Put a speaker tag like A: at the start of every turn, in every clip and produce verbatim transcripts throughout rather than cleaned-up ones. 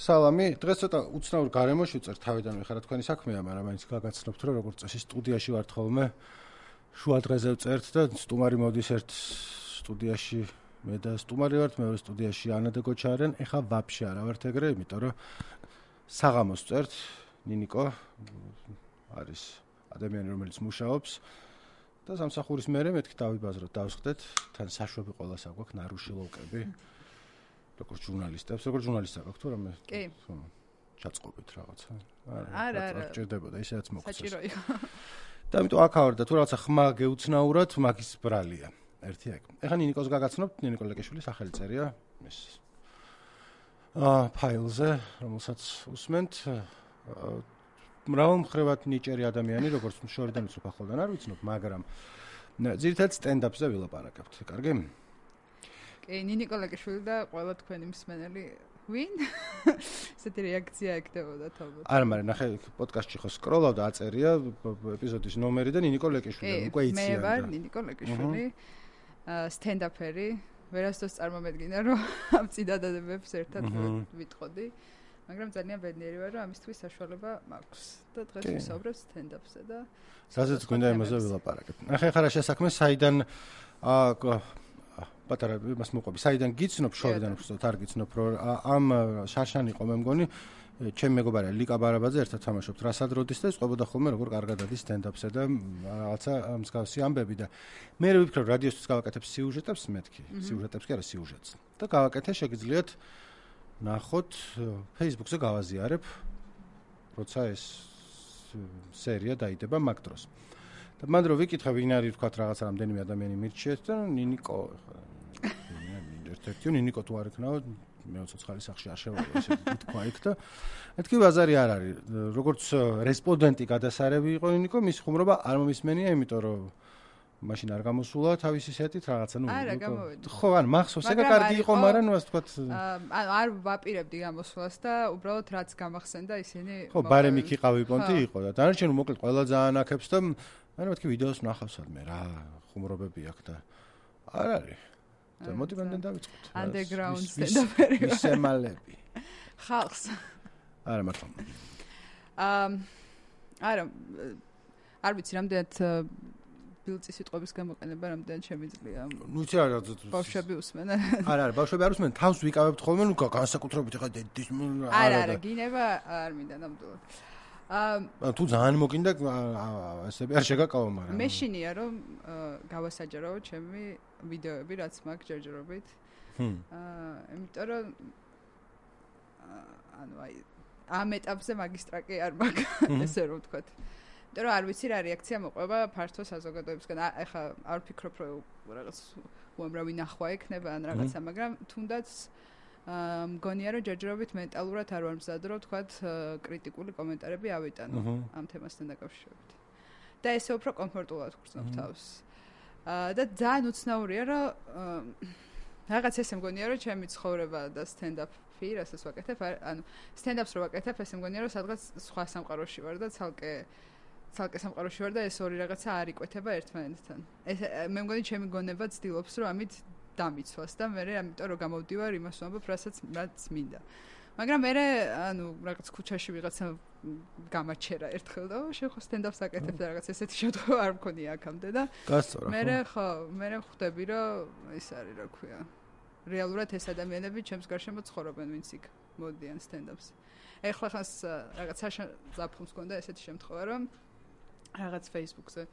A: სალამი. დღეს ცოტა უცნაურ გარემოში ვწერთ თავიდან ვიხარა თქვენი საქმეა, მაგრამ მაინც გაგაცნობთ, რომ როგორც წესი სტუდიაში ვართ ხოლმე. შუა დღეზე ვწერთ და სტუმარი მოდის ერთ სტუდიაში, მე და სტუმარი ვართ, მეორე სტუდიაში ანა და გოჩა არიან. ეხლა ვაფშე არა ვართ ეგრე, იმიტომ რომ საღამოს ვწერთ. ნინიკო არის ადამიანი, რომელიც მუშაობს და სამსახურის მერე მეთქი დავიბაზროთ, დავსხდეთ, თან საშვები ყველას აგვაქვს, ნარუში ლოკები. როგორც ჟურნალისტებს, როგორც ჟურნალისტს აქვს თუ რამე?
B: კი.
A: ჩაწყობით რაღაცა.
B: არა, არა.
A: ჭირდებოდა, ისედაც მოგწეს.
B: საჭირო იყო.
A: და ამიტომ აქ ავარ და თუ რაღაცა ხმა გეუცნაურად, მაგის ბრალია. ერთი ეგ. ეხლა ნინიკოს გაგაცნობთ, ნინიკო ლეკეშვილი სახელი წერია ეს აა ფაილზე, რომელსაც უსმენთ. მრავალმხრივად ნიჭერი ადამიანი, როგორც შორიდან უცნობ ახლოდან არ ვიცნობ, მაგრამ ძირითადად სტენდაპზე ვილაპარაკებთ. კარგი?
B: კი, ნინიკო ლეკეშვილი და ყველა თქვენი მსმენელი ვინ? ესეთი რეაქცია ეკდებოდა თალბათ.
A: არა, მაგრამ ნახე პოდკასტში ხო სკროლავ და აწერია ეპიზოდის ნომერი და ნინიკო ლეკეშვილი. უკვე იციან.
B: მე ვარ ნინიკო ლეკეშვილი. სტენდაპერი. ვერასდროს წარმომედგინა, რომ ამ წინადადებებს ერთად ვიტყოდი. მაგრამ ძალიან ბედნიერი ვარ, რომ ამისთვის საშუალება მაქვს. და დღეს ვისაუბრებ სტენდაპზე და
A: სადაც გვინდა იმაზე ვილაპარაკებ. ნახე ხარა შესაქმე საიდან აა პატარა იმას მოყვები. საიდან გიცნობ, შორიდან უბრალოდ არ გიცნობ, რომ ამ შარშან იყო მე მგონი, ჩემი მეგობარი ლიკა ბარაბაძე ერთად თამაშობთ რასად როდის და წყვებოდა ხოლმე როგორ კარგად ადის სტენდაპსა და რაღაცა მსგავსი ამბები და მე ვიფიქრე რადიოსთვის გავაკეთებ სიუჟეტებს მეთქი, სიუჟეტებს კი არა სიუჟეტს. და გავაკეთე შეგიძლიათ ნახოთ Facebook-ზე გავაზიარებ, როცა ეს სერია დაიდება მაგ დროს. და მან რო ვიკითხე ვინ არის თქვა რაღაცა რამდენიმე ადამიანი მირჩიეთ და ნინიკო ერთ-ერთი ნინიკო თუ არ იქნაო მე ცოცხალი სახში არ შევალო ესე თქვა იქ და მეთქი ბაზარი არ არის როგორც რესპონდენტი გადასარევი იყო ნინიკო მის ხუმრობა არ მომისმენია იმიტომ რომ მაშინ არ გამოსულა თავისი სეტით რაღაცა ნუ
B: არა გამოვედი
A: ხო ან მახსოვს ეგა კარგი იყო მაგრამ ნუ ასე თქვა
B: ანუ არ ვაპირებდი გამოსვლას და უბრალოდ რაც გამახსენდა ისინი
A: ხო ბარემი იყავი პონტი იყო და დანარჩენი მოკლედ ყველა ძალიან აქებს და ანუ მეთქი ვიდეოს ნახავსად მე რა ხუმრობები აქვს და არ არის და მოტივამდენ დავიწყოთ
B: underground სტენდაპერი
A: მისემალები
B: ხალხს
A: არა მართლა
B: აა არა არ ვიცი რამდენად ბილწის სიტყვების გამოყენება რამდენად შემიძლია
A: ნუ იცი რა
B: ბავშვები უსმენ
A: არა არა ბავშვები არ უსმენ თავს ვიკავებთ ხოლმე ნუ განსაკუთრებით ხა დედის
B: არა არა გინება არ მინდა ნამდვილად
A: აა თუ ძალიან მოკინდა ესე არ შეგაკავა მაგრამ
B: მეშინია რომ გავასაჯარო ჩემი ვიდეოები რაც მაქვს ჯერჯერობით აა იმიტომ რომ ანუ აი ამ ეტაპზე მაგისტრაკი არ მაქვს ესე რომ ვთქვათ იმიტომ რომ არ ვიცი რა რეაქცია მოყვება ფართო საზოგადოებისგან ეხლა არ ვფიქრობ რომ რაღაც უამრავი ნახვა ექნება ან რაღაცა მაგრამ თუნდაც მგონია რომ ჯერჯერობით მენტალურად არ ვარ მზად რომ ვთქვათ კრიტიკული კომენტარები ავიტანო ამ თემასთან დაკავშირებით და ესე უფრო კომფორტულად ვგრძნობ თავს და ძალიან უცნაურია რომ რაღაც ესე მგონია რომ ჩემი ცხოვრება და სტენდაპი რასაც ვაკეთებ ანუ სტენდაპს რო ვაკეთებ ესე მგონია რომ სადღაც სხვა სამყაროში ვარ და ცალკე ცალკე სამყაროში ვარ და ეს ორი რაღაცა არ იკვეთება ერთმანეთთან ეს მე მგონი ჩემი გონება ცდილობს რომ ამით დამიცვას და მე ამიტომ რომ გამოვდივარ იმას ვამბობ რასაც რაც მინდა მაგრამ მე ანუ რაღაც ქუჩაში ვიღაცა გამაჩერა ერთხელ და შენ ხო სტენდაპს აკეთებ და რაღაც ესეთი შემთხვევა არ მქონია აქამდე და მე ხო მე ხვდები რომ ის არის რა ქვია რეალურად ეს ადამიანები ჩემს გარშემო ცხოვრობენ ვინც იქ მოდიან სტენდაპს ეხლა ხას რაღაც ზაფხულს მქონდა ესეთი შემთხვევა რომ რაღაც Facebook-ზე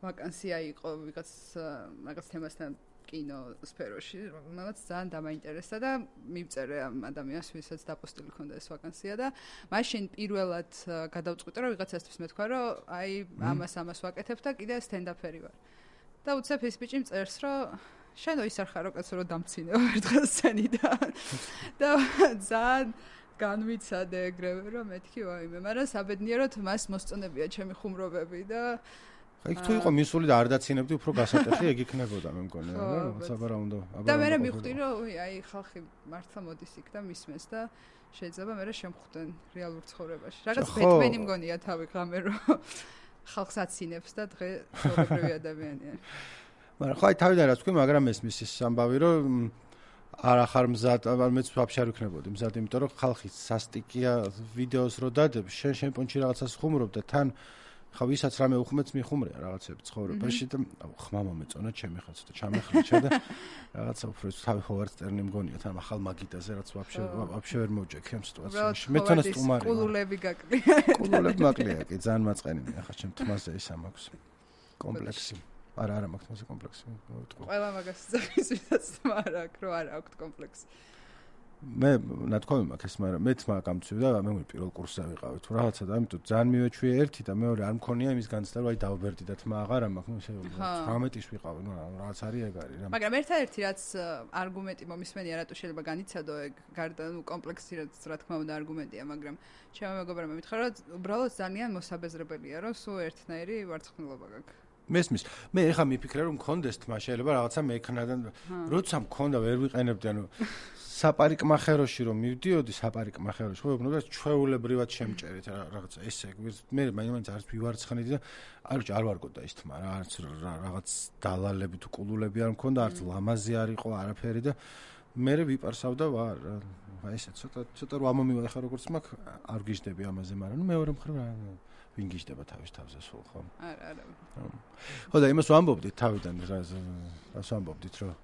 B: ვაკანსია იყო ვიღაც რაღაც თემასთან კინო სფეროში, რომელიც ძალიან დამაინტერესდა და მივწერე ამ ადამიანს, ვისაც დაპოსტილი ჰქონდა ეს ვაკანსია და მაშინ პირველად გადავწყვიტე, რომ ვიღაცასთვის მეთქვა, რომ აი ამას ამას ვაკეთებ და კიდე სტენდაპერი ვარ. და უცებ ის ბიჭი მწერს, რომ შენო ის არ ხარო კაცო, რომ დამცინეო ერთხელ სცენიდან. და ძალიან განვიცადე ეგრევე, რომ მეთქი ვაიმე, მაგრამ საბედნიეროდ მას მოსწონებია ჩემი ხუმრობები და
A: იქ თუ იყო მისული და არ დაცინებდი უფრო გასატეხი ეგ იქნებოდა მე მგონი რა რაღაცა რა უნდა
B: და მე მივხვდი რომ აი ხალხი მართლა მოდის იქ და მისმენს და შეიძლება მე შემხვდნენ რეალურ ცხოვრებაში რაღაც ბეტმენი მგონია თავი ღამე რომ ხალხს აცინებს და დღე ცხოვრებრივი ადამიანია
A: მაგრამ ხო აი თავიდან რაც თქვი მაგრამ ეს მის ამბავი რომ არ ახარ მზად, მეც ვაფშე არ ვიქნებოდი მზად, იმიტომ რომ ხალხი სასტიკია ვიდეოს რო დადებ, შენ შენ პონჩი რაღაცას ხუმრობ და თან ხა ვისაც რამე უხმეც მიხუმრია რაღაცები ცხოვრებაში და ხმა მომეწონა ჩემი ხა ცოტა ჩამეხლიჩა და რაღაცა უფრო თავი ჰოვარდსტერნი მგონია თან ახალ მაგიდაზე რაც ვაფშე ვაფშე ვერ მოვჭექი ამ სიტუაციაში. მე თვითონ სტუმარი.
B: კულულები გაკლია.
A: კულულები მაკლია კი, ძალიან მაწყენინია ხა ჩემ თმაზე ის ამაქვს კომპლექსი. არა არა მაქვს თმაზე კომპლექსი.
B: ყველა მაგას ძახის ვისაც თმარ აქვს, რომ არ აქვს კომპლექსი.
A: მე ნათქვამი მაქვს ეს, მაგრამ მეც მაგ გამწვი და მე მე პირველ კურსზე ვიყავი თუ რაღაცა და ამიტომ ძალიან მივეჩვიე ერთი და მეორე არ მქონია იმის განცდა რომ აი დავბერდი და თმა აღარა მაქვს, ნუ თვრამეტის ვიყავი, ნუ რაღაც არის ეგ არის რა.
B: მაგრამ ერთადერთი რაც არგუმენტი მომისმენია რატო შეიძლება განიცადო ეგ გარდა ნუ კომპლექსი რა თქმა უნდა არგუმენტია, მაგრამ ჩემო მეგობრებმა მითხრა რომ უბრალოდ ძალიან მოსაბეზრებელია რომ სულ ერთნაირი ვარცხნილობა გაქვს.
A: მესმის. მე ეხა მიფიქრე რომ მქონდეს თმა შეიძლება რაღაცა მექნა და როცა მქონდა ვერ ვიყენებდი ანუ საპარიკმახეროში რომ მივდიოდი საპარიკმახეროში ხო უნდა ჩვეულებრივად შემჭერით რაღაცა ესე მე მაინც არც ვივარცხნიდი და არ არ ვარგოდა ის თმა რა არც რაღაც დალალები თუ კულულები არ მქონდა არც ლამაზი არ იყო არაფერი და მე ვიპარსავდა ვარ აი ესე ცოტა ცოტა რა მომივა ეხა როგორც მაქვს არ გიждები ამაზე მაგრამ ნუ მეორე მხრივ რა ვინ გიждება თავის თავზე სულ ხო
B: არა არა
A: ხო და იმას ვამბობდით თავიდან რა რას ვამბობდით რომ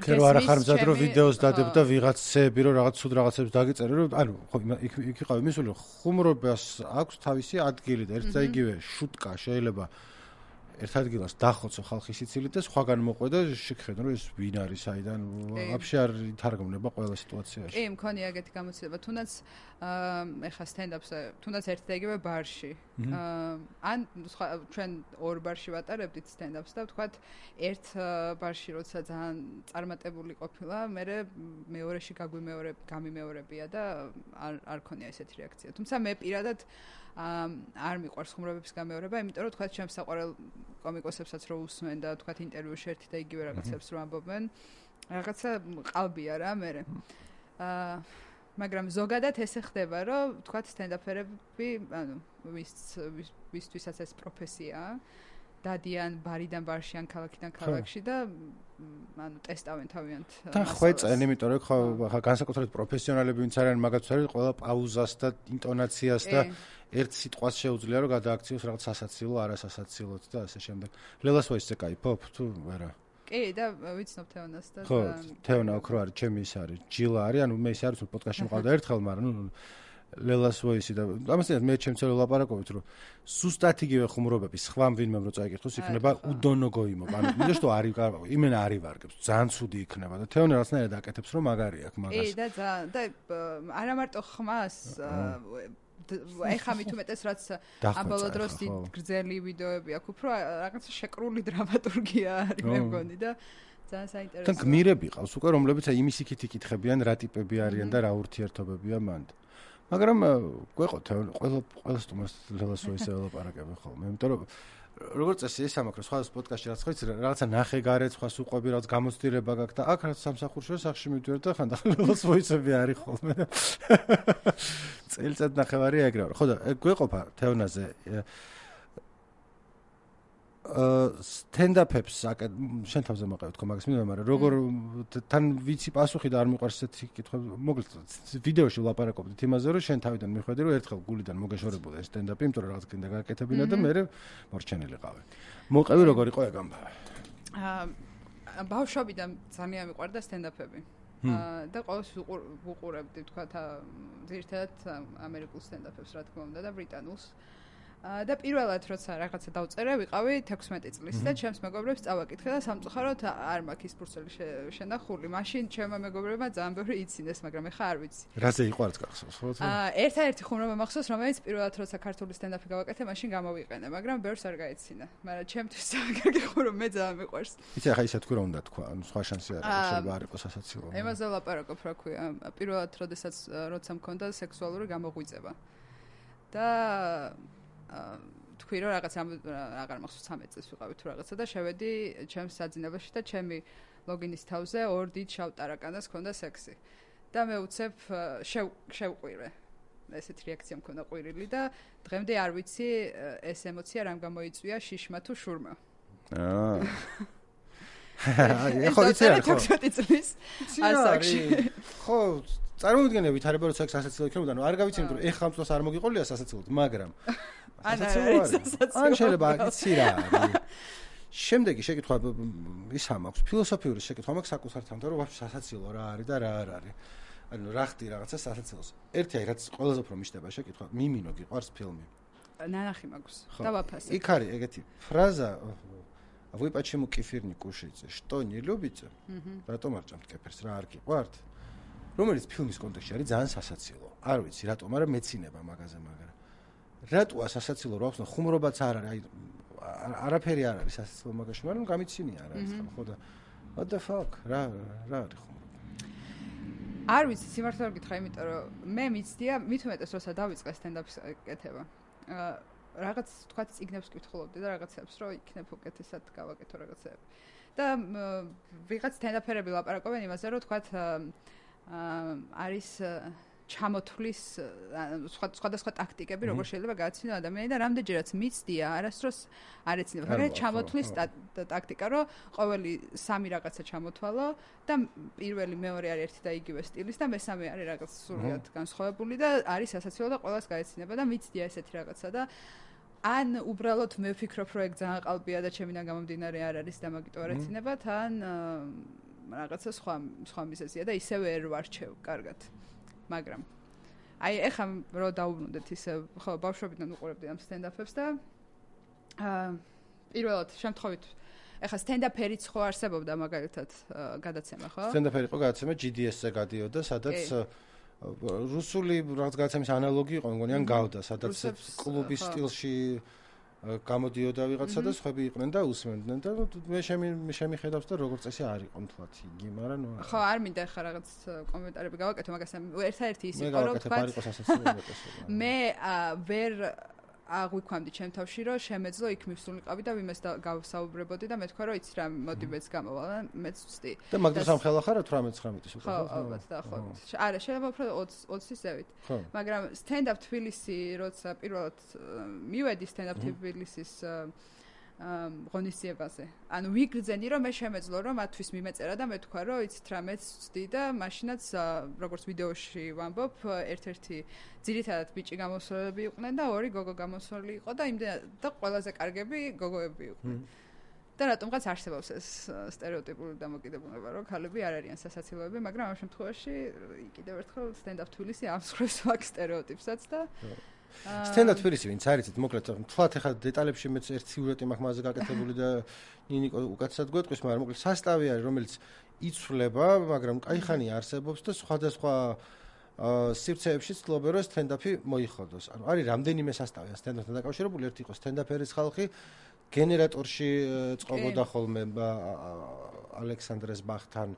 A: ქერო არ ახარ მზად რომ ვიდეოს დადებ და ვიღაცები რომ რაღაც ცუდ რაღაცებს დაგიწერე რომ ანუ ხო იქ იქ იყავი მისული ხუმრობას აქვს თავისი ადგილი და ერთ და იგივე შუტკა შეიძლება ერთ ადგილას დახოცო ხალხის სიცილით და სხვაგან მოყვე და შეგხედო რომ ეს ვინ არის აიდან ვაფშე არ ითარგმნება ყველა სიტუაციაში.
B: კი, მქონია ეგეთი გამოცდილება. თუნდაც ეხა სტენდაპზე, თუნდაც ერთ და იგივე ბარში. ან სხვა ჩვენ ორ ბარში ვატარებდით სტენდაპს და ვთქვათ ერთ ბარში როცა ძალიან წარმატებული ყოფილა, მე მეორეში გაგვიმეორე გამიმეორებია და არ არ ქონია ესეთი რეაქცია. თუმცა მე პირადად არ მიყვარს ხუმრობების გამეორება, იმიტომ რომ თქვათ ჩემს საყვარელ კომიკოსებსაც რო უსმენ და თქვათ ინტერვიუში ერთი და იგივე რაღაცებს რო ამბობენ, რაღაცა ყალბია რა მე. აა მაგრამ ზოგადად ესე ხდება, რომ თქვათ სტენდაპერები, ანუ ვის ვისთვისაც ეს პროფესიაა, დადიან ბარიდან ბარში ან ქალაქიდან ქალაქში და ანუ ტესტავენ თავიანთ
A: და ხვეწენ, იმიტომ რომ ხო განსაკუთრებით პროფესიონალები ვინც არიან მაგაც არის ყველა პაუზას და ინტონაციას და ერთ სიტყვას შეუძლია რომ გადააქციოს რაღაც სასაცილო, არასასაცილოდ და ასე შემდეგ. ლელას ვაისზე кайფობ თუ არა?
B: კი, და ვიცნობ თეონას და
A: ხო, თეონა ოქრო არის, ჩემი ის არის, ჯილა არის, ანუ მე ის არის რომ პოდკასტში მყავდა ერთხელ, მაგრამ ნუ ლელას ვაისი და ამასთან მე ჩემს ელაპარაკობთ რომ სუსტად იგივე ხუმრობები სხვა ვინმე რო წაიკითხოს იქნება უდონო გოიმო. ანუ მინდა რომ არის იმენა არის ვარგებს, ძალიან ცუდი იქნება და თეონა რაღაცნაირად აკეთებს რომ მაგარი აქვს მაგას.
B: კი, და და არა მარტო ხმას ეხა მით უმეტეს რაც ამბოლო დროს დიდ გრძელი ვიდეოები აქვს, უფრო რაღაცა შეკრული დრამატურგია არის მე მგონი და ძალიან საინტერესოა.
A: თან გმირები ყავს უკვე რომლებიც აი იმის იქით იკითხებიან რა ტიპები არიან და რა ურთიერთობებია მანდ. მაგრამ გვეყო ყველა ყველა სტუმარს ლელას ვაისზე ელაპარაკები ხოლმე, იმიტომ რომ როგორც წესი ეს ამაკრო სხვა პოდკასტში რაც ხოიც რაღაცა ნახე გარეთ სხვას უყვები რაღაც გამოცდილება გაქვს და აქ რაც სამსახურში სახში მივდივარ და ხანდახან ლელას ვაისები არის ხოლმე და წელიწად ნახევარი ეგრე ვარ. ხო და გვეყოფა თეონაზე აა სტენდაპებს შენ თავზე მოყევ თქო მაგას მინდა მაგრამ როგორ თან ვიცი პასუხი და არ მიყვარს ესეთი კითხვები მოკლედ ვიდეოში ვლაპარაკობდით იმაზე რომ შენ თავიდან მიხვედი რომ ერთხელ გულიდან მოგეშორებოდა ეს სტენდაპი იმიტომ რომ რაღაც კიდე გააკეთებინა და მე მორჩენილიყავი. მოყევი როგორ იყო ეგ ამბავი?
B: აა ბავშვობიდან ძალიან მიყვარდა სტენდაპები. აა და ყოველთვის ვუყურებდი თქვა ძირითადად ამერიკულ სტენდაპებს რა თქმა უნდა და ბრიტანულს. და პირველად როცა რაღაცა დავწერე, ვიყავი თექვსმეტი წლის და ჩემს მეგობრებს წავაკითხე და სამწუხაროდ არ მაქვს ის ფურცელი შენახული. მაშინ ჩემმა მეგობრებმა ძალიან ბევრი იცინეს, მაგრამ ეხა არ ვიცი.
A: რაზე იყო არც გახსოვს, ხო?
B: აა ერთადერთი ხუმრობა მახსოვს, რომელიც პირველად როცა ქართული სტენდაპი გავაკეთე, მაშინ გამოვიყენე, მაგრამ ბევრს არ გაეცინა. მაგრამ ჩემთვის კარგი ხუმრობა მე ძალიან მიყვარს.
A: იცი ახლა ისე თქვი რომ უნდა თქვა, ანუ სხვა შანსი არ არის, შეიძლება არ იყოს ასაცილო.
B: ემაზე ვლაპარაკობ, რა ქვია, პირველად როდესაც როცა მქონდა სექსუალური გამოღვიძება. და თქვი რომ რაღაც აღარ მახსოვს ცამეტ წელს ვიყავი თუ რაღაცა და შევედი ჩემს საძინებელში და ჩემი ლოგინის თავზე ორ დიდ შავ ტარაკანას ჰქონდა სექსი და მე უცებ შევყვირე ესეთ რეაქცია მქონდა ყვირილი და დღემდე არ ვიცი ეს ემოცია რამ გამოიწვია შიშმა თუ შურმა.
A: აა ხო იცი რა ხო
B: ოცდაოთხი წლის ასაკში
A: ხო წარმოვიდგენია ვითარება როცა სასაცილო იქნებოდა ანუ არ გავიცი იმიტომ რომ ეხლა ამ წელს არ მოგიყოლია სასაცილოდ მაგრამ
B: სასაცილო არის
A: ან შეიძლება იცი რა შემდეგი შეკითხვა ის ამაქვს ფილოსოფიური შეკითხვა მაქვს საკუთარ თამთან რომ ვაფშე სასაცილო რა არის და რა არ არის ანუ რა ხდი რაღაცა სასაცილოს ერთი აი რაც ყველაზე უფრო მიშდება შეკითხვა მიმინო გიყვარს ფილმი
B: ნანახი მაქვს და ვაფასებ
A: იქ არის ეგეთი ფრაზა вы почему кефир не кушаете что не любите რატომ არ ჭამთ კეფირს რა არ გიყვართ რომელიც ფილმის კონტექსტში არის ძალიან სასაცილო არ ვიცი რატომ მაგრამ მეცინება მაგაზე მაგრამ რატოა სასაცილო რო აქვს ხუმრობაც არ არის აი არაფერი არ არის სასაცილო მაგაში მაგრამ გამიცინია რა ის ხო და what the fuck რა რა არის ხუმრობა
B: არ ვიცი სიმართლე რომ გითხრა იმიტომ რომ მე მიცდია მით უმეტეს როცა დავიწყე სტენდაპის კეთება რაღაც თქვა ციგნებს კითხულობდი და რაღაცებს რომ იქნებ უკეთესად გავაკეთო რაღაცები და ვიღაც სტენდაპერები ლაპარაკობენ იმაზე რომ თქვა არის ჩამოთვლის სხვადასხვა ტაქტიკები როგორ შეიძლება გააცნო ადამიანი და რამდენჯერაც მიცდია არასდროს არ ეცნება მაგრამ ჩამოთვლის ტაქტიკა რომ ყოველი სამი რაღაცა ჩამოთვალო და პირველი მეორე არის ერთი და იგივე სტილის და მესამე არის რაღაც სრულად განსხვავებული და არის სასაცილო და ყველას გაეცნება და მიცდია ესეთი რაღაცა და ან უბრალოდ მე ვფიქრობ რომ ეგ ძალიან ყალბია და ჩემიდან გამომდინარე არ არის და მაგიტო არ ეცინებათ ან რაღაცა სხვა სხვა მიზეზია და ისევე ვერ ვარჩევ კარგად მაგრამ აი ეხლა რო დაუბრუნდეთ ისე ხო ბავშვობიდან უყურებდი ამ სტენდაპებს და აა პირველად შემთხვევით ეხლა სტენდაპერიც ხო არსებობდა მაგალითად გადაცემა ხო
A: სტენდაპერი იყო გადაცემა ჯი დი ეს-ზე გადიოდა სადაც რუსული რაღაც გადაცემის ანალოგი იყო მგონი ან გავდა სადაც კლუბის სტილში გამოდიოდა ვიღაცა და სხვები იყვნენ და უსმენდნენ და მე შემიხედავს და როგორც წესი არ იყო თვათ იგი მაგრამ ნუ
B: ხო არ მინდა ხა რაღაც კომენტარები გავაკეთო მაგას ერთადერთი ის იყო რომ თქვა მე ვერ აღვიქვამდი ჩემ თავში რომ შემეძლო იქ მივსულიყავი და ვიმეს გავსაუბრებოდი და მე თქვა რომ იცი რა მოდი მეც გამოვალ მეც ვწდი
A: და მაგდროს ამ ხელა ხარ ათვრამეტ ცხრამეტი
B: ხო ალბათ დაახლოებით არა შეიძლება უფრო ოცი ზევით მაგრამ სტენდაპ თბილისი როცა პირველად მივედი სტენდაპ თბილისის ღონისძიებაზე ანუ ვიგრძენი რომ მე შემეძლო რომ მათთვის მიმეწერა და მე თქვა რომ იცით რა მეც ვწდი და მაშინაც როგორც ვიდეოში ვამბობ ერთ-ერთი ძირითადად ბიჭი გამოსვლები იყვნენ და ორი გოგო გამოსვლი იყო და იმდენად და ყველაზე კარგები გოგოები იყვნენ და რატომღაც არსებობს ეს სტერეოტიპული დამოკიდებულება რომ ქალები არ არიან სასაცილოები მაგრამ ამ შემთხვევაში კიდევ ერთხელ სტენდაპ თბილისი ამსხვრევს მაგ სტერეოტიპსაც და
A: სტენდაპ თბილისი ვინც არიცით მოკლედ თქვათ ახლა დეტალებში მეც ერთ სიუჟეტი მაქვს მასზე გაკეთებული და ნინიკო უკეთესად გვეტყვის მაგრამ მოკლედ სასტავი არის რომელიც იცვლება მაგრამ კაი ხანი არსებობს და სხვადასხვა სივრცეებში ცდილობენ რომ სტენდაპი მოიხოდოს ანუ არის რამდენიმე სასტავი სტენდაპთან დაკავშირებული ერთი იყო სტენდაპერის ხალხი გენერატორში წყობოდა ხოლმე ალექსანდრეს ბახთან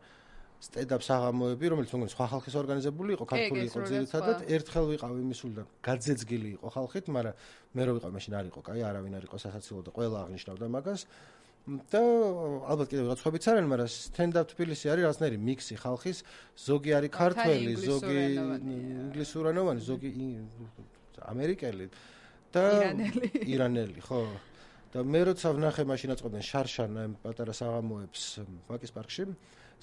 A: სტენდაპ საღამოები, რომელიც მოგონი სხვა ხალხის ორგანიზებული იყო, ქართული იყო ძირითადად, ერთხელ ვიყავ იმისულიდან, გაძეძგილი იყო ხალხით, მაგრამ მე რო ვიყავ მაშინ არ იყო, კაი, არავინ არ იყო სასაცილო და ყველა აღნიშნავდა მაგას. და ალბათ კიდევ რაღაც ხვებიც არიან, მაგრამ სტენდაპ თბილისი არის რაღაცნაირი მიქსი ხალხის, ზოგი არის ქართველი, ზოგი ინგლისურენოვანი, ზოგი ამერიკელი და ირანელი, ხო. და მე როცა ვნახე მაშინ აწყობდნენ შარშანა ამ პატარა საღამოებს ვაკის პარკში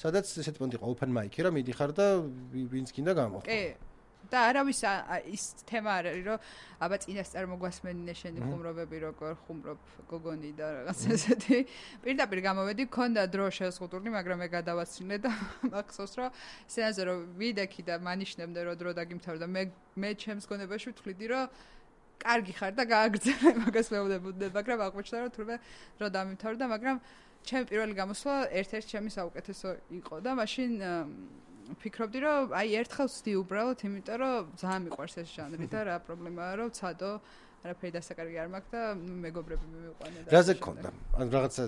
A: სადაც ესეთი პონტი იყო open mic-ი რა მიდიხარ და ვინც გინდა გამოხო.
B: კი. და არავის ის თემა არ არის რომ აბა წინასწარ მოგვასმენინე შენი ხუმრობები როგორ ხუმრობ გოგონი და რაღაც ესეთი. პირდაპირ გამოვედი, მქონდა დრო შეზღუდული, მაგრამ მე გადავაცილე და მახსოვს რომ სცენაზე რომ ვიდექი და მანიშნებდე რომ დრო დაგიმთავრდა მე მე ჩემს გონებაში ვთვლიდი რომ კარგი ხარ და გააგრძელე მაგას მეუბნებოდი, მაგრამ აღმოჩნდა რომ თურმე დრო დამიმთავრდა, მაგრამ ჩემი პირველი გამოსვლა ერთ-ერთი ჩემი საუკეთესო იყო და მაშინ ვფიქრობდი რომ აი ერთხელ ვცდი უბრალოდ იმიტომ რომ ძალიან მიყვარს ეს ჟანრი და რა პრობლემაა რომ ცადო არაფერი დასაკარგი არ მაქვს და მეგობრები მივიყვანე და
A: რაზე გქონდა ან რაღაცა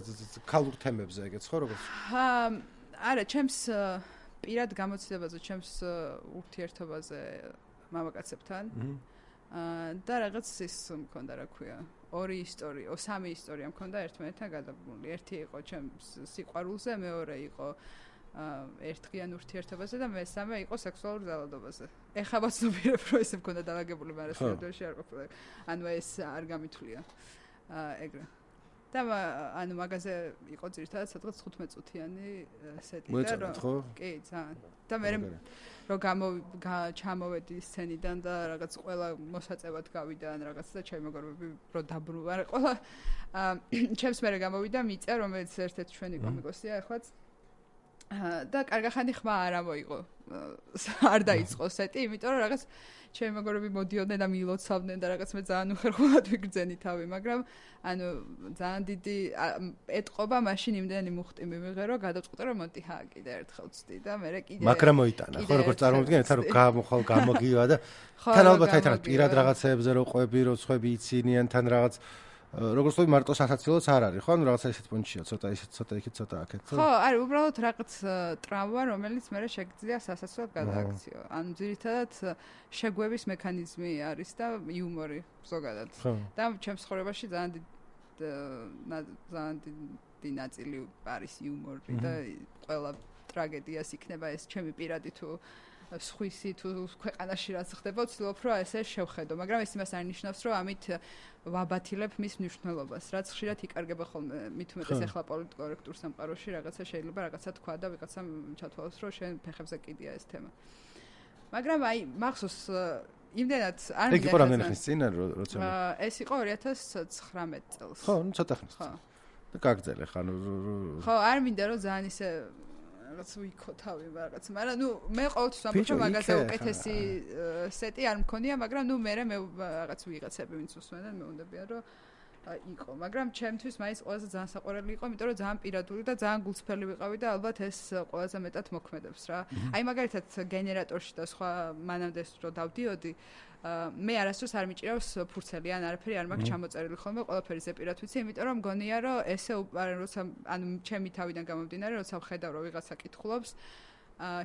A: ქალურ თემებზე ეგეც ხო როგორც
B: არა ჩემს პირად გამოცდილებაზე ჩემს ურთიერთობაზე მამაკაცებთან და რაღაც ის მქონდა რა ქვია ორი ისტორია, სამი ისტორია მქონდა ერთმანეთთან გადაბმული. ერთი იყო ჩემს სიყვარულზე, მეორე იყო ერთდღიან ურთიერთობაზე და მესამე იყო სექსუალურ ძალადობაზე. ეხლა ვაცნობიერებ, რომ ესე მქონდა დაალაგებული, მაგრამ სერიოზში არ ყოფილა. ანუ ეს არ გამithვლია. ეგრე. და ანუ მაგაზე იყო ძირითადად სადღაც თხუთმეტ წუთიანი სეტი
A: და რომ
B: კი ძალიან და მე რომ გამო ჩამოვედი სცენიდან და რაღაც ყველა მოსაწევად გავიდა ან რაღაც და ჩემი მეგობრები რო დაბრუნდა ყველა ჩემს მერე გამოვიდა მიწა რომელიც ერთ-ერთი ჩვენი კომიკოსია ახლაც და კარგახანი ხმა არ ამოიღო არ დაიწყო სეტი იმიტომ რომ რაღაც ჩემი მეგობრები მოდიოდნენ და მიილოცავდნენ და რაღაც მე ძალიან უხერხულად ვიგრძენი თავი მაგრამ ანუ ძალიან დიდი ეტყობა მაშინ იმდენი მუხტი მივიღე რომ გადავწყვიტე რომ მოდი ჰა კიდე ერთხელ ვწდი და მე კიდე
A: მაგრამ მოიტანა ხო როგორც წარმოვიდგენთ რომ გამოხალ გამოგივა და თან ალბათ აი თან პირად რაღაცეებზე რო ყვები რო ხვები იცინიან თან რაღაც როგორც ვთქვი მარტო სასაცილოც არ არის ხო ანუ რაღაცა ისეთ პონჩია ცოტა ისეთ ცოტა იქით ცოტა აქეთ
B: ხო არის უბრალოდ რაღაც ტრავმა რომელიც მე შეგძლია სასაცილოდ გადააქციო ანუ ძირითადად შეგვების მექანიზმი არის და იუმორი ზოგადად და ჩემს ცხოვრებაში ძალიან ძალიან დიდი ნაწილი არის იუმორი და ყველა ტრაგედიას იქნება ეს ჩემი პირადი თუ სხვისი თუ ქვეყანაში რაც ხდება ვცდილობ რომ ესე შევხედო მაგრამ ეს იმას არ ნიშნავს რომ ამით ვაბათილებ მის მნიშვნელობას რაც ხშირად იკარგება ხოლმე მით უმეტეს ახლა პოლიტკორექტურ სამყაროში რაღაცა შეიძლება რაღაცა თქვა და ვიღაცამ ჩათვალოს რომ შენ ფეხებზე კიდია ეს თემა მაგრამ აი მახსოვს იმდენად არ
A: მინდა ეგ იყო რამდენი ხნის წინ როცა
B: ეს იყო ორი ათას ცხრამეტ წელს
A: ხო ნუ ცოტა ხნის წინ და გაგძელე ხან
B: ხო არ მინდა რომ ძალიან ისე რაღაც ვიქო თავი რაღაც მაგრამ ნუ მე ყოველთვის ვამბობ რომ მაგაზე უკეთესი სეტი არ მქონია მაგრამ ნუ მე მე რაღაც ვიღაცები ვინც უსმენენ მე უნდებიან რომ იყო მაგრამ ჩემთვის მაინც ყველაზე ძალიან საყვარელი იყო იმიტომ რომ ძალიან პირადული და ძალიან გულწრფელი ვიყავი და ალბათ ეს ყველაზე მეტად მოქმედებს რა აი მაგალითად გენერატორში და სხვა მანამდე რო დავდიოდი მე არასდროს არ მიჭირავს ფურცელი ან არაფერი არ მაქვს ჩამოწერილი ხოლმე ყველაფერი ზეპირად ვიცი იმიტომ რომ მგონია რომ ესე როცა ანუ ჩემი თავიდან გამომდინარე როცა ვხედავ რომ ვიღაცა კითხულობს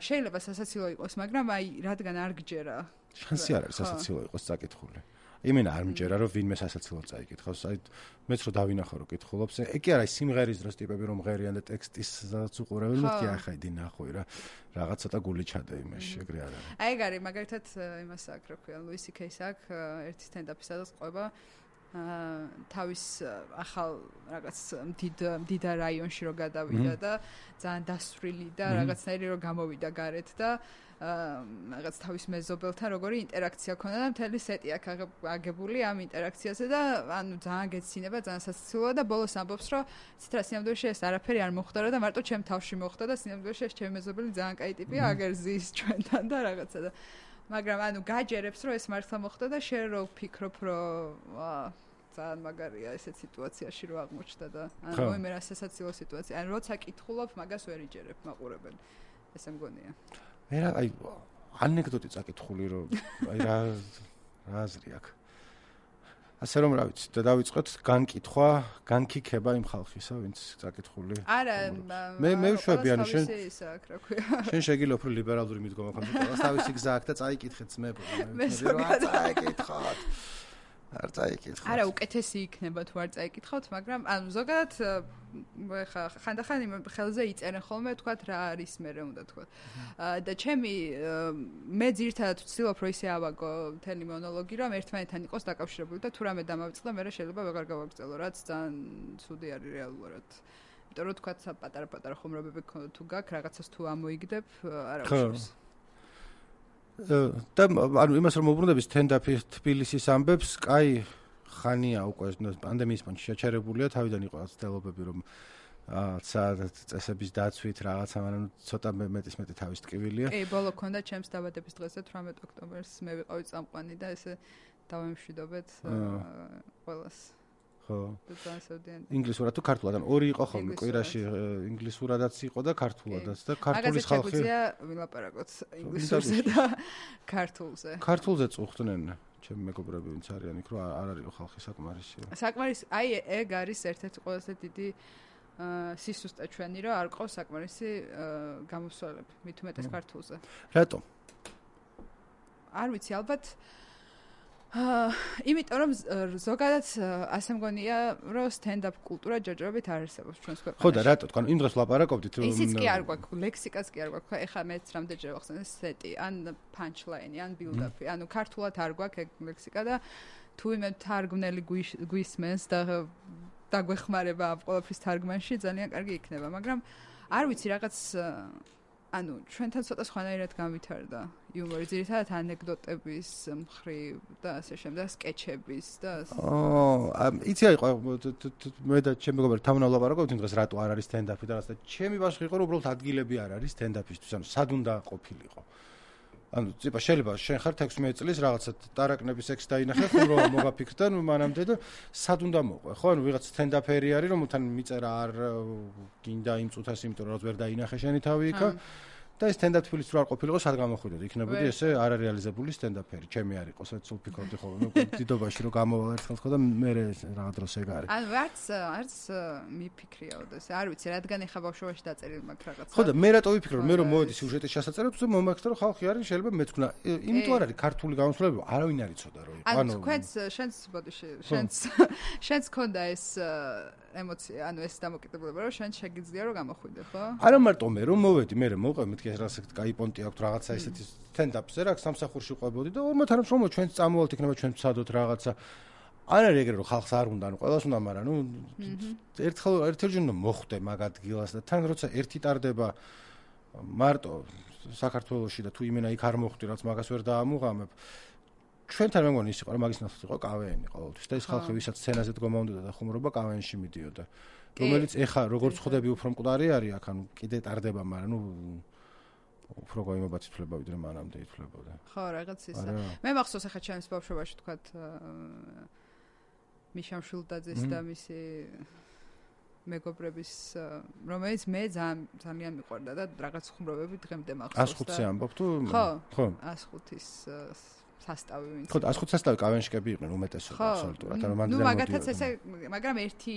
B: შეიძლება სასაცილო იყოს მაგრამ აი რადგან არ გჯერა
A: შანსი არ არის სასაცილო იყოს საკითხული იმენა არ მჯერა რომ ვინმე სასაცილო წაიკითხავს აი მეც რო დავინახო რომ კითხულობს ეგ კი არის სიმღერის დროს ტიპები რომ ღერიან და ტექსტისაც უყურებენ მეთქი ახლა იდი ნახვი რა რაღაც ცოტა გული ჩადე იმაში ეგრე არ არის
B: აი ეგ არის მაგალითად იმას აქ რა ქვია ლუისი კეის აქ ერთი სტენდაპისადაც ყובה თავის ახალ რაღაც დიდ დიდ რაიონში რო გადავიდა და ძალიან დასვრილი და რაღაცნაირი რო გამოვიდა გარეთ და რაღაც თავის მეზობელთან როგორი ინტერაქცია ქონდა და მთელი სეტი აქ აგებული ამ ინტერაქციაზე და ანუ ძალიან გეცინება ძალიან სასაცილოა და ბოლოს ამბობს რომ ცითრა სინამდვილეში ეს არაფერი არ მოხდა და მარტო ჩემ თავში მოხდა და სინამდვილეში ეს ჩემი მეზობელი ძალიან კაი ტიპია აგერ ზის ჩვენთან და რაღაცა და მაგრამ ანუ გაჯერებს რომ ეს მართლა მოხდა და შენ რო ვფიქრობ რომ ძალიან მაგარია ესეთ სიტუაციაში რო აღმოჩნდა და ანუ მე რა სასაცილო სიტუაცია ან როცა კითხულობ მაგას ვერ იჯერებ მაყურებელი ესე მგონია
A: მე რა აი ანეკდოტი წაკითხული რომ აი რა რა აზრი აქვს ასე რომ რა ვიცი და დავიწყოთ განკითხვა განკიქება იმ ხალხისა ვინც წაკითხული
B: არა
A: მე მე ვშვები ანუ შენ
B: ისაკ რა ქვია
A: შენ შეგიძლია უფრო ლიბერალური მიდგომა ქონდეს ყველას თავისი გზა აქვს და წაიკითხეთ მე მე რა წაიკითხოთ არ წაიკითხოთ
B: არა უკეთესი იქნება თუ არ წაიკითხოთ მაგრამ ანუ ზოგადად ხა ხანდახან იმ ხელზე იწერენ ხოლმე თქვათ რა არის მე რა უნდა თქვა და ჩემი მე ძირითადად ვცდილობ რომ ისე ავაგო მთელი მონოლოგი რომ ერთმანეთთან იყოს დაკავშირებული და თუ რამე დამავიწყდა მე შეიძლება ვეღარ გავაგრძელო რაც ძალიან ცუდი არის რეალურად იმიტომ რომ თქვათ პატარა-პატარა ხომრობები თუ გაქვს რაღაცას თუ ამოიგდებ არა უშავს
A: და ანუ იმას რომ მოbrunდები სტენდაპი თბილისის ამბებს, კაი ხანია უკვე პანდემიის პონჩი შეჩერებულია, თავიდან იყო ცდილობები რომ ცა წესების დაცვით რაღაცა, მაგრამ ცოტა მეტის მეტი თავის ტკივილია.
B: კი, ბოლო ქონდა ჩემს დაბადების დღეზე თვრამეტ ოქტომბერს მე ვიყავი წამყვანი და ესე დავემშვიდობეთ ყველას. ხო. ინგლისურად თუ ქართულად, ან ორი იყო ხოლმე კვირაში ინგლისურადაც იყო და ქართულადაც და ქართულის ხალხი. მაგაზე შეგვიძლია ვილაპარაკოთ ინგლისურზე და ქართულზე.
A: ქართულზე წუხდნენ ჩემი მეგობრები ვინც არიან იქ რომ არ არის ხალხი საკმარისი.
B: საკმარისი, აი ეგ არის ერთ-ერთი ყველაზე დიდი სისუსტე ჩვენი რომ არ ყავს საკმარისი გამოსვლები მით უმეტეს ქართულზე.
A: რატომ?
B: არ ვიცი, ალბათ აა იმიტომ რომ ზოგადად ასე მგონია რომ სტენდაპ კულტურა ჯერჯერობით არ არსებობს ჩვენს ქვეყანაში.
A: ხო და რატო თქვენ იმ დროს ლაპარაკობდით
B: რომ ისიც კი არ გვაქვს, ლექსიკაც კი არ გვაქვს. ეხლა მეც რამდენჯერ ვახსენე სეტი, ან პანჩლაინი, ან ბილდაპი. ანუ ქართულად არ გვაქვს ეგ ლექსიკა და თუ იმე თარგმნელი გვისმენს და დაგვეხმარება ამ ყველაფრის თარგმანში ძალიან კარგი იქნება, მაგრამ არ ვიცი რაღაც ანუ ჩვენთან ცოტა სხვანაირად გამვითარდა იუმორი, ძირითადად ანეკდოტების მხრივ და ასე შემდეგ, სკეჩების და
A: აა იცი აი მე და ჩემი მეგობარი თავნა ვლაპარაკობთ იმ დღეს რატო არ არის სტენდაპი და რაღაცა ჩემი ბავშვი იყო რომ უბრალოდ ადგილები არ არის სტენდაპისთვის, ანუ სად უნდა ყოფილიყო. ანუ წიპა შეიძლება შენ ხარ ექვსმეტ წლის რაღაცა ტარაკნების ექს დაინახე ხუმრობა მოგაფიქრდა ნუ მანამდე და სად უნდა მოყვე ხო ანუ ვიღაც სტენდაპერი არის რომელთან მიწერა არ გინდა იმ წუთას იმიტომ რომ ვერ დაინახე შენი თავი იქა და ეს სტენდაპ თბილისში რო არ ყოფილიყო სად გამოხვიდოდი იქნებოდი ესე არარეალიზებული სტენდაპერი ჩემი არ იყო სულ ფიქრობდი ხოლმე დიდობაში რომ გამოვალ ერთხელ ხო და მე რაღაც დროს ეგ არის
B: ანუ არც არც მიფიქრიაო და არ ვიცი რადგან ეხა ბავშვობაში დაწერილი მაქვს რაღაცა
A: ხო და მე რატო ვიფიქრე რომ მე რომ მოვედი სიუჟეტის შესაწერად უბრალოდ მომაქვს რომ ხალხი არის შეიძლება მეც ვქნა იმიტომ არ არის ქართული გამოსვლები არავინ არ იცოდა რომ იყო
B: ანუ თქვენს შენს ბოდი შენს შენს ქონდა ეს ემოცია ანუ ეს დამოკიდებულება რომ შენ შეგიძლია რომ გამოხვიდე ხო
A: არა მარტო მე რომ მოვედი მე რომ მოვყე მეთქი რაღაცა კაი პონტი აქვს რაღაცა ესეთი სტენდაპზე რა სამსახურში ყვებოდი და ორმოთ არ მომო ჩვენც წამოვალთ იქნება ჩვენ ვცადოთ რაღაცა არ არის ეგრე რომ ხალხს არ უნდა ანუ ყველას უნდა მაგრამ ნუ ერთხელ ერთჯერ უნდა მოხვდე მაგ ადგილას და თან როცა ერთი ტარდება მარტო საქართველოში და თუ იმენა იქ არ მოხვდი რაც მაგას ვერ დაამუღამებ ჩვენთან მე მგონი ის იყო რომ მაგის ნაცვლად იყო კავეენი ყოველთვის და ის ხალხი ვისაც სცენაზე დგომა უნდა და ხუმრობა კავეენში მიდიოდა რომელიც ეხა როგორც ხვდები უფრო მკვდარი არის აქ ანუ კიდე ტარდება მაგრამ ნუ უფრო გამოიმობაც ითვლება ვიდრე მანამდე ითვლებოდა
B: ხო რაღაც ისა მე მახსოვს ახლა ჩემს ბავშვობაში თქვათ მიშამ შულდაძის და მისი მეგობრების რომელიც მე ძალიან მიყვარდა და რაღაც ხუმრობები დღემდე მახსოვს
A: ას ხუთზე ამბობ თუ
B: ხო ხო ას ხუთის სასტავი ვინც
A: ხო ას ხუთი სასტავი კავენშკები იყვნენ უმეტესობა აბსოლუტურად ანუ მანდ
B: ნუ მაგათაც ესე მაგრამ ერთი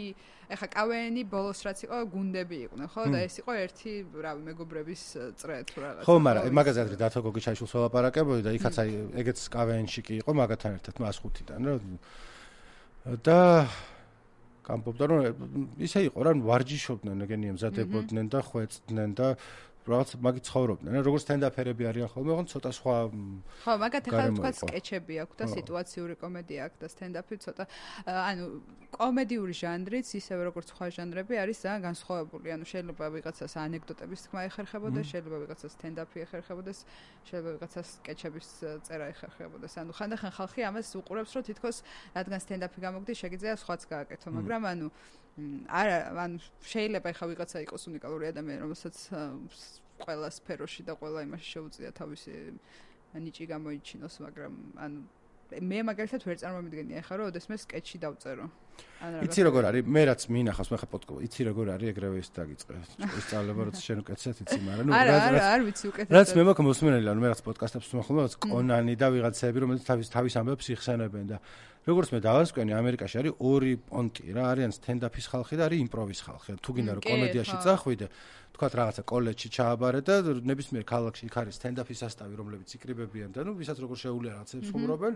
B: ეხა კავენი ბოლოს რაც იყო გუნდები იყვნენ ხო და ეს იყო ერთი რავი მეგობრების წრე თუ რაღაც
A: ხო მაგრამ მაგაზე ადრე დათო გოგიჩაიშვილს ველაპარაკებოდი და იქაც აი ეგეც კავენში კი იყო მაგათთან ერთად ას ხუთიდან რა და გამბობდა რომ ისე იყო რა ვარჯიშობდნენ ეგენი ემზადებოდნენ და ხვეწდნენ და რაღაც მაგი ცხოვრობდნენ რა როგორც სტენდაპერები არიან ხოლმე ოღონდ ცოტა სხვა
B: ხო მაგათ ახლა თქვა სკეჩები აქვს და სიტუაციური კომედია აქვს და სტენდაპი ცოტა ანუ კომედიური ჟანრიც ისევე როგორც სხვა ჟანრები არის ძალიან განსხვავებული ანუ შეიძლება ვიღაცას ანეკდოტების თქმა ეხერხებოდეს შეიძლება ვიღაცას სტენდაპი ეხერხებოდეს შეიძლება ვიღაცას სკეჩების წერა ეხერხებოდეს ანუ ხანდახან ხალხი ამას უყურებს რომ თითქოს რადგან სტენდაპი გამოგდის შეგიძლია სხვაც გააკეთო მაგრამ ანუ არა ანუ შეიძლება ეხა ვიღაცა იყოს უნიკალური ადამიანი რომელსაც ყველა სფეროში და ყველა იმაში შეუძლია თავისი ნიჭი გამოიჩინოს მაგრამ ანუ მე მაგალითად ვერ წარმომიდგენია ეხა რომ ოდესმე სკეჩი დავწერო
A: იცი როგორ არის მე რაც მინახავს მე ხა პოდკასტ იცი როგორ არის ეგრევე ის დაგიწყე სწავლება როცა შენ უკეთესად იცი მაგრამ ნუ
B: არა არა არ ვიცი უკეთესად
A: რაც მე მაქვს მოსმენელი ანუ მე რაც პოდკასტებს ვსმენხო რაღაც კონანი და ვიღაცები რომელიც თავის თავის ამბებს იხსენებენ და როგორც მე დავასკვენი ამერიკაში არის ორი პონტი რა არიან სტენდაპის ხალხი და არის იმპროვის ხალხი თუ გინდა რომ კომედიაში წახვიდე თქვათ რაღაცა კოლეჯში ჩააბარე და ნებისმიერ ქალაქში იქ არის სტენდაპის სასტავი რომლებიც იკრიბებიან და ნუ ვისაც როგორ შეუძლია რაღაცებს ხუმრობენ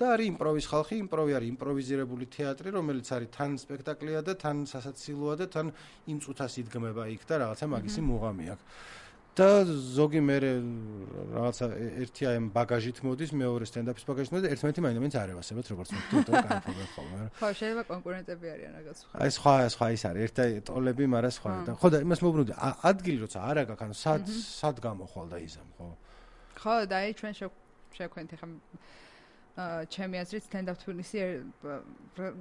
A: და არის იმპროვის ხალხი იმპროვი არის იმპროვიზირებული თეატრი რომელიც არის თან სპექტაკლია და თან სასაცილოა და თან იმ წუთას იდგმება იქ და რაღაცა მაგისი მუღამი აქვს და ზოგი მე რაღაცა ერთი აი ამ ბაგაჟით მოდის მეორე სტენდაპის ბაგაჟით მოდის და ერთმანეთი მაინც არ ევასებათ როგორც მოხდა და კაიფობენ ხოლმე
B: ხო შეიძლება კონკურენტები არიან რაღაც სხვა
A: აი სხვა სხვა ის არის ერთი ტოლები მაგრამ სხვა და ხო და იმას მოbrunდი ადგილი როცა არა გაქვს ანუ სად სად გამოხვალ და იზამ ხო
B: ხო და აი ჩვენ შევქვენთ ხა ჩემი აზრით სტენდაპ თბილისი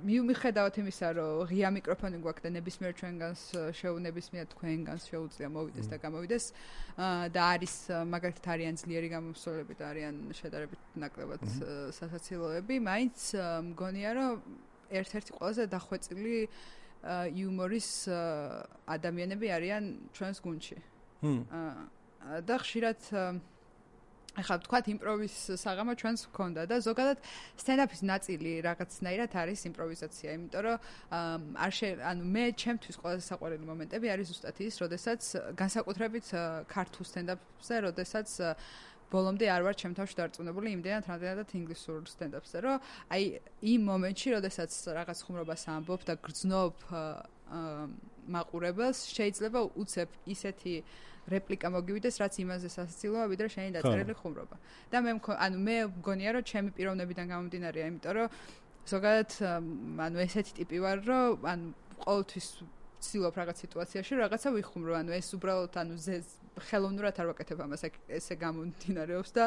B: მიუხედავად იმისა რომ ღია მიკროფონი გვაქვს და ნებისმიერ ჩვენგანს შეუნებისმიერ თქვენგანს შეუძლია მოვიდეს და გამოვიდეს და არის მაგალითად არიან ძლიერი გამომსვლელები და არიან შედარებით ნაკლებად სასაცილოები მაინც მგონია რომ ერთ-ერთი ყველაზე დახვეწილი იუმორის ადამიანები არიან ჩვენს გუნდში და ხშირად ახლა თქვათ იმპროვის საღამო ჩვენს გქონდა და ზოგადად სტენდაპის ნაწილი რაღაცნაირად არის იმპროვიზაცია, იმიტომ რომ არ შე ანუ მე ჩემთვის ყველაზე საყვარელი მომენტები არის ზუსტად ის, როდესაც განსაკუთრებით ქართულ სტენდაპზე, როდესაც ბოლომდე არ ვარ ჩემ თავში დარწმუნებული იმდენად რამდენადაც ინგლისურ სტენდაპზე, რომ აი იმ მომენტში, როდესაც რაღაც ხუმრობას ამბობ და გრძნობ მაყურებელს, შეიძლება უცებ ისეთი რეპლიკა მოგივიდეს, რაც იმაზე სასაცილოა, ვიდრე შენი დაწერილი ხუმრობა. და მე ანუ მე მგონია, რომ ჩემი პიროვნებიდან გამომდინარეა, იმიტომ რომ ზოგადად ანუ ესეთი ტიპი ვარ, რომ ანუ ყოველთვის ვცდილობ რაღაც სიტუაციაში რაღაცა ვიხუმრო, ანუ ეს უბრალოდ ანუ ხელოვნურად არ ვაკეთებ ამას, ესე გამომდინარეობს და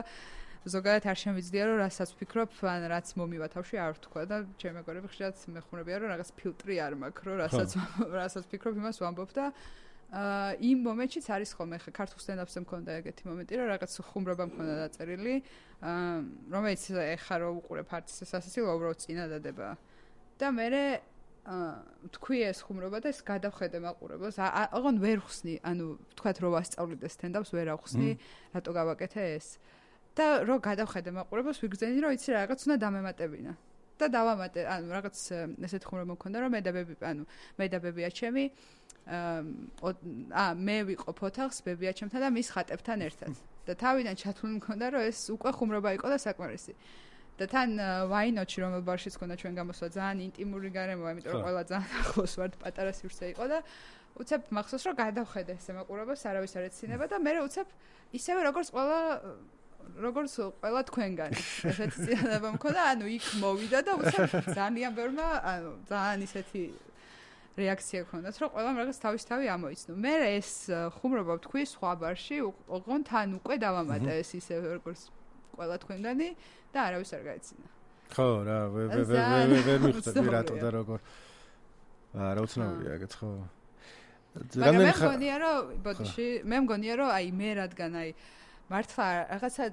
B: ზოგადად არ შემიძლია რომ რასაც ვფიქრობ, ან რაც მომივა თავში არ ვთქვა და ჩემი მეგობრები ხშირად მეხმარებიან რომ რაღაც ფილტრი არ მაქვს, რომ რასაც რასაც ვფიქრობ, იმას ვამბობ და აა იმ მომენტშიც არის ხოლმე ხა ქართულ სტენდაპზე მქონდა ეგეთი მომენტი, რომ რაღაც ხუმრობა მქონდა დაწერილი, აა რომელიც ეხა რო უყურებ არც სასაცილო უბრალოდ წინადადება. და მე აა თქვი ეს ხუმრობა და ეს გადავხედე მაყურებელს. აღონ ვერ ხსნი, ანუ თქვათ რომ ვასწავლიდე სტენდაპს, ვერ ავხსნი, რატო გავაკეთე ეს. და რო გადავხედე მაყურებელს, ვიგრძენი რომ იცი რაღაც უნდა დამემატებინა. და დავამატე, ანუ რაღაც ესეთ ხუმრობა მქონდა, რომ მე და ბები, ანუ მე და ბებია ჩემი აა მე ვიყო ოთახს ბებია ჩემთან და მის ხატებთან ერთად. და თავიდან ჩათვლილი მქონდა, რომ ეს უკვე ხუმრობა იყო და საკმარისი. და თან ვაინოჩი რომელ ბარშიც ქონდა ჩვენ გამოსვლა ძალიან ინტიმური გარემოა, იმიტომ რომ ყველა ძალიან ახლოს ვართ, პატარა სივრცე იყო და უცებ მახსოვს რომ გადავხედე ეს მაყურებელს, არავის არ ეცინება და მე უცებ ისევე როგორც ყველა როგორც ყველა თქვენგანი. ესეთი წინადადება მქონდა, ანუ იქ მოვიდა და უცებ ძალიან ბევრმა, ანუ ძალიან ისეთი რეაქცია ქონდათ, რომ ყველამ რაღაც თავის თავი ამოიცნო. მე ეს ხუმრობა ვთქვი სხვა ბარში, ოღონ თან უკვე დავამატე ეს ისე როგორც ყველა თქვენგანი და არავის არ გაეცინა.
A: ხო, რა, ვერ ვერ ვერ მიხვდები რატო და როგორ. არა, უცნაურია ეგეც ხო.
B: მაგრამ მე მგონია რომ, ბოდიში, მე მგონია რომ აი მე რადგან აი მართლა რაღაცა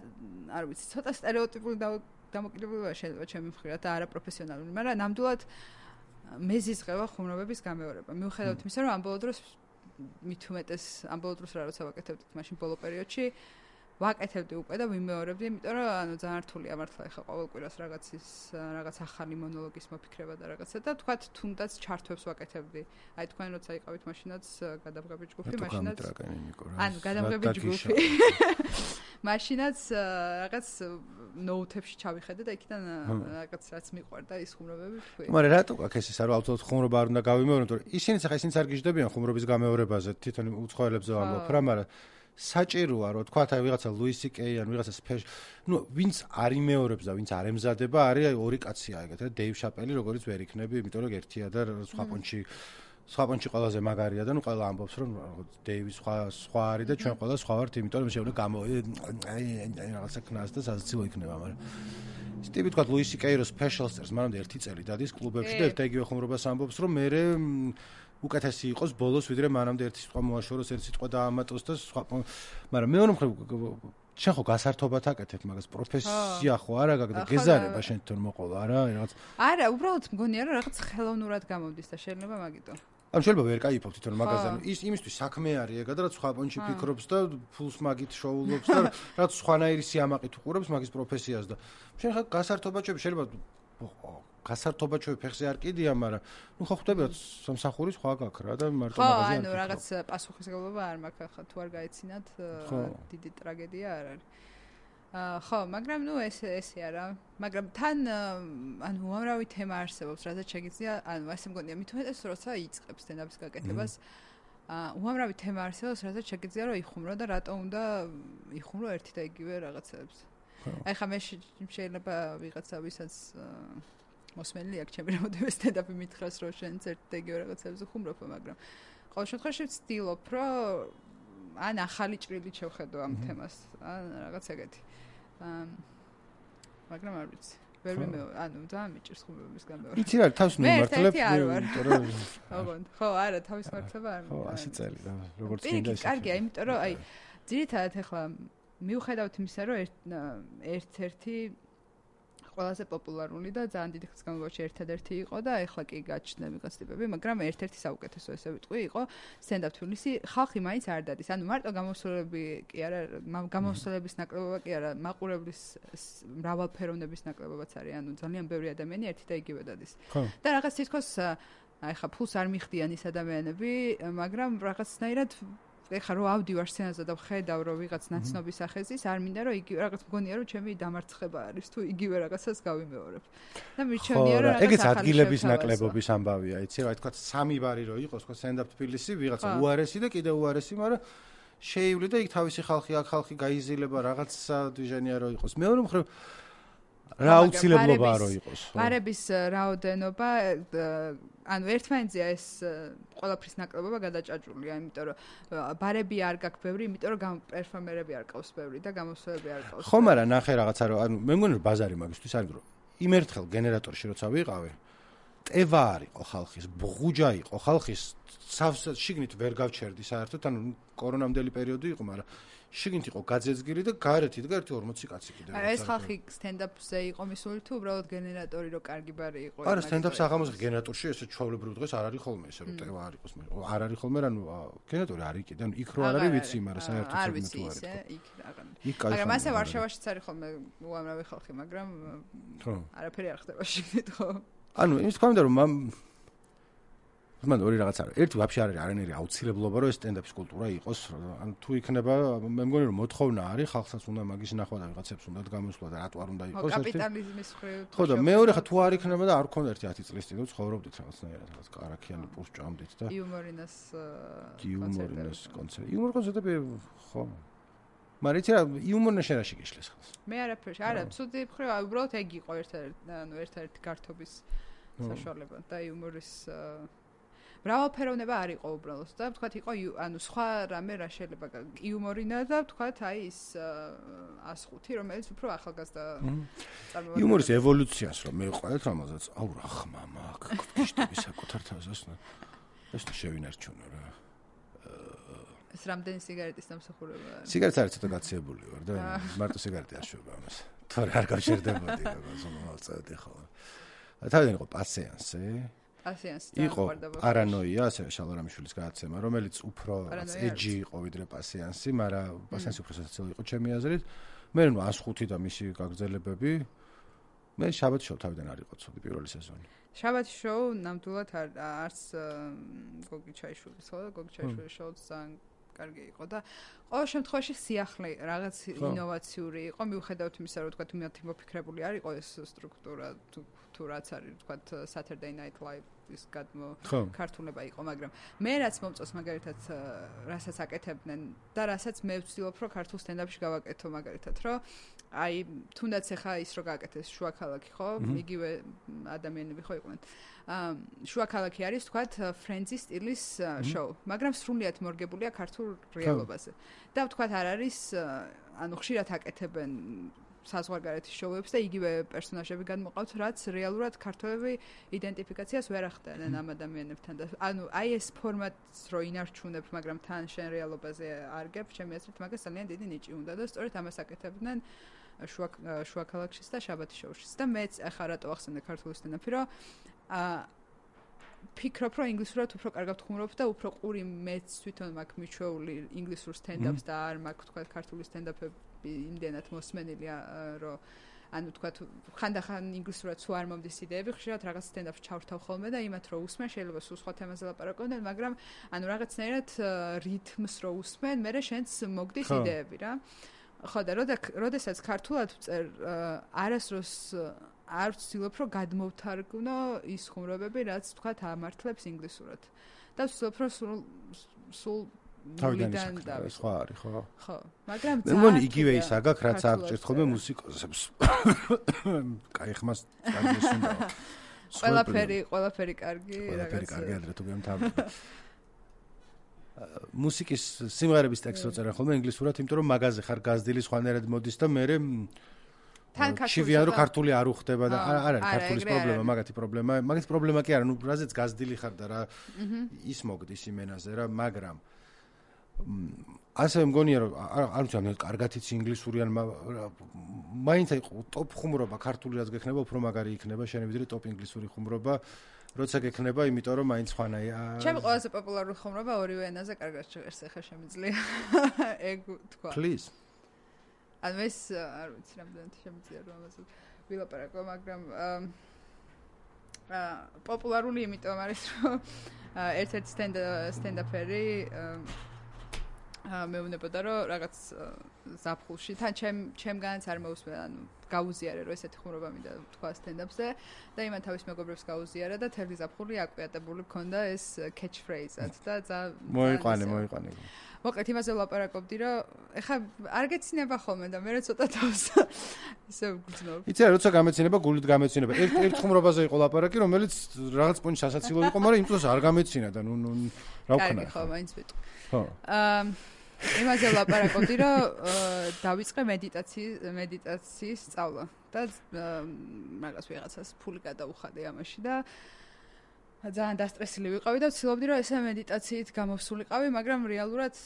B: არ ვიცი, ცოტა სტერეოტიპული დამოკიდებულება შეიძლება ჩემი მხრიდან და არა პროფესიონალური, მაგრამ ნამდვილად მეზიზღება ხუმრობების გამეორება. მიუხედავად იმისა, რომ ამ ბოლო დროს მით უმეტეს ამ ბოლო დროს რა როცა ვაკეთებდით მაშინ ბოლო პერიოდში ვაკეთებდი უკვე და ვიმეორებდი, იმიტომ რომ ანუ ძალიან რთულია მართლა ეხა ყოველ კვირას რაღაცის რაღაც ახალი მონოლოგის მოფიქრება და რაღაცა და თქვათ თუნდაც ჩართვებს ვაკეთებდი. აი თქვენ როცა იყავით მაშინაც გადამღები ჯგუფი, მაშინაც ანუ გადამღები ჯგუფი. მაშინაც რაღაც ნოუთებში ჩავიხედე და იქიდან რაღაც რაც მიყვარდა ის ხუმრობები თქვი.
A: მაგრამ რატო აქვს ეს რომ ავტომატურად ხუმრობა არ უნდა გავიმეორო, იმიტომ რომ ისინიც ახლა ისინიც არ გიждდებიან ხუმრობის გამეორებაზე, თვითონ უცხოელებზე ვამბობ რა, მაგრამ საჭიროა რომ თქვა აი ვიღაცა ლუისი კეი ან ვიღაცა სპეშ, ნუ ვინც არ იმეორებს და ვინც არ ემზადება, არის ორი კაცია ეგეთ, რა დეივ შაპელი როგორც ვერ იქნები, იმიტომ რომ ერთია და სხვა პონჩი სხვა პონჩი ყველაზე მაგარია და ნუ ყველა ამბობს რომ დეივი სხვა სხვა არის და ჩვენ ყველა სხვა ვართ, იმიტომ რომ შეგვიძლია გამო აი რაღაცა ქნას და სასაცილო იქნება, მაგრამ ის ტიპი თქვა ლუისი კეი რო სპეშალს წერს, მანამდე ერთი წელი დადის კლუბებში და ერთ იგივე ხუმრობას ამბობს რომ მე უკეთესი იყოს ბოლოს ვიდრე მანამდე ერთი სიტყვა მოაშოროს, ერთი სიტყვა დაამატოს და სხვა. მაგრამ მეორე მხრივ შენ ხო გასართობად აკეთებ მაგას, პროფესია ხო არა გაგდა გეზარება შენ თვითონ მოყოლა არა რაღაც.
B: არა, უბრალოდ მგონია რომ რაღაც ხელოვნურად გამომდის და შეიძლება მაგითო.
A: ან შეიძლება ვერ кайფობ თვითონ მაგაზე. ის იმისთვის საქმე არის ეგა და რაც სხვა პონჩი ფიქრობს და ფულს მაგით შოულობს და რაც სხვანაირი სიამაყით უყურებს მაგის პროფესიას და შენ ხა გასართობად შეიძლება გასართობად ფეხზე არ კიდია, მაგრამ ნუ ხო ხვდები რომ სამსახური სხვა გაქვს რა და მარტო მაგაზე.
B: ხო, ანუ რაღაც პასუხისმგებლობა არ მაქვს ახლა თუ არ გაეცინათ დიდი ტრაგედია არ არის. აა ხო, მაგრამ ნუ ეს ესე არა, მაგრამ თან ანუ უამრავი თემა არსებობს, რასაც შეგიძლია, ანუ ასე მგონია, მით უმეტეს როცა იწყებს სტენდაპის გაკეთებას, აა უამრავი თემა არსებობს, რასაც შეგიძლია რომ იხუმრო და რატო უნდა იხუმრო ერთი და იგივე რაღაცებს. აი ხა მე შეიძლება ვიღაცა ვისაც მოსმენილი აქვს ჩემი რამოდენიმე სტენდაპი მითხრას რომ შენც ერთ და იგივე რაღაცებზე ხუმრობ, მაგრამ ყოველ შემთხვევაში ვცდილობ რომ ან ახალი ჭრილით შევხედო ამ თემას, ან რაღაც ეგეთი. მაგრამ არ ვიცი. ვერ მიმეორე, ანუ ძალიან მიჭირს ხუმრობის გამეორება.
A: იცი რა, თავს მიმართლებ,
B: იმიტომ რომ ოღონდ, ხო, არა, თავის მართლება არ
A: ხო, ასი წელი და როგორც
B: მინდა ისე. კარგია, იმიტომ რომ აი ძირითადად ახლა მიუხედავთ იმისა, რომ ერთ-ერთი ყველაზე პოპულარული და ძალიან დიდი ხნის განმავლობაში ერთადერთი იყო და ეხლა კი გაჩნდა ვიღაც ტიპები, მაგრამ ერთ-ერთი საუკეთესო ესე ვიტყვი იყო სტენდაპ თბილისი. ხალხი მაინც არ დადის. ანუ მარტო გამოსვლები კი არა, გამოსვლების ნაკლებობა კი არა, მაყურებლის მრავალფეროვნების ნაკლებობაც არის. ანუ ძალიან ბევრი ადამიანი ერთი და იგივე დადის. და რაღაც თითქოს აი ხა ფულს არ მიხდიან ის ადამიანები, მაგრამ რაღაცნაირად ეხლა რო ავდივარ სცენაზე და ვხედავ რომ ვიღაც ნაცნობის სახეზის, არ მინდა რომ იგივე რაღაც მგონია რომ ჩემი დამარცხება არის თუ იგივე რაღაცას გავიმეორებ. და მიჩვენია რომ რაღაც
A: ეგეც ადგილების ნაკლებობის ამბავია, იცი რა, თქვა სამი ბარი რო იყოს, თქვა სტენდაპ თბილისი, ვიღაცა უარესი და კიდე უარესი, მაგრამ შეივლი და იქ თავისი ხალხი, აქ ხალხი გაიზილება, რაღაცა დიჟენია რო იყოს. მეორე მხრივ რა აუცილებლობაა რომ იყოს.
B: ბარების რაოდენობა ანუ ერთმანეთზეა ეს ყველაფრის ნაკლებობა გადაჭაჭულია, იმიტომ რომ ბარები არ გაქვს ბევრი, იმიტომ რომ პერფორმერები არ ყავს ბევრი და გამოსვლები არ ყავს.
A: ხო, მაგრამ ნახე რაღაცა რომ ანუ მე მგონი რომ ბაზარი მაგისთვის არის რომ იმ ერთხელ გენერატორში როცა ვიყავი, ტევა არ იყო ხალხის, ბღუჯა იყო ხალხის, შიგნით ვერ გავჩერდი საერთოდ, ანუ კორონამდელი პერიოდი იყო, მაგრამ შიგნით იყო გაძეძგირი და გარეთ იდგა ერთი ორმოცი კაცი კიდევ.
B: არა, ეს ხალხი სტენდაპზე იყო მისული თუ უბრალოდ გენერატორი რო კარგი ბარი იყო?
A: არა, სტენდაპს აღამოს გენერატორში ესე ჩვეულებრივ დღეს არ არის ხოლმე ესე რომ ტევა არ იყოს, არ არის ხოლმე, ანუ გენერატორი არის კიდე, ანუ იქ რო არ არის ვიცი, მაგრამ საერთოდ
B: არ ვიცი ისე, იქ რაღაც. მაგრამ ასე ვარშავაშიც არის ხოლმე უამრავი ხალხი, მაგრამ
A: ხო.
B: არაფერი არ ხდება შიგნით, ხო?
A: ანუ იმის თქმა უნდა რომ მან ორი რაღაც არის. ერთი ვაფშე არ არის არანაირი აუცილებლობა რომ ეს სტენდაპის კულტურა იყოს. ანუ თუ იქნება, მე მგონი რომ მოთხოვნა არის, ხალხსაც უნდა მაგის ნახვა და ვიღაცებს უნდათ გამოსვლა და რატო არ უნდა იყოს
B: ერთი. კაპიტალიზმის მხრივ.
A: ხო და მეორე ხა თუ არ იქნება და არ ქონდა ერთი ათი წლის წინ ცხოვრობდით რაღაცნაირად, რაღაც კარაქიანი პურს ჭამდით და
B: იუმორინას
A: იუმორინას კონცერტი. იუმორ კონცერტები ხო. მაგრამ იცი რა, იუმორნა შენაში გიშლეს ხალხს.
B: მე არაფერში, არა, ცუდი მხრივ, უბრალოდ ეგ იყო ერთ-ერთი, ანუ ერთ-ერთი გართობის საშუალება და იუმორის მრავალფეროვნება არ იყო უბრალოდ და ვთქვათ იყო ანუ სხვა რამე რა შეიძლება იუმორინა და ვთქვათ აი ის ას ხუთი რომელიც უფრო ახალგაზრდა წარმოადგენს
A: იუმორის ევოლუციას რომ მე ვყავთ რამაზაც აუ რა ხმა მაქვს გიშტები საკუთარ თავზას ეს შევინარჩუნო რა
B: ეს რამდენი სიგარეტის დამსახურებაა
A: სიგარეტს არის ცოტა გაციებული ვარ და მარტო სიგარეტი აშვება ამას თორე არ გავშერდებოდი როგორც მომწევდი ხო თავიდან იყო პასიანსი
B: პასიანსი
A: იყო პარანოია, ასევე შალორამიშვილის გადაცემა, რომელიც უფრო ეჯი იყო ვიდრე პასიანსი, მაგრამ პასიანსი უფრო სასაცილო იყო ჩემი აზრით. მე ნუ ას ხუთი და მისი გაგრძელებები. მე შაბათ შოუ თავიდან არ იყო ცუდი პირველი სეზონი.
B: შაბათ შოუ ნამდვილად არც გოგი ჩაიშვილის ხო და გოგი ჩაიშვილის შოუ ძალიან კარგი იყო და ყოველ შემთხვევაში სიახლე რაღაც ინოვაციური იყო მიუხედავად იმისა რომ თქვა თუმცა მოფიქრებული არ იყო ეს სტრუქტურა თუ თუ რაც არის თქვა Saturday Night Live ის გადმო ქართულება იყო მაგრამ მე რაც მომწონს მაგალითად რასაც აკეთებდნენ და რასაც მე ვცდილობ რომ ქართულ სტენდაპში გავაკეთო მაგალითად რომ აი თუნდაც ახლა ის რო გააკეთეს შუა ქალაქი ხო იგივე ადამიანები ხო იყვნენ შუა ქალაქი არის თქვათ Friends-ის სტილის შოუ მაგრამ სრულიად მორგებულია ქართულ რეალობაზე და თქვათ არ არის ანუ ხშირად აკეთებენ საზღვარგარეთის შოუებს და იგივე პერსონაჟები განმოყავთ, რაც რეალურად ქართველები იდენტიფიკაციას ვერ ახდენენ ამ ადამიანებთან და ანუ აი ეს ფორმატს რო ინარჩუნებ, მაგრამ თან შენ რეალობაზე არ გებ, ჩემი აზრით მაგას ძალიან დიდი ნიჭი უნდა და სწორედ ამას აკეთებდნენ შუა შუა ქალაქშიც და შაბათის შოუშიც და მეც ახლა რატო ახსენე ქართული სტენდაპი, რომ აა ფიქრობ, რომ ინგლისურად უფრო კარგად ხუმრობ და უფრო ყური მეც თვითონ მაქვს მიჩვეული ინგლისურ სტენდაპს და არ მაქვს თქვა ქართული სტენდაპები იმდენად მოსმენილია რომ ანუ თქვა ხანდახან ინგლისურად სულ არ მომდის იდეები ხშირად რაღაც სტენდაპს ჩავრთავ ხოლმე და იმათ რო усმენ შეიძლება სულ სხვა თემაზე ლაპარაკობდნენ მაგრამ ანუ რაღაცნაირად რითმს რო усმენ მე შენც მოგდის იდეები რა ხო და როდესაც ქართულად ვწერ არასდროს არ ვცდილობ რომ გადმოვთარგმნო ის ხუმრობები რაც თქვა ამართლებს ინგლისურად და ვცდილობ რომ სულ სულ
A: თავიდან სხვა არის ხო?
B: ხო, მაგრამ
A: მე მგონი იგივე ის აგაკ რაც აღჭერთ ხოლმე მუსიკოსებს. კაი ხმას კარგი უნდა.
B: ყველაფერი, ყველაფერი კარგი,
A: ყველაფერი კარგი ადრე თუ გემთავრდა. მუსიკის სიმღერების ტექსტს როწერენ ხოლმე ინგლისურად, იმიტომ რომ მაღაზე ხარ გაზრდილი სხვანაირად მოდის და მე
B: თან
A: ქართული რო ქართული არ უხდება და არ არის ქართულის პრობლემა, მაგათი პრობლემა, მაგათი პრობლემა კი არა, ნუ რაზეც გაზრდილი ხარ და რა ის მოგდის იმენაზე რა, მაგრამ ასე მგონია რომ არ ვიცი ამ კარგად იცი ინგლისური ან მაინც აი ტოპ ხუმრობა ქართული რაც გექნება უფრო მაგარი იქნება შენ ვიდრე ტოპ ინგლისური ხუმრობა როცა გექნება იმიტომ რომ მაინც ხანაა
B: ჩემი ყველაზე პოპულარული ხუმრობა ორივე ენაზე კარგად შეღერს ახლა შემიძლია ეგ თქვა
A: please
B: ან ეს არ ვიცი რამდენად შემიძლია რომ ამაზე ვილაპარაკო მაგრამ აა პოპულარული იმიტომ არის რომ ერთ-ერთი სტენდაპერი მეუბნებოდა რომ რაღაც ზაფხულში თან ჩემ ჩემგანაც არ მოусმენ ანუ გაუზიარე რომ ესეთი ხუმრობა მინდა თქვა სტენდაპზე და იმან თავის მეგობრებს გაუზიარა და თელი ზაფხული აკვიატებული მქონდა ეს catch phrase-ად და ძა
A: მოიყვანე მოიყვანე
B: მოკლედ იმაზე ვლაპარაკობდი რომ ეხა არ გეცინება ხოლმე და მე ცოტა თავს ისე ვგრძნობ.
A: იცი რა როცა გამეცინება გულით გამეცინება. ერთ ერთ ხუმრობაზე იყო ლაპარაკი რომელიც რაღაც პონჩი სასაცილო იყო, მაგრამ იმ დროს არ გამეცინა და ნუ ნუ რა ვქნა.
B: კარგი ხო, მაინც ვიტყვი. ხო. აა იმაზე ვლაპარაკობდი რომ დავიწყე მედიტაციის მედიტაციის სწავლა და მაგას ვიღაცას ფული გადაუხადე ამაში და ძალიან დასტრესილი ვიყავი და ვცდილობდი რომ ესე მედიტაციით გამოვსულიყავი, მაგრამ რეალურად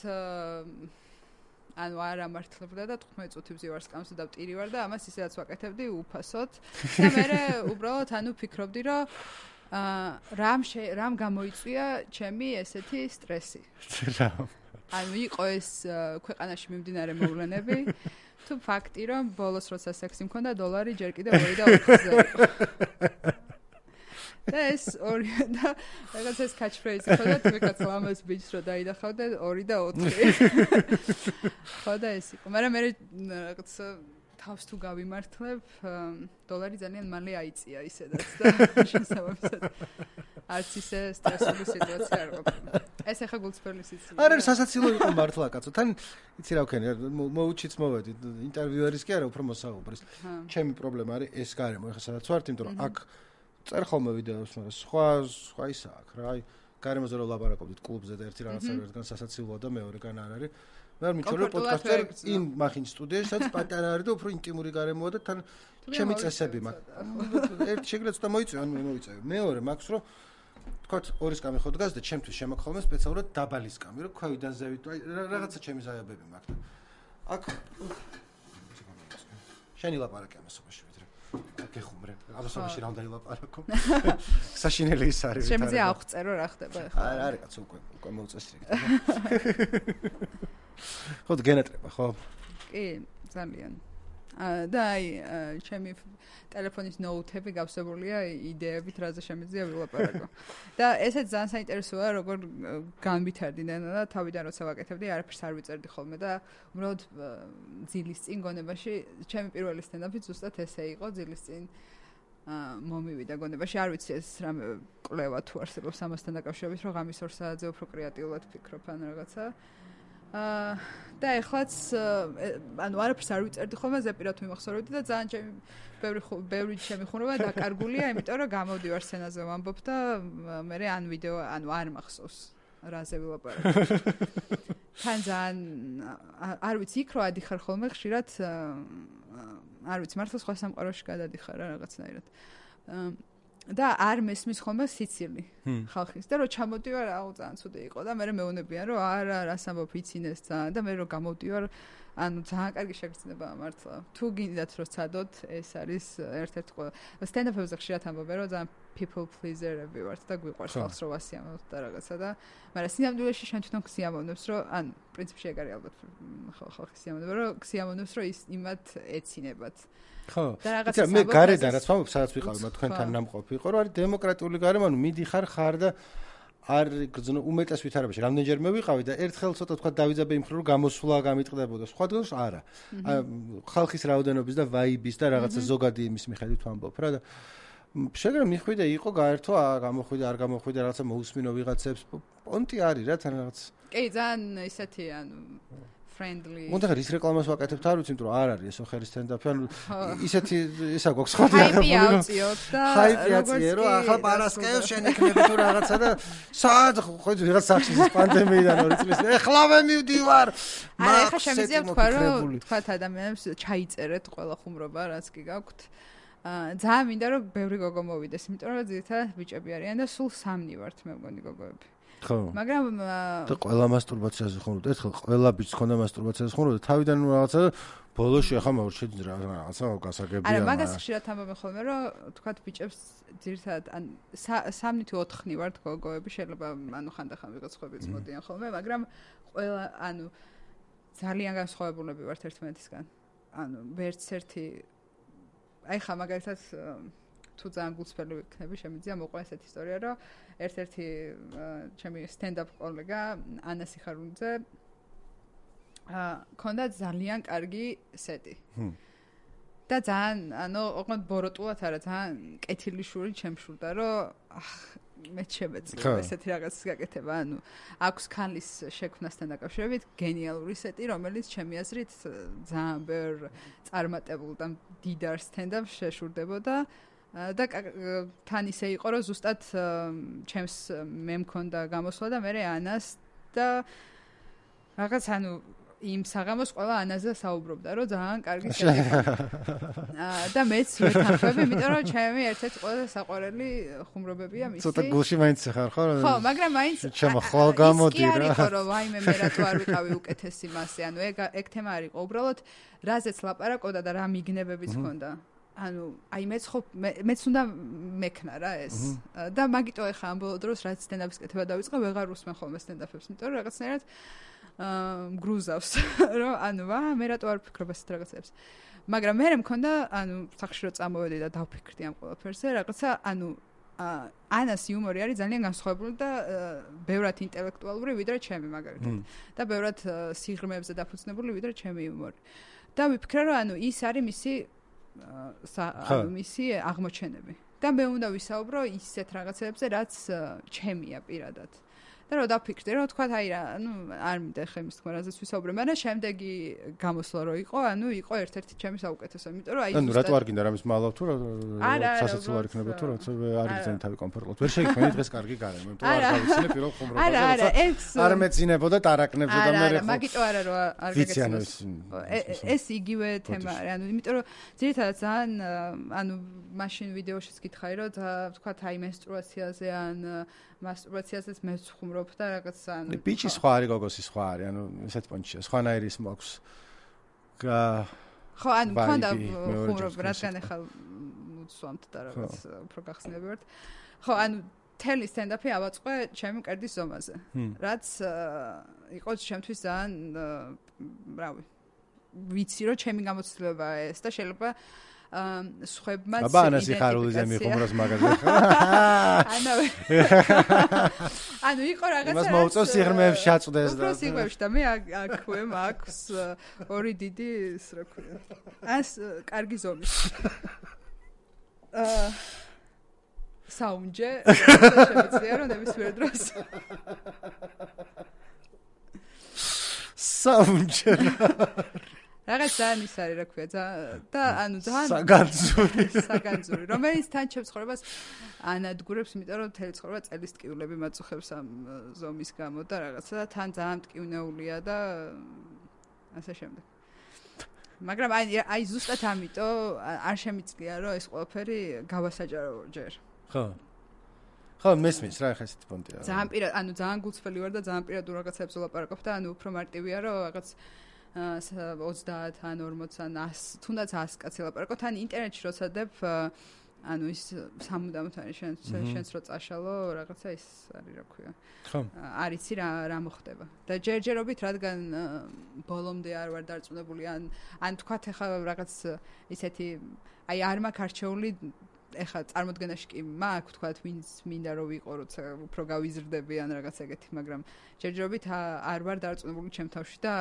B: ანუ არ ამართლებდა და თხუთმეტ წუთი ვზივარ სკამს და ვტირი ვარ და ამას ისედაც ვაკეთებდი უფასოდ და მე უბრალოდ ანუ ფიქრობდი რომ აა რამ რამ გამოიწვია ჩემი ესეთი სტრესი. ანუ იყო ეს ქვეყანაში მიმდინარე მოვლენები თუ ფაქტი რომ ბოლოს როცა სექსი მქონდა დოლარი ჯერ კიდევ ორი და ოთხზე იყო. და ეს ორი და რაღაც ეს catch phrase ხო და თქვენაც ლამაზ ბიჭს რო დაიდახავდა ორი და ოთხი. ხო და ეს იყო. მაგრამ მე რაღაც თავს თუ გავიმართლებ, დოლარი ძალიან მალე აიწია ისედაც და შესაბამისად არც ისე სტრესული სიტუაცია არ ყოფილა. ეს ახლა გულწრფელი სიცილი.
A: არ არის სასაცილო იყო მართლა კაცო. თან იცი რა ვქენი, მოუჩიც მოვედი ინტერვიუერის კი არა უფრო მოსაუბრის. ჩემი პრობლემა არის ეს გარემო. ეხლა სადაც ვართ, იმიტომ რომ აქ წერ ხოლმე ვიდეოს, მაგრამ სხვა სხვა ისა აქ რა. აი გარემოზე რომ ლაპარაკობდით კლუბზე და ერთი რაღაცა ერთგან სასაცილოა და მეორეგან არ არის. მე არ მიჩვენე პოდკასტზე იმ მახინჯ სტუდიაში, სადაც პატარა არის და უფრო ინტიმური გარემოა და თან ჩემი წესები მაქვს. ერთი შეგრეც და მოიწევ, ანუ მოიწევ. მეორე მაქვს რომ თქვათ ორი სკამი ხო დგას და ჩემთვის შემოხხოლმე სპეციალურად დაბალი სკამი, რომ ქვევიდან ზევით, აი რაღაცა ჩემი ზაიაბები მაქვს. აქ შენი ლაპარაკი ამასობაში ვიდრე. გეხუმრე. ამასობაში რა უნდა ილაპარაკო? საშინელი ის არის.
B: შემიძლია აღწერო რა ხდება ახლა.
A: არ არის კაცო უკვე უკვე მოუწესრიგეთ. ხო გენატრება ხო?
B: კი, ძალიან. და აი ჩემი ტელეფონის ნოუთები გავსებულია იდეებით რაზე შემიძლია ვილაპარაკო. და ესეც ძალიან საინტერესოა როგორ განვითარდნენ და თავიდან როცა ვაკეთებდი არაფერს არ ვიწერდი ხოლმე და უბრალოდ ძილის წინ გონებაში ჩემი პირველი სტენდაპი ზუსტად ესე იყო ძილის წინ მომივიდა გონებაში არ ვიცი ეს რამე კვლევა თუ არსებობს ამასთან დაკავშირებით რომ ღამის ორ საათზე უფრო კრეატიულად ვფიქრობ ან რაღაცა აა და ეხლაც ანუ არაფერს არ ვიწერდი ხოლმე ზეპირად ვიმახსოვრებდი და ძალიან ჩემი ბევრი ბევრი ჩემი ხუმრობა დაკარგულია იმიტომ რომ გამოვდივარ სცენაზე ვამბობ და მე ან ვიდეო ანუ არ მახსოვს რაზე ვილაპარაკო თან ძალიან არ ვიცი იქ რო ადიხარ ხოლმე ხშირად არ ვიცი მართლა სხვა სამყაროში გადადიხარ რა რაღაცნაირად და არ მესმის ხოლმე სიცილი ხალხის და რო ჩამოდივარ აუ ძალიან ცუდი იყო და მე მეუბნებიან რომ არა რას ამბობ იცინეს ძალიან და მე რო გამოვდივარ ანუ ძალიან კარგი შეგრძნებაა მართლა თუ გინდათ რომ ცადოთ ეს არის ერთ-ერთი სტენდაპებზე ხშირად ამბობენ რომ ძალიან people pleaser-ები ვართ და გვიყვარს ხალხს რომ ვასიამოვნოთ და რაღაცა და მაგრამ სინამდვილეში შენ თვითონ ქსიამოვნებს რომ ან პრინციპში ეგ არის ალბათ ხალხის სიამოვნება რომ ქსიამოვნებს რომ ის იმათ ეცინებათ
A: ხო იცი მე გარედან რაც ვამბობ სადაც ვიყავი მაგ თქვენთან ნამყოფი იყო რომ არის დემოკრატიული გარემო ანუ მიდიხარ ხარ და არ გძნო უმეტეს ვითარებაში რამდენჯერმე ვიყავი და ერთხელ ცოტა თქვა დავიძაბე იმ ხრო რომ გამოსვლა გამიტყდებოდა სხვა დღეს არა ხალხის რაოდენობის და ვაიბის და რაღაცა ზოგადი იმის მიხედვით ვამბობ რა და შეგრა მიხვიდე იყო გაერთო გამოხვიდე არ გამოხვიდე რაღაცა მოусმინო ვიღაცებს პონტი არის რა თან რაღაც
B: კი ძალიან ისეთი ანუ friendly.
A: უნდა ხარ ის რეკლამას ვაკეთებთ არ ვიცი, იმიტომ რომ არ არის ეს ოხერის სტენდაპი, ანუ ისეთი ისა გვაქვს ხო
B: დიახები. ჰაიპი ავწიოთ და
A: ჰაიპი აწიე რომ ახლა პარასკევს შენ იქნები თუ რაღაცა და სად ხო ვიღაც სახში პანდემიიდან ორი წლის ეხლავე მივდივარ.
B: არა, ახლა შემიძლია ვთქვა რომ თქვათ ადამიანებს ჩაიწერეთ ყველა ხუმრობა რაც კი გაქვთ. აა ძალიან მინდა რომ ბევრი გოგო მოვიდეს, იმიტომ რომ ძირითადად ბიჭები არიან და სულ სამნი ვართ მე მგონი გოგოები.
A: ხო.
B: მაგრამ
A: და ყველა მასტურბაციაზე ხუმრობთ, ერთხელ ყველა ბიჭს ხონდა მასტურბაციაზე ხუმრობთ, თავიდან რაღაცა ბოლოში ახლა მოვრჩეთ რაღაცა გასაგებია.
B: არა, მაგას ხშირად ამბობენ ხოლმე, რომ თქვათ ბიჭებს ძირითადად ან სამნი თუ ოთხნი ვართ გოგოები, შეიძლება ანუ ხანდახან ვიღაცებიც მოდიან ხოლმე, მაგრამ ყველა ანუ ძალიან განსხვავებულები ვართ ერთმანეთისგან. ანუ ვერც ერთი აი ხა მაგალითად თუ ძალიან გულწრფელი ვიქნები, შემიძლია მოყვა ესეთი ისტორია, რომ ერთ-ერთი ჩემი სტენდაპ კოლეგა ანა სიხარულიძე აა ქონდა ძალიან კარგი სეტი. და ძალიან ანუ ოღონდ ბოროტულად არა ძალიან კეთილი შური ჩემშურდა რომ მე შემეძლო ესეთი რაღაცის გაკეთება ანუ აქვს ქალის შექმნასთან დაკავშირებით გენიალური სეტი რომელიც ჩემი აზრით ძალიან ბევრ წარმატებულ და დიდარსთან და შეშურდებოდა და თან ისე იყო რომ ზუსტად ჩემს მე მქონდა გამოსვლა და მე ანას და რაღაც ანუ იმ საღამოს ყველა ანაზე საუბრობდა რომ ძალიან კარგი შეფერა და მეც ვეთანხმები იმიტომ რომ ჩემი ერთ-ერთი ყველაზე საყვარელი ხუმრობებია მისი
A: ცოტა გულში მაინც ხარ ხო
B: ხო მაგრამ მაინც
A: ჩემო ხვალ გამოდი რა
B: იყო რომ ვაიმე მე რატო არ ვიყავი უკეთესი მასე ანუ ეგ ეგ თემა არ იყო უბრალოდ რაზეც ლაპარაკობდა და რა მიგნებებიც ჰქონდა ანუ აი მეც ხო მეც უნდა მექნა რა ეს და მაგიტო ეხა ამ ბოლო დროს რაც სტენდაპის კეთება დავიწყე ვეღარ უსმენ ხოლმე სტენდაპებს იმიტომ რომ რაღაცნაირად აა გრუზავს რომ ანუ ვა მე რატო არ ვფიქრობ ესეთ რაღაცებს მაგრამ მე მქონდა ანუ სახში რომ წამოვედი და დავფიქრდი ამ ყველაფერზე რაღაცა ანუ ანას იუმორი არის ძალიან განსხვავებული და ბევრად ინტელექტუალური ვიდრე ჩემი მაგალითად და ბევრად სიღრმეებზე დაფუძნებული ვიდრე ჩემი იუმორი და ვიფიქრე რომ ანუ ის არის მისი ანუ მისი აღმოჩენები და მე უნდა ვისაუბრო ისეთ რაღაცებზე რაც ჩემია პირადად და რომ დავფიქრდი რომ თქვა აი რა ანუ არ მინდა ხე იმის თქმა რაზეც ვისაუბრე მაგრამ შემდეგი გამოსვლა რო იყო ანუ იყო ერთ-ერთი ჩემი საუკეთესო იმიტომ რომ აი
A: ანუ რატო არ გინდა რამის მალავ თუ სასაცილო არ იქნება თუ როცა არ იგზენი თავი კომფორტულად ვერ შეიქმნი დღეს კარგი გარემო იმიტომ რომ არ გავიცინე პირველ ხუმრობაზე როცა არ მეძინებოდა ტარაკნებზე და მე
B: არა მაგიტო არა რომ არ გაგეცნო ეს იგივე თემა არის ანუ იმიტომ რომ ძირითადად ძალიან ანუ მაშინ ვიდეოშიც გითხარი რომ თქვა აი მენსტრუაციაზე ან მასტურბაციაზეც მე ვხუმრობ და რაღაც ანუ
A: ბიჭი სხვა არის გოგოსი სხვა არის ანუ ესეთ პონჩია სხვანაირი ის მაქვს
B: ხო ანუ მქონდა ხუმრობ რადგან ახლა მუცვამთ და რაღაც უფრო გახსნები ვართ ხო ანუ თელი სტენდაპი ავაწყე ჩემი კერდის ზომაზე რაც იყო ჩემთვის ძალიან რავი ვიცი რომ ჩემი გამოცდილებაა ეს და შეიძლება სხვებმაც
A: აბა ანას იხარულიზე მიხუმროს მაგაზე ხა
B: ანუ ანუ იყო რაღაცა
A: მას მოუწევს სიღრმეებში შეაწყვდეს და
B: უფრო სიღრმეებში და მე აქვე მაქვს ორი დიდი ის რა ქვია ას კარგი ზომის აა საუნჯე შემიძლია რომ ნებისმიერ დროს
A: საუნჯე
B: რაღაც ძალიან ის არის რა ქვია და ანუ ძალიან
A: საგანძური
B: საგანძური რომელიც თან ჩემს ცხოვრებას ანადგურებს იმიტომ რომ მთელი ცხოვრება წელის ტკივილები მაწუხებს ამ ზომის გამო და რაღაცა და თან ძალიან ტკივნეულია და ასე შემდეგ მაგრამ აი აი ზუსტად ამიტომ არ შემიძლია რომ ეს ყველაფერი გავასაჯარო ჯერ
A: ხო ხო მესმის რა ხა ესეთი პონტია
B: ძალიან პირად ანუ ძალიან გულწრფელი ვარ და ძალიან პირადულ რაღაცებს ვლაპარაკობ და ანუ უფრო მარტივია რომ რაღაც ოცდაათ ან ორმოც ან ას თუნდაც ას კაცი ლაპარაკობ თან ინტერნეტში როცა დებ ანუ ის სამუდამოდ არის შენ შენს რო წაშალო რაღაცა ის არის რა ქვია
A: ხო
B: არიცი რა რა მოხდება და ჯერჯერობით რადგან ბოლომდე არ ვარ დარწმუნებული ან ან თქვათ ახლა რაღაც ისეთი აი არ მაქვს არჩეული ეხლა წარმოდგენაში კი მაქვს თქვათ ვინც მინდა რომ ვიყო როცა უფრო გავიზრდები ან რაღაც ეგეთი მაგრამ ჯერჯერობით არ ვარ დარწმუნებული ჩემ თავში და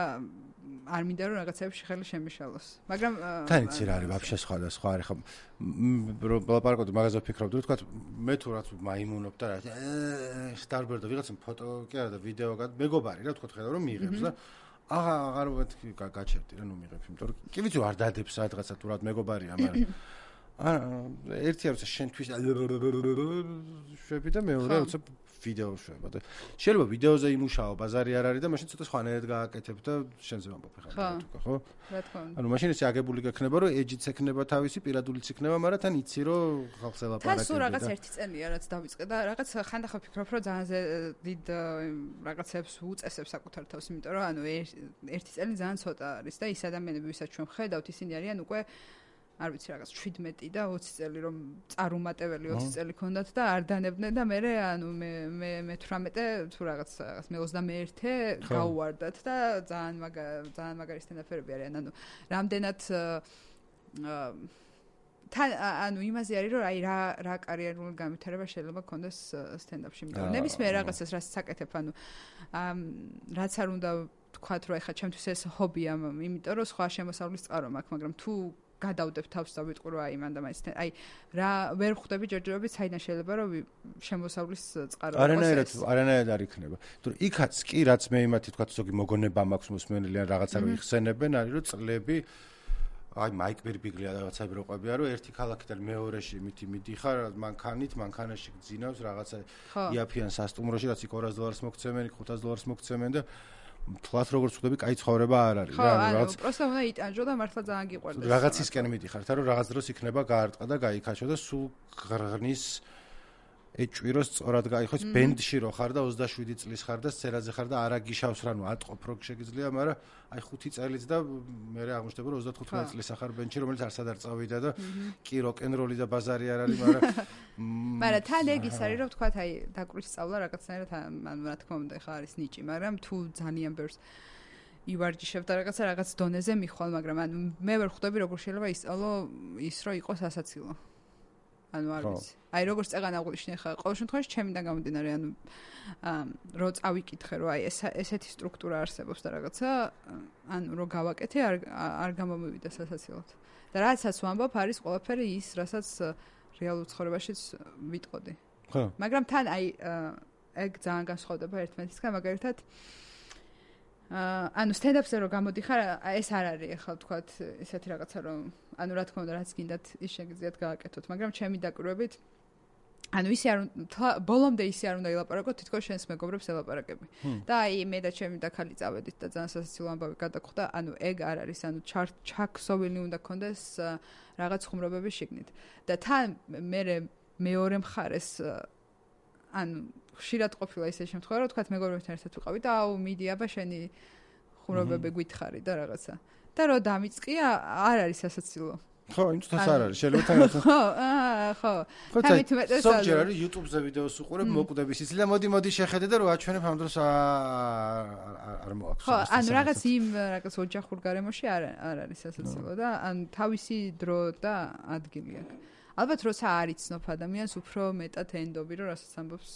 B: არ მინდა რომ რაღაცებში ხელი შემიშალოს მაგრამ
A: თან იცი რა არის ვაფშე სხვა და სხვა არის ხო ლაპარაკობდი მაგაზე ვფიქრობდი რომ თქვათ მე თუ რაც მაიმუნობ და რა სტარბერდა ვიღაცა ფოტო კი არა და ვიდეო მეგობარი რა თქვათ ხედავ რომ მიიღებს და აღა აღარ ვეთქი გაჩერდი რა ნუ მიიღებს იმიტომ რომ კი ვიცი არ დადებს რაღაცა თუ რა მეგობარია მაგრამ აა ერთი როცა შენთვის შვები და მეორე როცა ვიდეო შვება და შეიძლება ვიდეოზე იმუშაო ბაზარი არ არის და მაშინ ცოტა სხვანაირად გააკეთებ და შენზე ვამბობ ხა ხო
B: რა თქმა უნდა
A: ანუ მაშინ ესე აგებული გექნება რომ ეჯიც ექნება თავისი პირადულიც იქნება მაგრამ თან იცი რომ ხალხს ელაპარაკები
B: და სულ რაღაც ერთი წელია რაც დავიწყე და რაღაც ხანდახან ვფიქრობ რომ ძალიან დიდ რაღაცებს უწესებს საკუთარ თავს იმიტომ რომ ანუ ერთი წელი ძალიან ცოტა არის და ის ადამიანები ვისაც ჩვენ ხედავთ ისინი არიან უკვე არ ვიცი რაღაც შვიდმეტი და ოცი წელი რომ წარუმატებელი ოცი წელი ქონდათ და არ დანებდნენ და მე ანუ მე მე მეთვრამეტე თუ რაღაც რაღაც მე ოცდამეერთე გავუვარდათ და ძალიან მაგა ძალიან მაგარი სტენდაპერები არიან ანუ რამდენად თან ანუ იმაზე არის რომ აი რა რა კარიერული განვითარება შეიძლება ქონდეს სტენდაპში იმიტომ ნებისმიერ რაღაცას რაც საკეთებ ანუ რაც არ უნდა თქვათ რომ ეხა ჩემთვის ეს ჰობია იმიტომ რომ სხვა შემოსავლის წყარო მაქვს მაგრამ თუ გადავდებ თავს და ვიტყვი რომ აი მან და მაინც აი რა ვერ ხვდები ჯერჯერობით საიდან შეიძლება რომ შემოსავლის წყარო იყოს.
A: არანაირად არანაირად არ იქნება. თუმცა იქაც კი რაც მე იმათი თქვა ზოგი მოგონება მაქვს მოსმენელი ან რაღაცა რო იხსენებენ არის რომ წლები აი მაიკ ბერბიგლია რაღაცები რო ყვებია რომ ერთი ქალაქიდან მეორეში მითი მიდიხარ მანქანით მანქანაში გძინავს რაღაცა იაფიან სასტუმროში რაც იქ ორასი დოლარს მოგცემენ იქ ხუთასი დოლარს მოგცემენ და თლათ როგორც ხვდები, კაი ცხოვრება არ არის
B: რა, რაღაც პროსტა უნდა იტანჯო და მართლა ძალიან გიყვარდეს.
A: რაღაცისკენ მიდიხართ, რომ რაღაც დროს იქნება გაარტყა და გაიქაჩო და სულ ღრღნის ეჭვიროს სწორად გაიხოს ბენდში რო ხარ და ოცდაშვიდი წლის ხარ და სცენაზე ხარ და არა გიშავს რანუ ატყობ რო შეგიძლია, მაგრამ აი ხუთი წელიც და მე აღმოჩნდება რომ ოცდათხუთმეტი წლის ახარ ბენდში, რომელიც არსად არ წავიდა და კი როკ-ენ-როლი და ბაზარი არ არის, მაგრამ
B: მაგრამ თან ეგ ის არის რომ თქვა აი დაკვრის სწავლა რაღაცნაირად ან რა თქმა უნდა ხა არის ნიჭი, მაგრამ თუ ძალიან ბევრს ივარჯიშებ და რაღაცა რაღაც დონეზე მიხვალ, მაგრამ ან მე ვერ ხვდები როგორ შეიძლება ისწავლო ის რომ იყოს ასაცილო. ანუ არ ვიცი. აი როგორც წეგან აღვნიშნე ხა, ყოველ შემთხვევაში ჩემიდან გამომდინარე, ანუ რო წავიკითხე რომ აი ეს ესეთი სტრუქტურა არსებობს და რაღაცა, ანუ რო გავაკეთე არ არ გამომივიდა სასაცილოდ. და რაცაც ვამბობ არის ყველაფერი ის, რასაც რეალურ ცხოვრებაშიც ვიტყოდი.
A: ხო.
B: მაგრამ თან აი ეგ ძალიან განსხვავდება ერთმანეთისგან, მაგალითად ანუ სტენდაპზე რო გამოდიხარ, ეს არ არის ახლა ვთქვათ ესეთი რაღაცა რომ ანუ რა თქმა უნდა რაც გინდათ ის შეგიძლიათ გააკეთოთ, მაგრამ ჩემი დაკვირვებით ანუ ისე არ ბოლომდე ისე არ უნდა ილაპარაკოთ, თითქოს შენს მეგობრებს ელაპარაკები. და აი მე და ჩემი და ხალი წავედით და ძალიან სასაცილო ამბავი გადაგხვდა, ანუ ეგ არ არის, ანუ ჩაქსოვილი უნდა კონდეს რაღაც ხუმრობები შიგნით. და თან მე მეორე მხარეს ანუ ხშირად ყოფილა ისე შემთხვევა, რომ თქვათ მეგობრებთან ერთად ვიყავი და აუ მიდი აბა შენი ხუმრობები გითხარი და რაღაცა. და რო დამიწყია, არ არის სასაცილო.
A: ხო, იმითაც არ არის. შეიძლება თან
B: ხო, აა, ხო. თამით მეტეს არის.
A: ზოგჯერ არის YouTube-ზე ვიდეოს უყურებ, მოკვდების ისი და მოდი მოდი შეხედე და რო აჩვენებ ამ დროს არ მოაქვს.
B: ხო, ანუ რაღაც იმ რაღაც ოჯახურ გარემოში არ არ არის სასაცილო და ან თავისი დრო და ადგილი აქვს. ალბათ როცა არ იცნობ ადამიანს უფრო მეტად ენდობი რომ რასაც ამბობს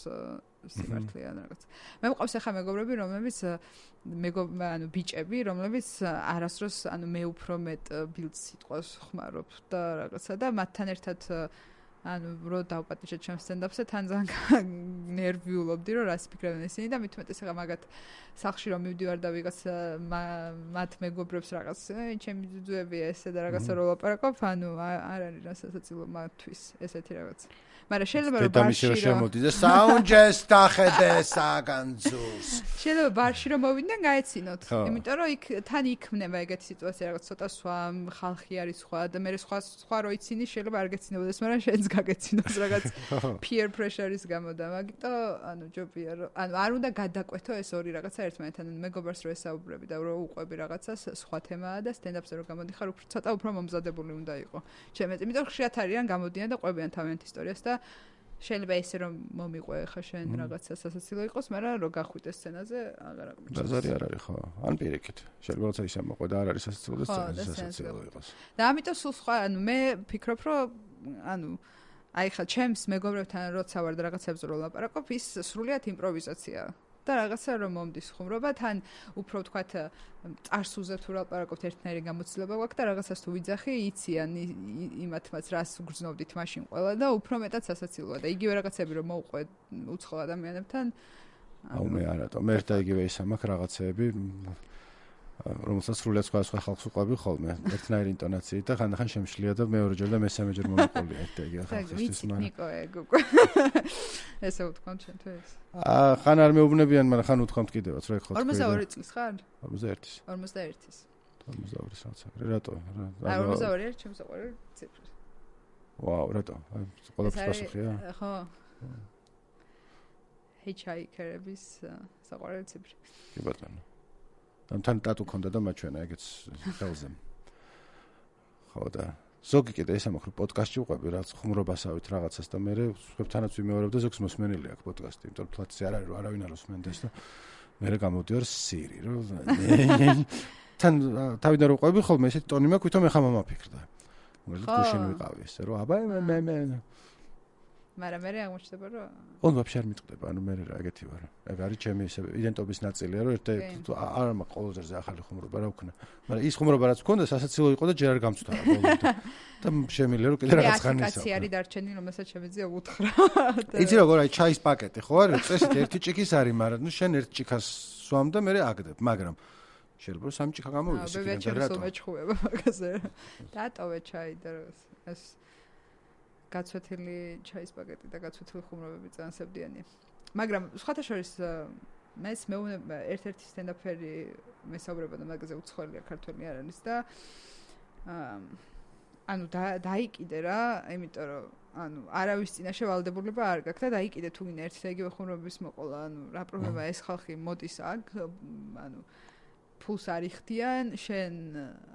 B: სიმართლეა რაღაც. მე მყავს ახლა მეგობრები რომლებიც მეგობრები ანუ ბიჭები რომლებიც არასდროს ანუ მე უფრო მეტ ბილდს სიტყვას ხმარობ და რაღაცა და მათთან ერთად ანუ რო დავპატიჟე ჩემს სტენდაპზე თან ძალიან ნერვიულობდი რომ რას ფიქრობენ ისინი და მით უმეტეს ახლა მაგათ სახში რომ მივდივარ და ვიღაც მათ მეგობრებს რაღაც ჩემი ძუძუები ესე და რაღაცა რო ლაპარაკობ ანუ არ არის რასაცილო მათთვის ესეთი რაღაც. მაგრამ შეიძლება რომ
A: ბარში რომ შემოდი და საუნჯეს დახედე საგანძურს.
B: შეიძლება ბარში რომ მოვიდნენ გაეცინოთ. იმიტომ რომ იქ თან იქმნება ეგეთი სიტუაცია რაღაც ცოტა სხვა ხალხი არის სხვა და მე სხვა სხვა რო იცინი შეიძლება არ გეცინებოდეს, მაგრამ შენც გაგეცინოს რაღაც peer pressure-ის გამო და მაგიტო ანუ ჯობია რომ ანუ არ უნდა გადაკვეთო ეს ორი რაღაცა ერთმანეთთან. მეგობრს რო ესაუბრები და რო უყვები რაღაცას სხვა თემაა და სტენდაპზე რო გამოდიხარ უფრო ცოტა უფრო მომზადებული უნდა იყო. ჩემეთ იმიტომ ხშირად არიან გამოდიან და ყვებიან თავიანთ ისტორიას და შეიძლება ესე რომ მომიყვე ხა შენ რაღაცა სასაცილო იყოს, მაგრამ რო გახვიდე სცენაზე აღარ აღმოჩნდა.
A: ბაზარი არ არის ხო? ან პირიქით. შეიძლება როცა ისე მოყვე და არ არის სასაცილო და სცენაზე სასაცილო იყოს.
B: და ამიტომ სულ სხვა, ანუ მე ფიქრობ, რომ ანუ აი ხა ჩემს მეგობრებთან როცა ვარ და რაღაცებს რო ლაპარაკობ, ის სრულიად იმპროვიზაციაა. და რაღაცა რომ მომდის ხუმრობა, თან უფრო ვთქვათ წარსულზე თუ ლაპარაკობთ ერთნაირი გამოცდილება გვაქვს და რაღაცას თუ ვიძახი, იციან იმათმაც რას გრძნობდით მაშინ ყველა და უფრო მეტად სასაცილოა და იგივე რაღაცები რომ მოუყვე უცხო ადამიანებთან.
A: აუ მე არათო, მე ერთ და იგივე ისა მაქვს რაღაცეები რომელსაც სრულიად სხვა სხვა ხალხს უყვები ხოლმე ერთნაირი ინტონაციით და ხანდახან შემშლია და მეორეჯერ და მესამეჯერ მომიყოლია ერთ და იგივე ხალხისთვის
B: მაგრამ ნიკო ეგ უკვე ესე ვთქვამთ შენთვის
A: აა ხან არ მეუბნებიან მაგრამ ხან უთქვამთ კიდევაც რა ხო
B: ორმოცდაორი წლის ხარ
A: ორმოცდაერთის
B: ორმოცდაერთის
A: ორმოცდაორის რაცა რატო
B: რა ორმოცდაორი არის ჩემს საყვარელი ციფრი
A: ვაუ რატო ყველაფერს პასუხია
B: ხო ჰიჩჰაიკერების საყვარელი ციფრი
A: კი ბატონო თან ტატუ ქონდა და მაჩვენა ეგეც ხელზე. ხო და ზოგი კიდე ეს ამახრო პოდკასტში უყვები რაც ხუმრობასავით რაღაცას და მე სხვებთანაც ვიმეორებ და ზოგს მოსმენელი აქვს პოდკასტი, იმიტომ რომ ფლატზე არ არის რომ არავინ არ უსმენდეს და მე გამოდივარ სირი რომ თან თავიდან რომ უყვები ხოლმე ესეთი ტონი მაქვს, ვითომ ეხა მომაფიქრდა. მოკლედ გუშინ ვიყავი ესე რომ აბა მე მე
B: მაგრამ მე აღმოჩნდება რომ
A: ონ ვაფშე არ მიტყდება, ანუ მე რა ეგეთი ვარ. ეგ არის ჩემი ისე იდენტობის ნაწილია, რომ ერთ-ერთი არ მაქვს ყოველდღე ახალი ხუმრობა რა ვქნა. მაგრამ ის ხუმრობა რაც მქონდა, სასაცილო იყო და ჯერ არ გამწვდა ბოლომდე. და შემიძლია რომ კიდე რაღაც ხანი ისე.
B: აკაცი არის დარჩენილი, რომელსაც შემიძლია უთხრა.
A: იცი როგორ აი ჩაის პაკეტი ხო არის? წესით ერთი ჭიქის არის, მაგრამ ნუ შენ ერთ ჭიქას სვამ და მე აგდებ, მაგრამ შეიძლება სამი ჭიქა გამოვიდეს იქიდან და რატო?
B: მეჩხუება მაგაზე. დატოვე ჩაი და ეს გაცვეთილი ჩაის პაკეტი და გაცვეთილი ხუმრობები წანსებდიანია. მაგრამ სხვათა შორის მეც მეუბნება ერთ-ერთი სტენდაპერი მესაუბრებოდა მაგაზე უცხოელია ქართველი არ არის და ანუ დაიკიდე რა, იმიტომ რომ ანუ არავის წინაშე ვალდებულება არ გაქვს და დაიკიდე თუ გინდა ერთი და იგივე ხუმრობის მოყოლა, ანუ რა პრობლემაა ეს ხალხი მოდის აქ, ანუ ფულს არ იხდიან, შენ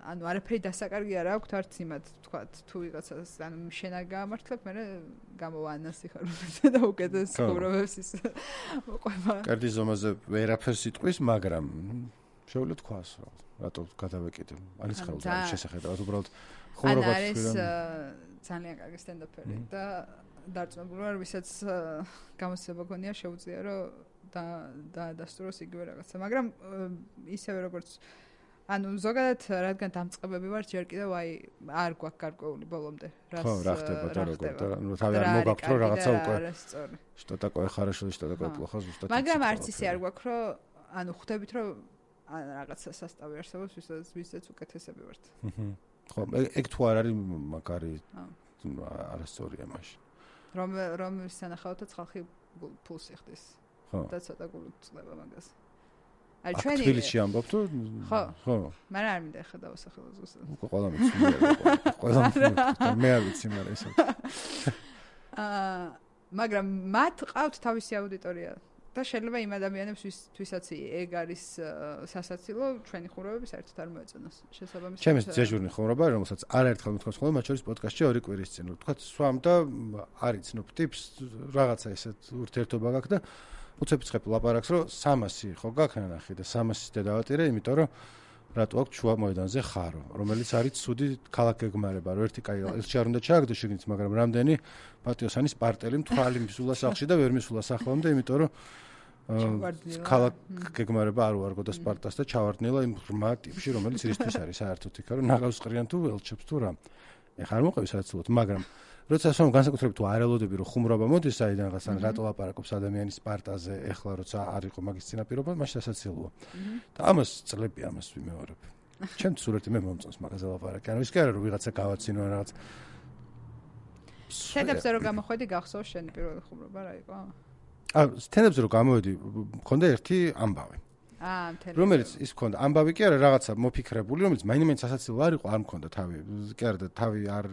B: ანუ არაფერი დასაკარგი არ აქვს არც იმათ, თქვათ, თუ ვიღაცას ანუ შენ არ გაამართლებ, მე გამოვანასი ხარ და უკეთეს ხუმრობებს ის მოყვება.
A: კარდი ზომაზე ვერაფერს იტყვის, მაგრამ შეუძლია თქვას რა, რატო გადავეკიდე. არის ხელდა შესახედავად უბრალოდ ხუმრობა
B: არის ძალიან კარგი სტენდაპერი და დარწმუნებული ვარ, ვისაც გამოცდილება გქონია შეუძლია რომ და და დასტუროს იგივე რაღაცა, მაგრამ ისევე როგორც ანუ ზოგადად რადგან დამწყებები ვარ, ჯერ კიდევ აი არ გვაქვს გარკვეული ბოლომდე.
A: ხო, რა ხდება და როგორ და ნუ თავი არ მოგაქვს რომ რაღაცა უკვე что такое хорошо, что такое плохо, зუსტად.
B: მაგრამ არც ისე არ გვაქვს რომ ანუ ხვდებით რომ რაღაცა სასტავი არსებობს, ვისაც ვისაც უკეთესები ვართ.
A: ხო, ეგ თუ არ არის მაგარი არასწორია მაშინ.
B: რომ რომ სანახავთაც ხალხი ფულს იხდის. და ცოტა გულით წლება მაგას. აი ჩვენი
A: თბილისში ამბობ თუ
B: ხო ხო მაგრამ არ მინდა ახლა დავასახელო ზუსტად.
A: უკვე ყველა მიცნობია. ყველა მიცნობია. მე არ ვიცი მაგრამ ისე.
B: აა მაგრამ მათ ყავთ თავისი აუდიტორია და შეიძლება იმ ადამიანებს ვისაც ეგ არის სასაცილო ჩვენი ხუმრობები საერთოდ არ მოეწონოს. შესაბამისად
A: ჩემს ძეჟურნი ხუმრობა რომელსაც არაერთხელ მithქოს ხოლმე მათ შორის პოდკასტში ორი კვირის წინ. თქვა სვამ და არიცნობ ტიპს რაღაცა ესეთ ურთიერთობა გაქვს და უცებიცხებ ლაპარაკს რომ სამასი ხო გაქნანახი და სამასის დედავატირე, იმიტომ რომ რატო აქვს შუა მოედანზე ხარო, რომელიც არის ცუდი ქალაქ გეგმარება, რომ ერთი კაი ელჩი არ უნდა ჩააგდო შიგნით, მაგრამ რამდენი პატიოსანის პარტელი მთვალი მისულა სახლში და ვერ მისულა სახლამდე, იმიტომ რომ ქალაქ გეგმარება არ უარგო და სპარტას და ჩავარდნილა იმ ღრმა ტიპში, რომელიც რისთვის არის საერთოდ იქ, რომ ნაღავს ყრიან თუ ელჩებს თუ რა. ეხლა არ მოყევი საერთოდ, მაგრამ როცა სამ განსაკუთრებით თუ არ ელოდები რომ ხუმრობა მოდის საიდანღაც ან რატო ლაპარაკობს ადამიანის პარტაზე, ეხლა როცა არ იყო მაგის წინაპირობა, მაშინ სასაცილოა. და ამას წლები ამას ვიმეორებ. ჩემ სურათი მე მომწონს მაგაზე ლაპარაკი. ანუ ის კი არა რომ ვიღაცა გავაცინო რაღაც.
B: სტენდაპზე რომ გამოხვედი გახსოვს შენი პირველი ხუმრობა რა იყო?
A: აა სტენდაპზე რომ გამოვედი, მქონდა ერთი ამბავი.
B: აა მთელი.
A: რომელიც ის მქონდა ამბავი კი არა რაღაცა მოფიქრებული, რომელიც მაინც სასაცილო არ იყო, არ მქონდა თავი. კი არა და თავი არ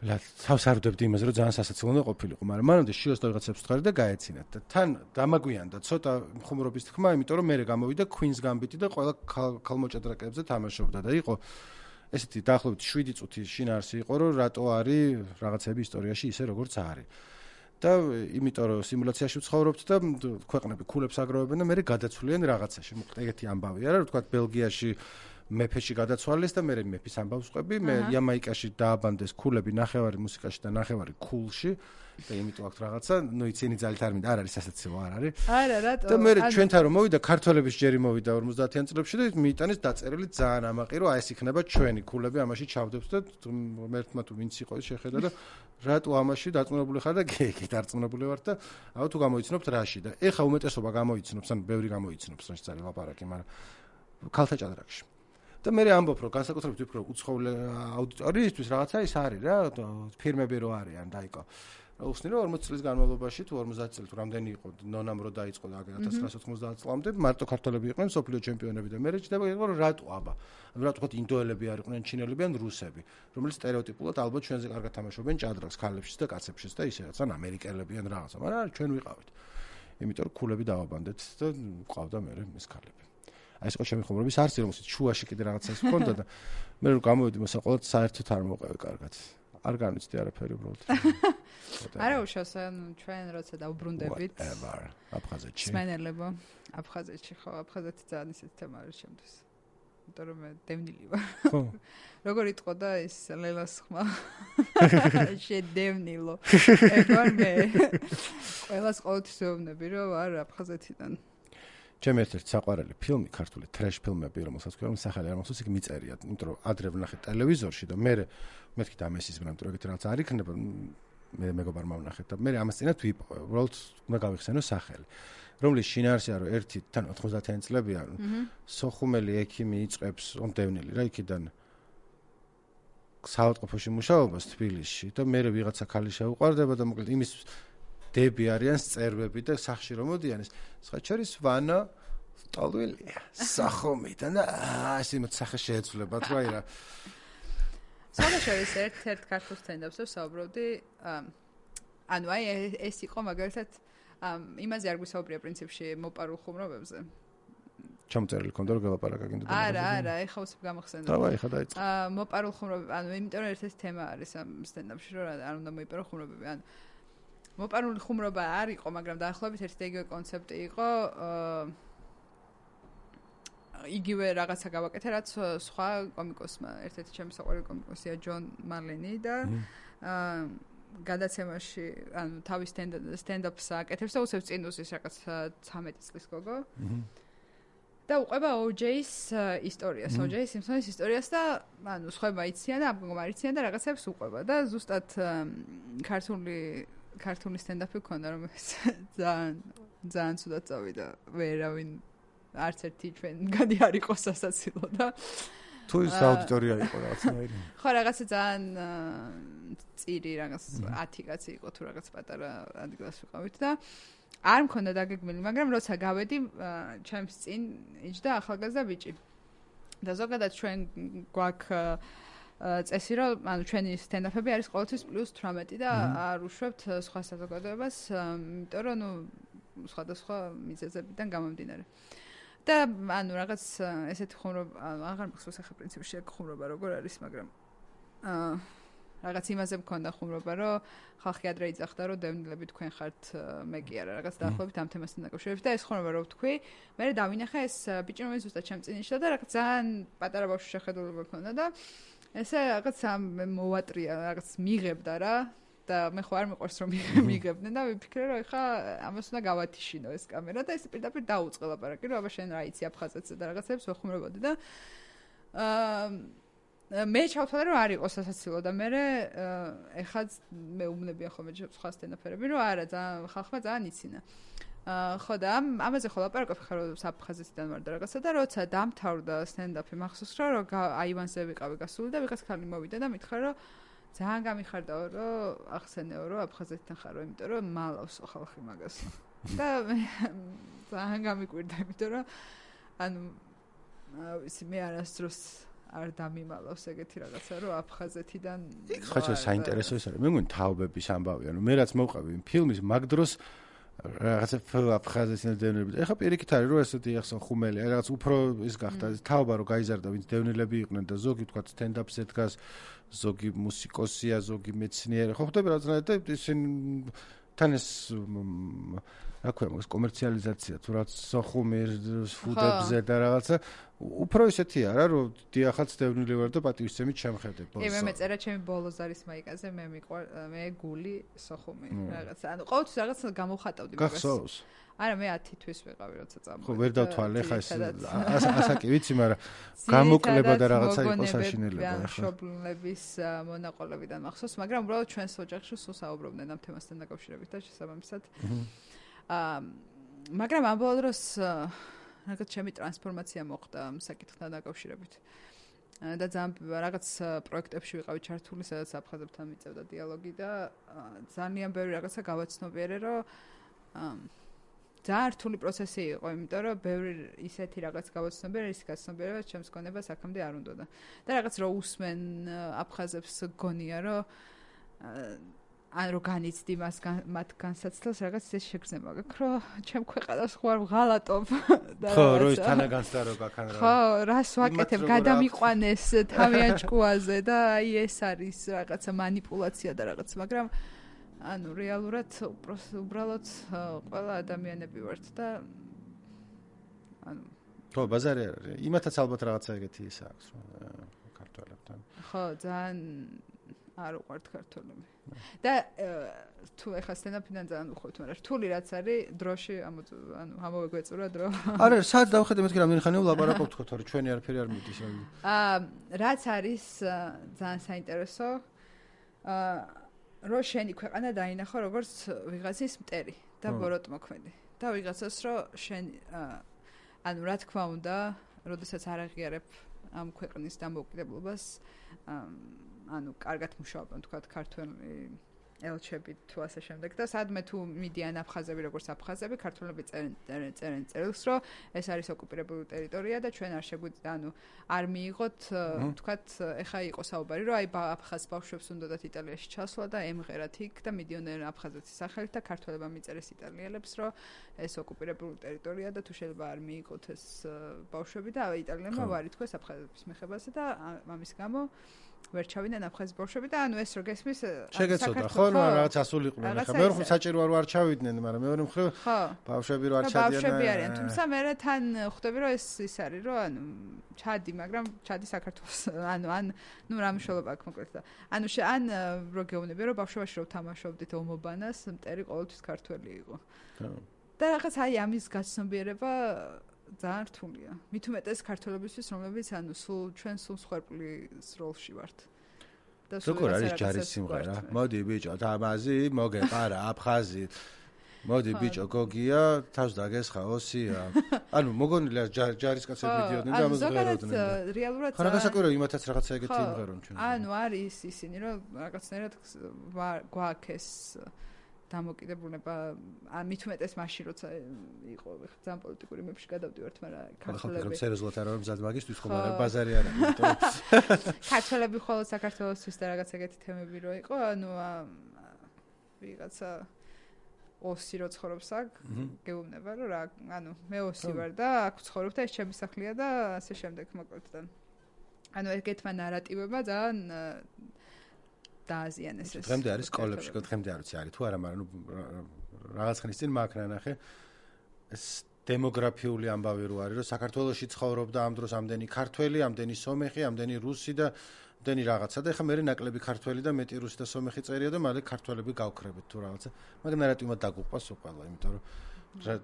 A: ლა თავს არ ვდებდი იმაზე რომ ძალიან სასაცილო უნდა ყოფილიყო, მაგრამ მანამდე შიოს და ვიღაცებს ვთხარი და გაეცინათ და თან დამაგვიანდა ცოტა ხუმრობის თქმა, იმიტომ რომ მე გამოვიდა Queen's Gambit და ყველა ქალმოჭადრაკეებზე თამაშობდა და იყო ესეთი დაახლოებით შვიდი წუთი შინაარსი იყო რომ რატო არის რაღაცები ისტორიაში ისე როგორც არის. და იმიტომ რომ სიმულაციაში ვცხოვრობთ და ქვეყნები ქულებს აგროვებენ და მე გადაცვლიან რაღაცაში. მოკლედ ეგეთი ამბავია რა, თქვა ბელგიაში მეფეში გადაცვალეს და მე მეფის ამბავს ვყვები, მე იამაიკაში დააბანდეს ქულები ნახევარი მუსიკაში და ნახევარი ქულში და იმიტომ აქ რაღაცა, ნუ იცინი ძალით არ მინდა, არ არის სასაცილო, არ არის.
B: არა, რატო?
A: და მე ჩვენთან რომ მოვიდა ქართველების ჯერი მოვიდა ორმოცდაათიან წლებში და მიიტანეს დაწერილი ძალიან ამაყი, რომ აი ეს იქნება ჩვენი ქულები, ამაში ჩავდებს და მერთმა თუ ვინც იყო შეხედა და რატო ამაში დარწმუნებული ხარ და კი დარწმუნებული ვარ და აუ თუ გამოიცნობთ რაში და ეხა უმეტესობა გამოიცნობს, ან ბევრი გამოიცნობს რაში წარი ლაპარაკი, მაგრამ ქალთა ჭადრაკში. და მე ამბობ რომ განსაკუთრებით ვფიქრობ უცხოელი აუდიტორიისთვის რაღაცა ის არის რა, ფირმები რო არიან დაიკო. უხსნი რომ ორმოცი წლის განმავლობაში თუ ორმოცდაათი წელი თუ რამდენი იყო ნონამ რო დაიწყო და ათას ცხრაასა ოცდაათი წლამდე მარტო ქართველები იყვნენ სოფლიო ჩემპიონები და მე რეჩდება იყო რომ რატო აბა რატო თქვა ინდოელები არ იყვნენ ჩინელები ან რუსები რომელიც სტერეოტიპულად ალბათ ჩვენზე კარგად თამაშობენ ჭადრაკს ქალებშიც და კაცებშიც და ისე რაც ან ამერიკელები ან რაღაცა მაგრამ ჩვენ ვიყავით იმიტომ რომ ქულები დავაბანდეთ და ყავდა მე ეს ქალები აი ეს ყო ჩემი ხუმრობის არც რომელსაც შუაში კიდე რაღაცა ის ჰქონდა და მე რომ გამოვიდი მოსაყოლად საერთოდ არ მოყევი კარგად არ განვიცდი არაფერი უბრალოდ.
B: არა უშავს, ანუ ჩვენ როცა დავბრუნდებით.
A: აბხაზეთში.
B: სმენელებო, აფხაზეთში ხო, აფხაზეთი ძალიან ისეთი თემა არის შემდგეს. იმიტომ რომ მე დევნილი ვარ.
A: ხო.
B: როგორ იტყოდა ის ლელას ხმა? შედევნილო. ეგ მე ყველას ყოველთვის ვეუბნები რომ ვარ აფხაზეთიდან.
A: ჩემ ერთ-ერთი საყვარელი ფილმი, ქართული ტრეშ ფილმები, რომელსაც ქვია, სახელი არ მახსოვს, იქ მიწერია, იმიტომ რომ ადრე ვნახე ტელევიზორში და მე მეთქი და ამესის ბრამ, რომ ეგეთი რაღაც არ იქნება, მე მეგობარმა ვნახეთ და მე ამას წინათ ვიპოვე, უბრალოდ უნდა გავიხსენო სახელი. რომლის შინაარსია რომ ერთი თან ოთხმოცდაათიანი წლებია, სოხუმელი ექიმი იწყებს ონდევნილი რა იქიდან საავადმყოფოში მუშაობას თბილისში და მე ვიღაცა ქალი შეუყვარდება და მოკლედ იმის დები არიან სწერვები და სახში რომ მოდიან ეს სხვაჩორის ვანა ტალვილია სახომიდან და ასე მათ სახე შეეცვლებათ რა ირა
B: საერთოდ ერთ-ერთ ქართულ სტენდაპს ვსაუბრობდი ანუ აი ეს იყო მაგალითად იმაზე არ გვისაუბრია პრინციპში მოპარულ ხუმრობებზე
A: ჩამწერილი ქონდა რომ გელაპარაკა
B: არა არა ეხა უცებ გამახსენდა
A: დავაი ხა დაიწყო
B: აა მოპარულ ხუმრობები ანუ იმიტომ რომ ერთ-ერთი თემა არის ამ სტენდაპში რომ არ უნდა მოიპარო ხუმრობები ანუ მოპარული ხუმრობა არ იყო, მაგრამ დაახლოებით ერთი და იგივე კონცეფტი იყო. იგივე რაღაცა გავაკეთე, რაც სხვა კომიკოსმა, ერთ-ერთი ჩემი საყვარელი კომიკოსია ჯონ მალენი და გადაცემაში, ანუ თავის სტენდაპს აკეთებს და უცებ წინ უსის რაღაც ცამეტი წლის გოგო. და უყვება O J-ის ისტორიას, O J Simpson-ის ისტორიას და ანუ სხვაება იციან და ამგონმა იციან და რაღაცებს უყვება და ზუსტად ქართული ქართული სტენდაპი ქონდა რომ ძალიან ძალიან ცუდად წავიდა ვერავინ არც ერთი ჩვენგანი არ იყო სასაცილო და
A: თუ ის აუდიტორია იყო რაღაცნაირი
B: ხო რაღაცა ძალიან წირი რაღაც ათი კაცი იყო თუ რაღაც პატარა ადგილას ვიყავით და არ მქონდა დაგეგმილი მაგრამ როცა გავედი ჩემს წინ იჯდა ახალგაზრდა ბიჭი და ზოგადად ჩვენ გვაქვს წესი რომ ანუ ჩვენი სტენდაპები არის ყოველთვის პლუს თვრამეტი და არ უშვებთ სხვა საზოგადოებას, იმიტომ რომ ნუ სხვადასხვა მიზეზებიდან გამომდინარე. და ანუ რაღაც ესეთი ხუმრობა, აღარ მახსოვს ახლა პრინციპში ხუმრობა როგორ არის, მაგრამ აა რაღაც იმაზე მქონდა ხუმრობა, რომ ხალხი ადრე იძახდა, რომ დევნილები თქვენ ხართ, მე კი არა, რაღაც დაახლოებით ამ თემასთან დაკავშირებით და ეს ხუმრობა რო ვთქვი, მე დავინახე ეს ბიჭი რომელიც ზუსტად ჩემ წინ იჯდა და რაღაც ძალიან პატარა ბავშვი შეხედულება ჰქონდა და ესე რაღაც მოვატრია, რაღაც მიღებდა რა და მე ხო არ მიყვარს რომ მიღებდნენ და ვიფიქრე რომ ეხა ამას უნდა გავათიშინო ეს კამერა და ეს პირდაპირ დაუწყე ლაპარაკი რომ აბა შენ რა იცი აფხაზეთზე და რაღაცებს ვეხუმრებოდი და აა მე ჩავთვალე რომ არ იყო სასაცილო და მე ეხა მე უმნებია ხოლმე სხვა სტენდაპერები რომ არა ძალიან ხალხმა ძალიან იცინა აა ხო და ამაზე ხო ლაპარაკობ ხარ რომ საფხაზეთიდან ვარ და რაღაცა და როცა დამთავრდა სტენდაპი მახსოვს რომ აივანზე ვიყავი გასული და ვიღაც ხალი მოვიდა და მითხრა რომ ძალიან გამიხარდაო რომ ახსენეო რომ აფხაზეთიდან ხარო იმიტომ რომ მალავს ხალხი მაგას და ძალიან გამიკვირდა იმიტომ რომ ანუ ვიცი მე არასდროს არ დამიმალავს ეგეთი რაღაცა რომ აფხაზეთიდან
A: ხაჭა საინტერესო ის არის მე მგონი თაობების ამბავი ანუ მე რაც მოვყავი იმ ფილმის მაგ დროს რაღაცა აფხაზეთიდან დევნილები ეხა პირიქით არის რომ ესეთი ახსენ ხუმელი აი რაღაც უფრო ის გახდა თაობა რომ გაიზარდა ვინც დევნილები იყვნენ და ზოგი თქვა სტენდაპზე დგას ზოგი მუსიკოსია ზოგი მეცნიერი ხო ხდება რაღაცნაირად და ისინი თან ეს რა ქვია მაგას კომერციალიზაცია თუ რაც სოხუმის ფუდებზე და რაღაცა უფრო ისეთი არა რომ დიახაც დევნილი ვარ და პატივისცემით შემხედებ
B: ბოლოს. კი მე მეწერა ჩემი ბოლოს არის მაიკაზე მე მიყვარ მე გული სოხუმი რაღაცა ანუ ყოველთვის რაღაცა გამოვხატავდი
A: მაგას. გახსოვს?
B: არა მე ათი თვის ვიყავი როცა წამოვედი.
A: ხო ვერ დავთვალე ხა ეს ასაკი ვიცი მაგრამ გამოკლება და რაღაცა იყო საშინელება
B: ახლა. მშობლების მონაყოლებიდან მახსოვს მაგრამ უბრალოდ ჩვენს ოჯახში სულ საუბრობდნენ ამ თემასთან დაკავშირებით და შესაბამისად აა მაგრამ ამ ბოლო დროს რაღაც ჩემი ტრანსფორმაცია მოხდა ამ საკითხთან დაკავშირებით. და ძალიან რაღაც პროექტებში ვიყავი ჩართული, სადაც აფხაზებთან მიწევდა დიალოგი და ძალიან ბევრი რაღაცა გავაცნობიერე, რომ ძალიან რთული პროცესი იყო, იმიტომ რომ ბევრი ისეთი რაღაც გავაცნობიერე, ის გაცნობიერება ჩემს გონებას აქამდე არ უნდოდა. და რაღაც რო უსმენ აფხაზებს გონია, რომ ან რო განიცდი მას მათ განსაცდელს რაღაც ეს შეგრძნება გაქვს რომ ჩემ ქვეყანას ხო არ ვღალატობ
A: და ხო რო ის თანაგანცდა რო გაქან რა
B: ხო რას ვაკეთებ გადამიყვანეს თავიანთ ჭკუაზე და აი ეს არის რაღაცა манипуляция და რაღაც მაგრამ ანუ რეალურად უბრალოდ ყველა ადამიანები ვართ და ანუ
A: ხო, ბაზარი არ არის. იმათაც ალბათ რაღაცა ეგეთი ის აქვს, რომ ქართველებთან.
B: ხო, ძალიან არ უყვართ ქართველები. და თუ ეხლა სტენდაპიდან ძალიან უხვევთ, მაგრამ რთული რაც არის, დროში ანუ ამოვეგვეწურა დრო.
A: არა, სად დავხედე მეთქი რამდენი ხანია ვლაპარაკობთ ხო, თორე ჩვენი არაფერი არ მიდის.
B: აა, რაც არის ძალიან საინტერესო, აა, რო შენი ქვეყანა დაინახო როგორც ვიღაცის მტერი და ბოროტმოქმედი. და ვიღაცას რო შენ ანუ რა თქმა უნდა, როდესაც არ აღიარებ ამ ქვეყნის დამოუკიდებლობას, ანუ კარგად მუშაობენ თქვა ქართველი ელჩები თუ ასე შემდეგ და სადმე თუ მიდიან აფხაზები როგორც აფხაზები, ქართველები წერენ წერენ წერილს, რომ ეს არის ოკუპირებული ტერიტორია და ჩვენ არ შეგვიძლია, ანუ არ მიიღოთ, თქვა, ეხა იყო საუბარი, რომ აი აფხაზ ბავშვებს უნდათ იტალიაში ჩასვლა და ემღერათ იქ და მიდიოდნენ აფხაზეთის სახელით და ქართველებმა მიწერეს იტალიელებს, რომ ეს ოკუპირებული ტერიტორია და თუ შეიძლება არ მიიღოთ ეს ბავშვები და იტალიელებმა ვარი თქვეს აფხაზების მეხებაზე და ამის გამო ვერ ჩავიდნენ აფხაზის ბავშვები და ანუ ეს რო გესმის
A: შეგეცოდა ხო რა რაღაც ასულიყვნენ ახლა მე ხო საჭირო არ ვარ ჩავიდნენ მაგრამ მეორე მხრივ ბავშვები რო არ ჩადიან
B: ბავშვები არიან თუმცა მე თან ხვდები რომ ეს ის არის რომ ანუ ჩადი მაგრამ ჩადი საქართველოს ანუ ან ნუ რა მნიშვნელობა აქვს მოკლედ და ანუ ან რო გეუბნები რომ ბავშვობაში რო თამაშობდით ომობანას მტერი ყოველთვის ქართველი იყო და რაღაც აი ამის გაცნობიერება ძალიან რთულია. მით უმეტეს ქართველებისთვის, რომლებიც ანუ სულ ჩვენ სულ სხერპლის როლში ვართ.
A: და როგორ არის ჯარის სიმღერა? მოდი ბიჭო, თამაზი, მოგეყარა აფხაზი. მოდი ბიჭო, გოგია, თავს დაგესხა ოსია. ანუ მოგონილია ჯარის კაცები მიდიოდნენ და ამას ღეროდნენ.
B: რეალურად
A: ხარა გასაკვირია იმათაც რაღაცა ეგეთი იმღერონ ჩვენ.
B: ანუ არის ისინი, რომ რაღაცნაირად გვაქვს დამოკიდებულება მით უმეტეს მაშინ როცა იყო ძალიან პოლიტიკური მებში გადავდივართ, მაგრამ
A: ქართველები ხო სერიოზულად არ არის მზად მაგისთვის ხო მაგრამ ბაზარი არ არის, იმიტომ
B: ქართველები ხოლმე საქართველოსთვის და რაღაც ეგეთი თემები რო იყო, ანუ ვიღაცა ოსი რო ცხოვრობს აქ, გეუბნება რომ რა, ანუ მე ოსი ვარ და აქ ვცხოვრობ და ეს ჩემი სახლია და ასე შემდეგ მოკლედ და ანუ ეგეთმა ნარატივებმა ძალიან დააზიანეს ეს.
A: დღემდე არის სკოლებში, დღემდე არ ვიცი არის თუ არა, მაგრამ რაღაც ხნის წინ მაქნა ნახე ეს დემოგრაფიული ამბავი რო არის, რომ საქართველოში ცხოვრობდა ამ დროს ამდენი ქართველი, ამდენი სომეხი, ამდენი რუსი და ამდენი რაღაცა და ეხლა მე ნაკლები ქართველი და მეტი რუსი და სომეხი წერია და მალე ქართველები გავქრებით თუ რაღაცა. მაგრამ ნარატივმა დაგუყვა სულ, იმიტომ რომ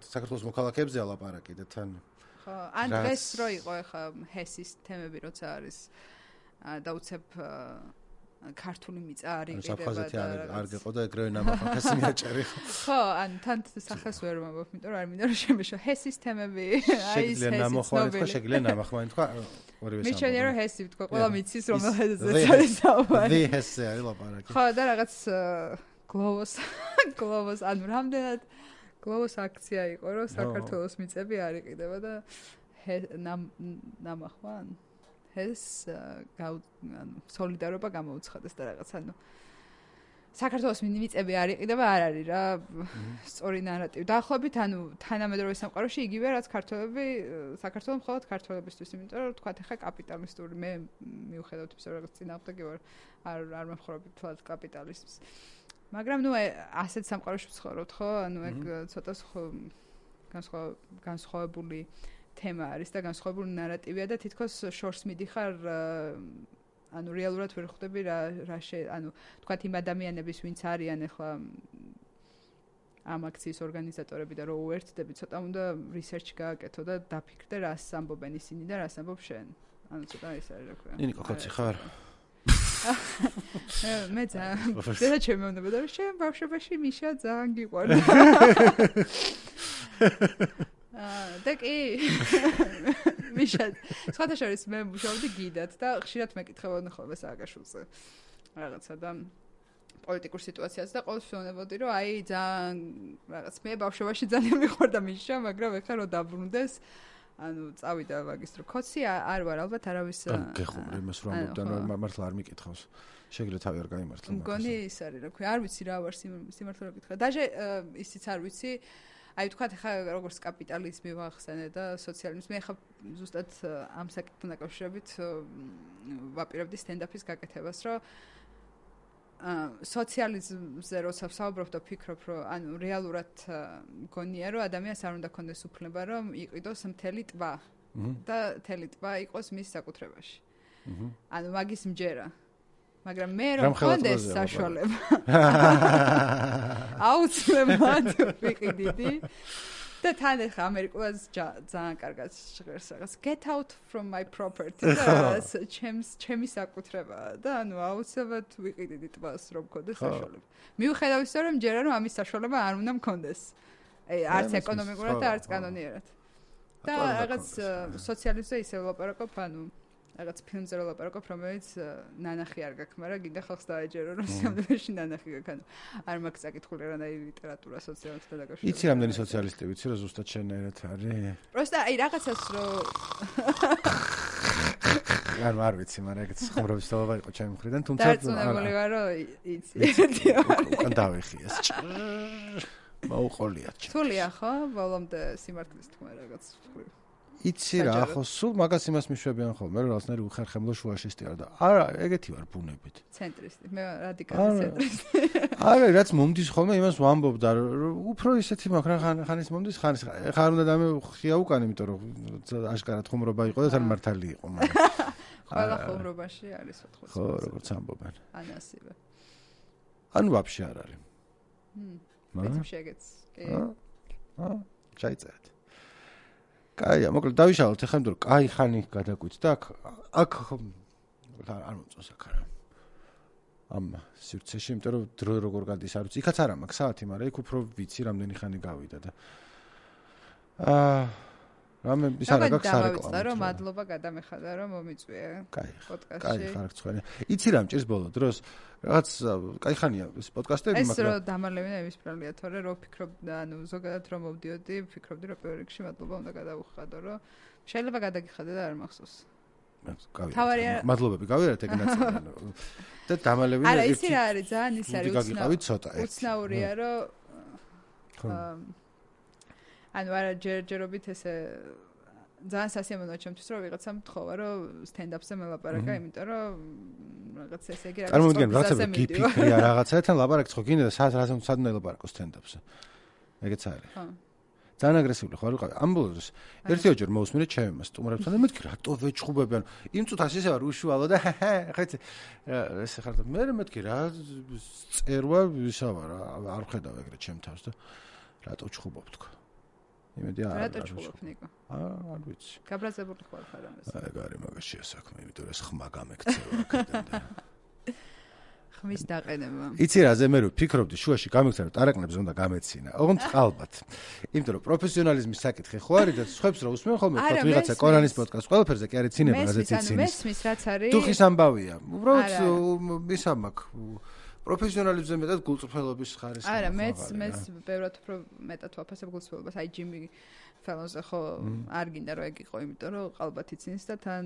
A: საქართველოს მოქალაქეებზე ალაპარაკი და თან
B: ხო, ან დღეს რო იყო ეხლა ჰესის თემები როცა არის და უცებ ქართული მიწა არ იყიდება
A: და არ გეყო და ეგრევე ნამახახესი მიაჭერი
B: ხო ან თან სახელს ვერ მომბობ იმიტომ რომ არ მინდა რომ შემეშო ჰესის თემები
A: აი ეს ჰესის ნამოხვარი თქვა შეგიძლია ნამახმარი თქვა ორივე
B: მე შეიძლება რომ ჰესი თქვა ყველა მიცის რომელზეც არის საუბარი
A: ვი ჰესი არის ლაპარაკი
B: ხო და რაღაც გლოვოს გლოვოს ანუ რამდენად გლოვოს აქცია იყო რომ საქართველოს მიწები არ იყიდება და ნამახვა ეს ანუ სოლიდარობა გამოუცხადეს და რაღაც ანუ საქართველოს მიწები არ იყიდება არ არის რა სწორი ნარატივი დაახლოებით ანუ თანამედროვე სამყაროში იგივე რაც ქართველები საქართველოს მხოლოდ ქართველებისთვის იმიტომ რომ თქვა ხა კაპიტალისტური მე მიუხედავთ იმისა რომ რაღაც წინააღმდეგი ვარ არ არ მეხმარობ თვალ კაპიტალიზმს მაგრამ ნუ ასეთ სამყაროში ვცხოვრობთ ხო ანუ ეგ ცოტა განსხვავებული თემა არის და განსხვავებული ნარატივია და თითქოს შორს მიდიხარ ანუ რეალურად ვერ ხვდები რა რა ანუ თქვათ იმ ადამიანების ვინც არიან ახლა ამ აქციის ორგანიზატორები და რო უერთდები ცოტა უნდა რისერჩი გააკეთო და დაფიქრდე რას ამბობენ ისინი და რას ამბობ შენ ანუ ცოტა ის არის რა ქვია
A: ნინიკო ხოცი ხარ
B: მე ძალიან და ჩემი უნდა და შენ ბავშვობაში მიშა ძალიან გიყვარდა და კი მიშა სხვათა შორის მე მუშაობდი გიდად და ხშირად მეკითხებოდნენ ხოლმე სააკაშვილზე რაღაცა და პოლიტიკურ სიტუაციას და ყოველთვის ვეუბნებოდი რომ აი ძალიან რაღაც მე ბავშვობაში ძალიან მიყვარდა მიშა მაგრამ ეხლა რომ დაბრუნდეს ანუ წავიდა მაგისტრო კოცი არ ვარ ალბათ არავის
A: გეხუმრე იმას რომ ამბობდნენ მართლა არ მიკითხავს შეგიძლია თავი არ გაიმართლა
B: მგონი ის არის რა ქვია არ ვიცი რა ვარ სიმართლე რა გითხრა დაჟე ისიც არ ვიცი აი თქვათ ხა როგორც კაპიტალიზმი ვახსენე და სოციალიზმი ხა ზუსტად ამ საკითხთან დაკავშირებით ვაპირებდი სტენდაფის გაკეთებას რომ სოციალიზმზე როცა ვსაუბრობ და ვფიქრობ რომ ანუ რეალურად მგონია რომ ადამიანს არ უნდა ქონდეს უფლება რომ იყიდოს მთელი ტბა და თელი ტბა იყოს მის საკუთრებაში. ანუ მაგის მჯერა. მაგრამ მე რომ მქონდეს საშუალება. აუცილებლად ვიყიდიდი. და თან ახლა ამერიკულას ძალიან კარგად ჟღერს რაღაც get out from my property და ჩემს ჩემი საკუთრებაა და ანუ აუცილებლად ვიყიდიდი ტბას რომ მქონდეს საშუალება. მიუხედავ ისე რომ ჯერა რომ ამის საშუალება არ უნდა მქონდეს. აი არც ეკონომიკურად და არც კანონიერად. და რაღაც სოციალიზმზე ისე ვლაპარაკობ, ანუ რაღაც ფილმზე ვლაპარაკობ, რომელიც ნანახი არ გაქვს, მაგრამ გინდა ხალხს დაეჯერო რომ სამდროში ნანახი გაქვს. ანუ არ მაქვს წაკითხული რანაირი ლიტერატურა სოციალისტთა დაკავშირებით.
A: იცი რამდენი სოციალისტი ვიცი რომ ზუსტად შენერად არის?
B: პროსტა აი რაღაცას რომ
A: არ არ ვიცი, მაგრამ ეგეც ხმრობის თაობა იყო ჩემი მხრიდან, თუმცა
B: დარწმუნებული ვარ რომ იცი.
A: უკან დავიხიეს. მაუყოლიათ.
B: თულია ხო? ბოლომდე სიმართლის თქმა რაღაც ვთქვი.
A: იცი რა, ხო, სულ მაგას იმას მიშვებიან ხოლმე, რომ რაღაცნაირი უხერხემლო შუაშისტი არ და არა, ეგეთი ვარ ბუნებით.
B: ცენტრისტი, მე რადიკალი ცენტრისტი.
A: არა, რაც მომდის ხოლმე, იმას ვამბობდა, რომ უფრო ისეთი მაქვს რა ხანის მომდის, ხანის ხარ უნდა დამეხია უკან, იმიტომ რომ აშკარად ხუმრობა იყო და თან მართალი იყო, მაგრამ
B: ყველა ხუმრობაში არის ოთხმოცდაათი.
A: ხო, როგორც ამბობენ.
B: ან ასევე.
A: ანუ ვაფშე არ არის.
B: მმ. მეც შეგეც. კი.
A: აა, ჩაიწერეთ. კაია, მოკლედ დავიშალოთ ახლა, იმიტომ რომ კაი ხანი გადაგვით და აქ აქ არ მომწონს აქ არა. ამ სივრცეში, იმიტომ რომ დრო როგორ გადის არ ვიცი. იქაც არა მაქვს საათი, მაგრამ იქ უფრო ვიცი რამდენი ხანი გავიდა და აა რამე ის არა გაქვს
B: სარეკლამო. რომ მადლობა გადამეხადა რომ მომიწვია
A: პოდკასტში. კაი, ხარ ცხელი. იცი რა მჭირს ბოლო დროს რაღაც კაი ხანია ეს პოდკასტები,
B: მაგრამ ეს რომ დამალევინა იმისფრალია, თორე რომ ფიქრობ და ანუ ზოგადად რომ მოვდიოდი, ფიქრობდი რომ პირველ რიგში მადლობა უნდა გადავუხადო, რომ შეიძლება გადაგიხადე და არ მახსოვს.
A: გავიგე. მადლობები გავიარეთ ეგ ნაწილი. და დამალევინა
B: არა, ისი რა არის, ძალიან ის არის
A: უცნაური ცოტა.
B: უცნაურია რომ ანუ არა ჯერჯერობით ესე ძალიან სასიამოვნოა ჩემთვის რომ ვიღაცამ თხოვა რომ სტენდაპზე მელაპარაკა, იმიტომ რომ რაღაც ესე იგი რაღაც
A: წარმოვიდგენ რაღაცა გიფიქრია რაღაცათან ლაპარაკს ხო გინდა და სად რასთან სად უნდა ელაპარაკო სტენდაპზე. ეგეც არის. ხო. ძალიან აგრესიული ხო არ ვიყავი. ამ ბოლოს ერთი ოჯერ მოусმინე ჩემს სტუმრებთან და მეთქი რატო ვეჩხუბებიან. იმ წუთას ისე ვარ უშუალო და ხეთ ეს ხარ და მე მეთქი რა წერვა ვისავა რა არ ხედავ ეგრე ჩემ თავს და რატო ვჩხუბობ თქო. იმედი არ
B: რატო ჩხუბობ ნიკო?
A: აა არ ვიცი.
B: გაბრაზებული ხარ ხარ ამას.
A: აი გარი მაგაშია საქმე, იმიტომ რომ ეს ხმა გამექცევა აქედან და
B: ხმის დაყენება.
A: იცი რა, ზე მე რო ფიქრობდი შუაში გამიქცა რომ ტარაკნებს უნდა გამეცინა. ოღონდ ალბათ. იმიტომ რომ პროფესიონალიზმის საკითხი ხო არის და სხვებს რო usმენ ხოლმე თქვა ვიღაცა კორანის პოდკასტ ყველაფერზე კი არის ცინება, რაზეც იცინის.
B: მესმის რაც არის.
A: დუხის ამბავია. უბრალოდ ის ამაკ პროფესიონალიზმზე მეტად გულწრფელობის ხარისხი.
B: არა, მეც მეც ბევრად უფრო მეტად ვაფასებ გულწრფელობას. აი ჯიმი ფელონზე ხო არ გინდა რომ ეგ იყო, იმიტომ რომ ყალბათ იცინის და თან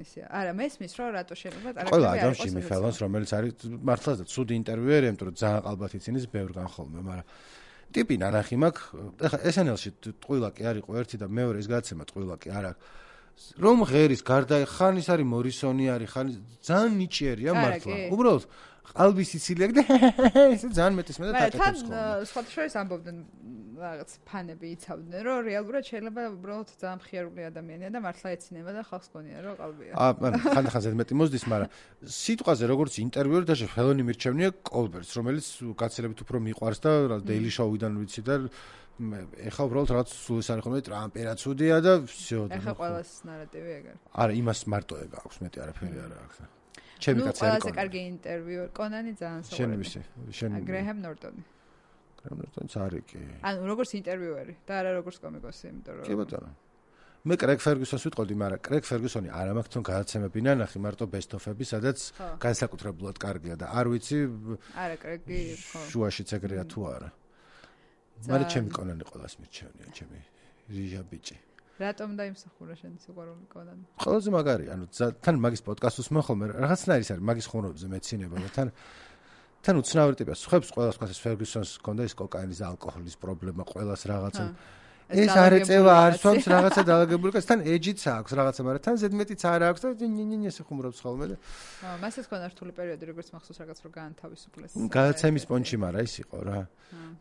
B: ისე. არა, მესმის რომ რატო შეიძლება
A: ტარაკები არ იყოს. ყველა ადამს ჯიმი ფელონს, რომელიც არის მართლაც და ცუდი ინტერვიუერია, იმიტომ რომ ძალიან ყალბათ იცინის ბევრგან ხოლმე, მაგრამ ტიპი ნანახი მაქვს. ეხლა ეს ენ ელში ტყუილა კი არ იყო ერთი და მეორე ის გადაცემა ტყუილა კი არ აქვს. რომ ღერის გარდა ხან ის არის მორისონი არის, ხან ძალიან ნიჭიერია მართლა. უბრალოდ ყალბის სიცილია და ესე ძალიან მეტის მეტად აკეთებს ხოლმე.
B: მაგრამ თან სხვათა შორის ამბობდნენ რაღაც ფანები იცავდნენ, რომ რეალურად შეიძლება უბრალოდ ძალიან მხიარული ადამიანია და მართლა ეცინება და ხალხს გონია რომ ყალბია.
A: აა ხანდახან ზედმეტი მოსდის, მაგრამ სიტყვაზე როგორც ინტერვიუერი და ფელონი მირჩევნია კოლბერტს, რომელიც გაცილებით უფრო მიყვარს და დეილი შოუიდან ვიცი და ეხა უბრალოდ რაღაც სულ ეს არის ხოლმე ტრამპი რა ცუდია და всё.
B: ეხა ყველას ნარატივი ეგ არის.
A: არა, იმას მარტო ეგ აქვს, მეტი არაფერი არ აქვს. ჩემი კაცი არის.
B: ნუ ყველაზე კარგი ინტერვიუ კონანი ძალიან საყვარელი.
A: შენ ვისი? შენ
B: გრეჰემ ნორტონი.
A: გრეჰემ ნორტონი არის კი.
B: ანუ როგორც ინტერვიუერი და არა როგორც კომიკოსი, იმიტომ რომ
A: კი ბატონო. მე კრეგ ფერგუსონს ვიტყოდი, მაგრამ კრეგ ფერგუსონი არ მაქვს თვითონ გადაცემები ნანახი, მარტო ბესტ-ოფები, სადაც განსაკუთრებულად კარგია და არ ვიცი
B: არა კრეგი ხო.
A: შუაშიც ეგრეა თუ არა. მაგრამ ჩემი კონანი ყოველას მირჩევნია, ჩემი რიჟა ბიჭი.
B: რატომ დაიმსახურა შენი სიყვარული კონანი?
A: ყველაზე მაგარი, ანუ თან მაგის პოდკასტს მეხოლმე რაღაცნაირი არის მაგის ხუმრობებზე მეცინება და თან თან უცნაური ტიპია. სხვებს ყველას თქვა ეს ფერგუსონს ჰქონდა ის კოკაინის და ალკოჰოლის პრობლემა, ყველას რაღაცა. ეს არ ეწევა არ სვამს რაღაცა დაალაგებული კაცს თან ეჯიც აქვს რაღაცა მაგრამ თან ზედმეტიც არ აქვს და ნინინი ესე ხუმრობს ხოლმე და
B: აა მასაც ქონა რთული პერიოდი როგორც მახსოვს რაღაც რო გაანთავისუფლეს
A: გადაცემის პონჩი მაგრამ ის იყო რა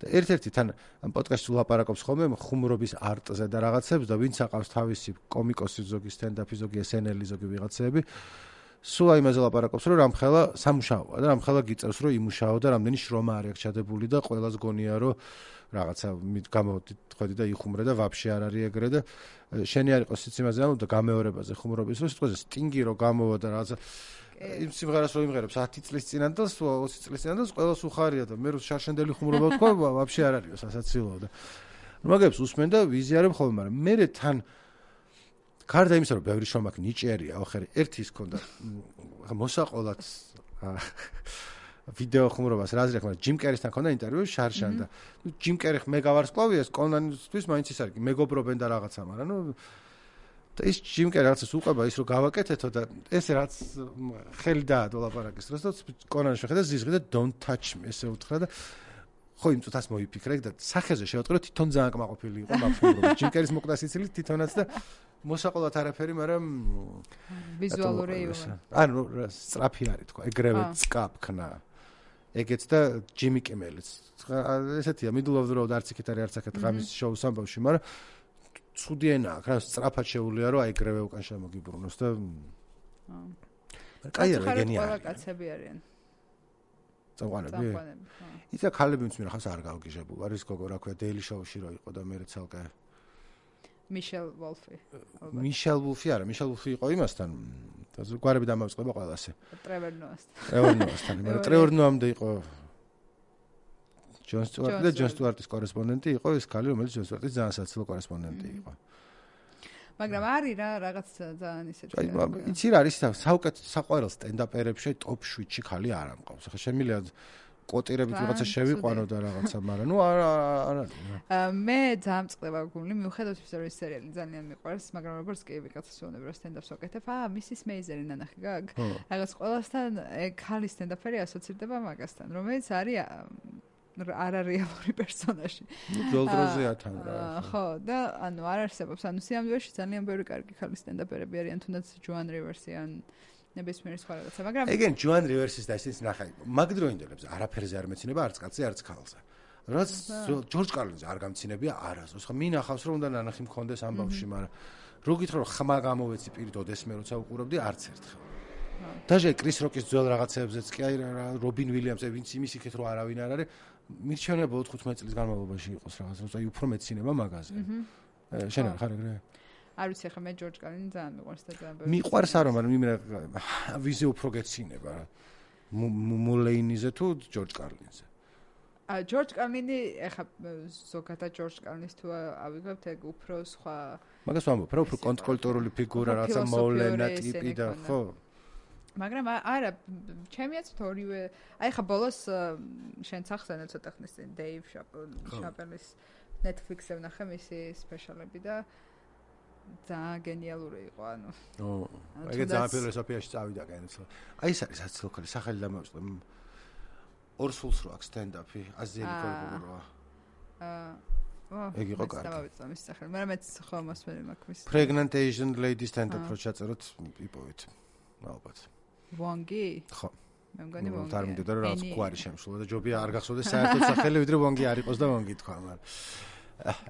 A: და ერთ-ერთი თან ამ პოდკასტს ულაპარაკობს ხოლმე ხუმრობის არტზე და რაღაცებს და ვინც აყავს თავისი კომიკოსი ზოგი სტენდაპი ზოგი ესენელი ზოგი ვიღაცები სულ აიმაზე ლაპარაკობს რომ რამხელა სამუშაოა და რამხელა გიწევს რომ იმუშაო და რამდენი შრომა არ აქვს ჩადებული და ყველას გონია რომ რაღაცა გამოვდი ხედი და იხუმრე და ვაფშე არ არის ეგრე და შენი არ იყოს სიციმაზე ანუ და გამეორებაზე ხუმრობის რო სიტყვაზე სტინგი რო გამოვა და რაღაცა იმ სიმღერას რო იმღერებს ათი წლის წინან და ოცი წლის წინან და ყველას უხარია და მე რო შარშანდელი ხუმრობა თქვა ვაფშე არ არისო სასაცილოა და მაგებს უსმენ და ვიზიარებ ხოლმე მაგრამ მე თან გარდა იმისა რომ ბევრი შრომა აქვს ნიჭიერია ახერი ერთი ის ქონდა მოსაყოლად ვიდეო ხუმრობას რაზრია მაგრამ ჯიმ კერისთან ქონდა ინტერვიუ შარშან და ნუ ჯიმ კერი მე გავარსკვლავია კონანისთვის მაინც ის არის მეგობრობენ და რაღაცა მაგრამ ნუ და ის ჯიმ კერი რაღაცას უყვება ის რომ გავაკეთეთო და ეს რაც ხელი დაადო ლაპარაკის დროს და კონანი შეხედა ზიზღი და don't touch me ესე უთხრა და ხო იმ წუთას მოიფიქრე და სახეზე შევატყრო თვითონ ძალიან კმაყოფილი იყო მაგ ჯიმ კერის მოკვდა სიცილით თვითონაც და მოსაყოლად არაფერი, მაგრამ
B: ვიზუალური იუმა.
A: ანუ სწრაფი არის თქვა, ეგრევე წკაფქნა. ეგეც და ჯიმი კიმელიც. ესეთია, middle of the road არც იქით არის არც აქეთ ღამის შოუს ამბავში, მაგრამ ცუდი ენა აქვს, რა სწრაფად შეუულია რომ აიგრევე უკან შემოგიბრუნოს და აა. კაი არა, გენია.
B: ყველა კაცები არიან.
A: წამყვანები? ისა ქალები მის მერახავს არ გავგიჟებულ. არის გოგო რა ქვია, Daily Show-ში რო იყო და მე ცალკე
B: მიშელ ვოლფი.
A: მიშელ ვოლფი არა, მიშელ ვოლფი იყო იმასთან. და გვარები დამავწყება ყველასე.
B: ტრევორ ნოასთან.
A: ტრევორ ნოასთან, მაგრამ ტრევორ ნოამდე იყო ჯონ სტუარტი და ჯონ სტუარტის კორესპონდენტი იყო ეს ქალი, რომელიც ჯონ სტუარტის ძალიან საცილო კორესპონდენტი იყო.
B: მაგრამ არის რა რაღაც ძალიან ისეთი.
A: აი, იცი რა არის საუკეთესო საყვარელ სტენდაპერებში ტოპ შვიდში ქალი არ ამყავს. ახლა შემიძლია კოტირებით ვიღაცა შევიყვანო და რაღაცა, მაგრამ ნუ არ არ არის.
B: მე ძალიან წყდება გული, მიუხედავად იმისა, რომ ეს სერიალი ძალიან მიყვარს, მაგრამ როგორც კი ვიღაცა სვონება რომ სტენდაპს ვაკეთებ, აა, მისის მეიზერი ნანახი გაგ. რაღაც ყველასთან ქალი სტენდაპერი ასოცირდება მაგასთან, რომელიც არის არარეალური პერსონაჟი.
A: ნუ ძოლდროზეა თან რა.
B: ხო, და ანუ არ არსებობს, ანუ სიამოვნებაში ძალიან ბევრი კარგი ქალი სტენდაპერები არიან, თუნდაც ჯოან რივერსი ან ნებისმიერი სხვა რაღაცა, მაგრამ
A: ეგენ ჯოან რივერსის და ისიც ნახე. მაგ დროინდელებს არაფერზე არ მეცინება არც კაცზე, არც ქალზე. რაც ჯორჯ კარლინზე არ გამცინებია არასდროს. ხო, მინახავს რომ უნდა ნანახი მქონდეს ამბავში, მაგრამ რო გითხრა რომ ხმა გამოვეცი პირდოდ ეს მე როცა უყურებდი არც ერთხელ. დაჟე კრის როკის ძველ რაღაცებზეც კი აი რა რობინ ვილიამსი ვინც იმის იქეთ რომ არავინ არ არის მირჩევნია ოთხმოცდაოთხ წლის განმავლობაში იყოს რაღაც როცა უფრო მეცინება მაგაზე. შენ არ ხარ ეგრე?
B: არ ვიცი ხა მე ჯორჯ კარლინი ძალიან მიყვარს და ძალიან ბევრი.
A: მიყვარს არა, მაგრამ იმენა ვიზე უფრო გეცინება რა. მულეინიზე თუ ჯორჯ კარლინზე.
B: ა ჯორჯ კარლინი ეხა ზოგადად ჯორჯ კარლინის თუ ავიღებთ ეგ უფრო სხვა
A: მაგას ვამბობ, რა უფრო კონტრკულტურული ფიგურა, რაცა მოვლენა ტიპი და ხო.
B: მაგრამ არა, ჩემიაც თორივე, აი ხა ბოლოს შენ სახსენე ცოტა ხნის წინ დეივ შაპელის Netflix-ზე ვნახე მისი სპეშალები და ძალიან გენიალური იყო, ანუ.
A: ო, ეგ ძალიან ფილოსოფიაში წავიდა კენცო. აი ეს არის საცილო ქალი, სახელი დამოვიწყდა. ორ სულს რო აქვს სტენდაპი, აზიელი გოგოა. აა ეგ იყო კარგი.
B: დავიწყდა მის სახელი, მაგრამ მეც ხო მოსმენი მაქვს მის.
A: Pregnant Asian lady stand-up რო ჩაწეროთ იპოვეთ. ალბათ.
B: ვონგი?
A: ხო.
B: მე მგონი ვონგი.
A: თარ მინდოდა რომ რაღაც გვარი შემშულა და ჯობია არ გახსოვდეს საერთოდ სახელი, ვიდრე ვონგი არ იყოს და ვონგი თქვა, მაგრამ.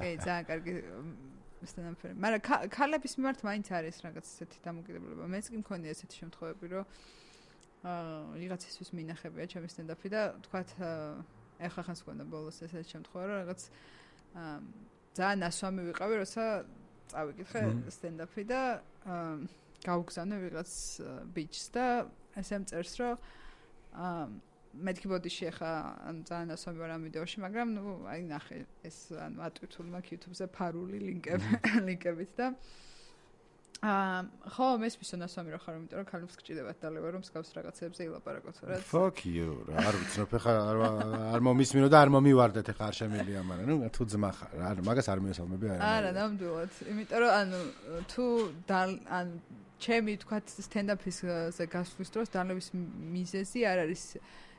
B: ე, ძალიან კარგი სტენდაპერი. მაგრამ ქალების მიმართ მაინც არის რაღაც ესეთი დამოკიდებულება. მეც კი მქონია ესეთი შემთხვევები, რომ აა ვიღაცისთვის მინახებია ჩემი სტენდაპი და თქვათ ეხლა ხანს გქონდა ბოლოს ესეთი შემთხვევა, რომ რაღაც აა ძალიან ასვამი ვიყავი, როცა წავიკითხე სტენდაპი და აა გავგზავნე ვიღაც ბიჩს და ესე მწერს, რომ აა მეთქი ბოდიში ახლა ან ძალიან ასვამი ვარ ამ ვიდეოში, მაგრამ ნუ აი ნახე ეს ანუ ატვირთული მაქვს YouTube-ზე ფარული ლინკები ლინკებით და აა ხო მესმისო ასვამი რა ხარ, იმიტომ რომ ქალებს გჭირდებათ დალევა რომ მსგავს რაღაცებზე ილაპარაკოთ, რა.
A: Fuck you. არ ვიცნობ ახლა არ მომისმინო და არ მომივარდეთ ახლა არ შემიძლია, მაგრამ ნუ თუ ძმა ხარ, არ მაგას არ მიესალმები არა.
B: არა, ნამდვილად. იმიტომ რომ ანუ თუ ანუ ჩემი თქვათ სტენდაპის ზე გასვლის დროს დალევის მიზეზი არ არის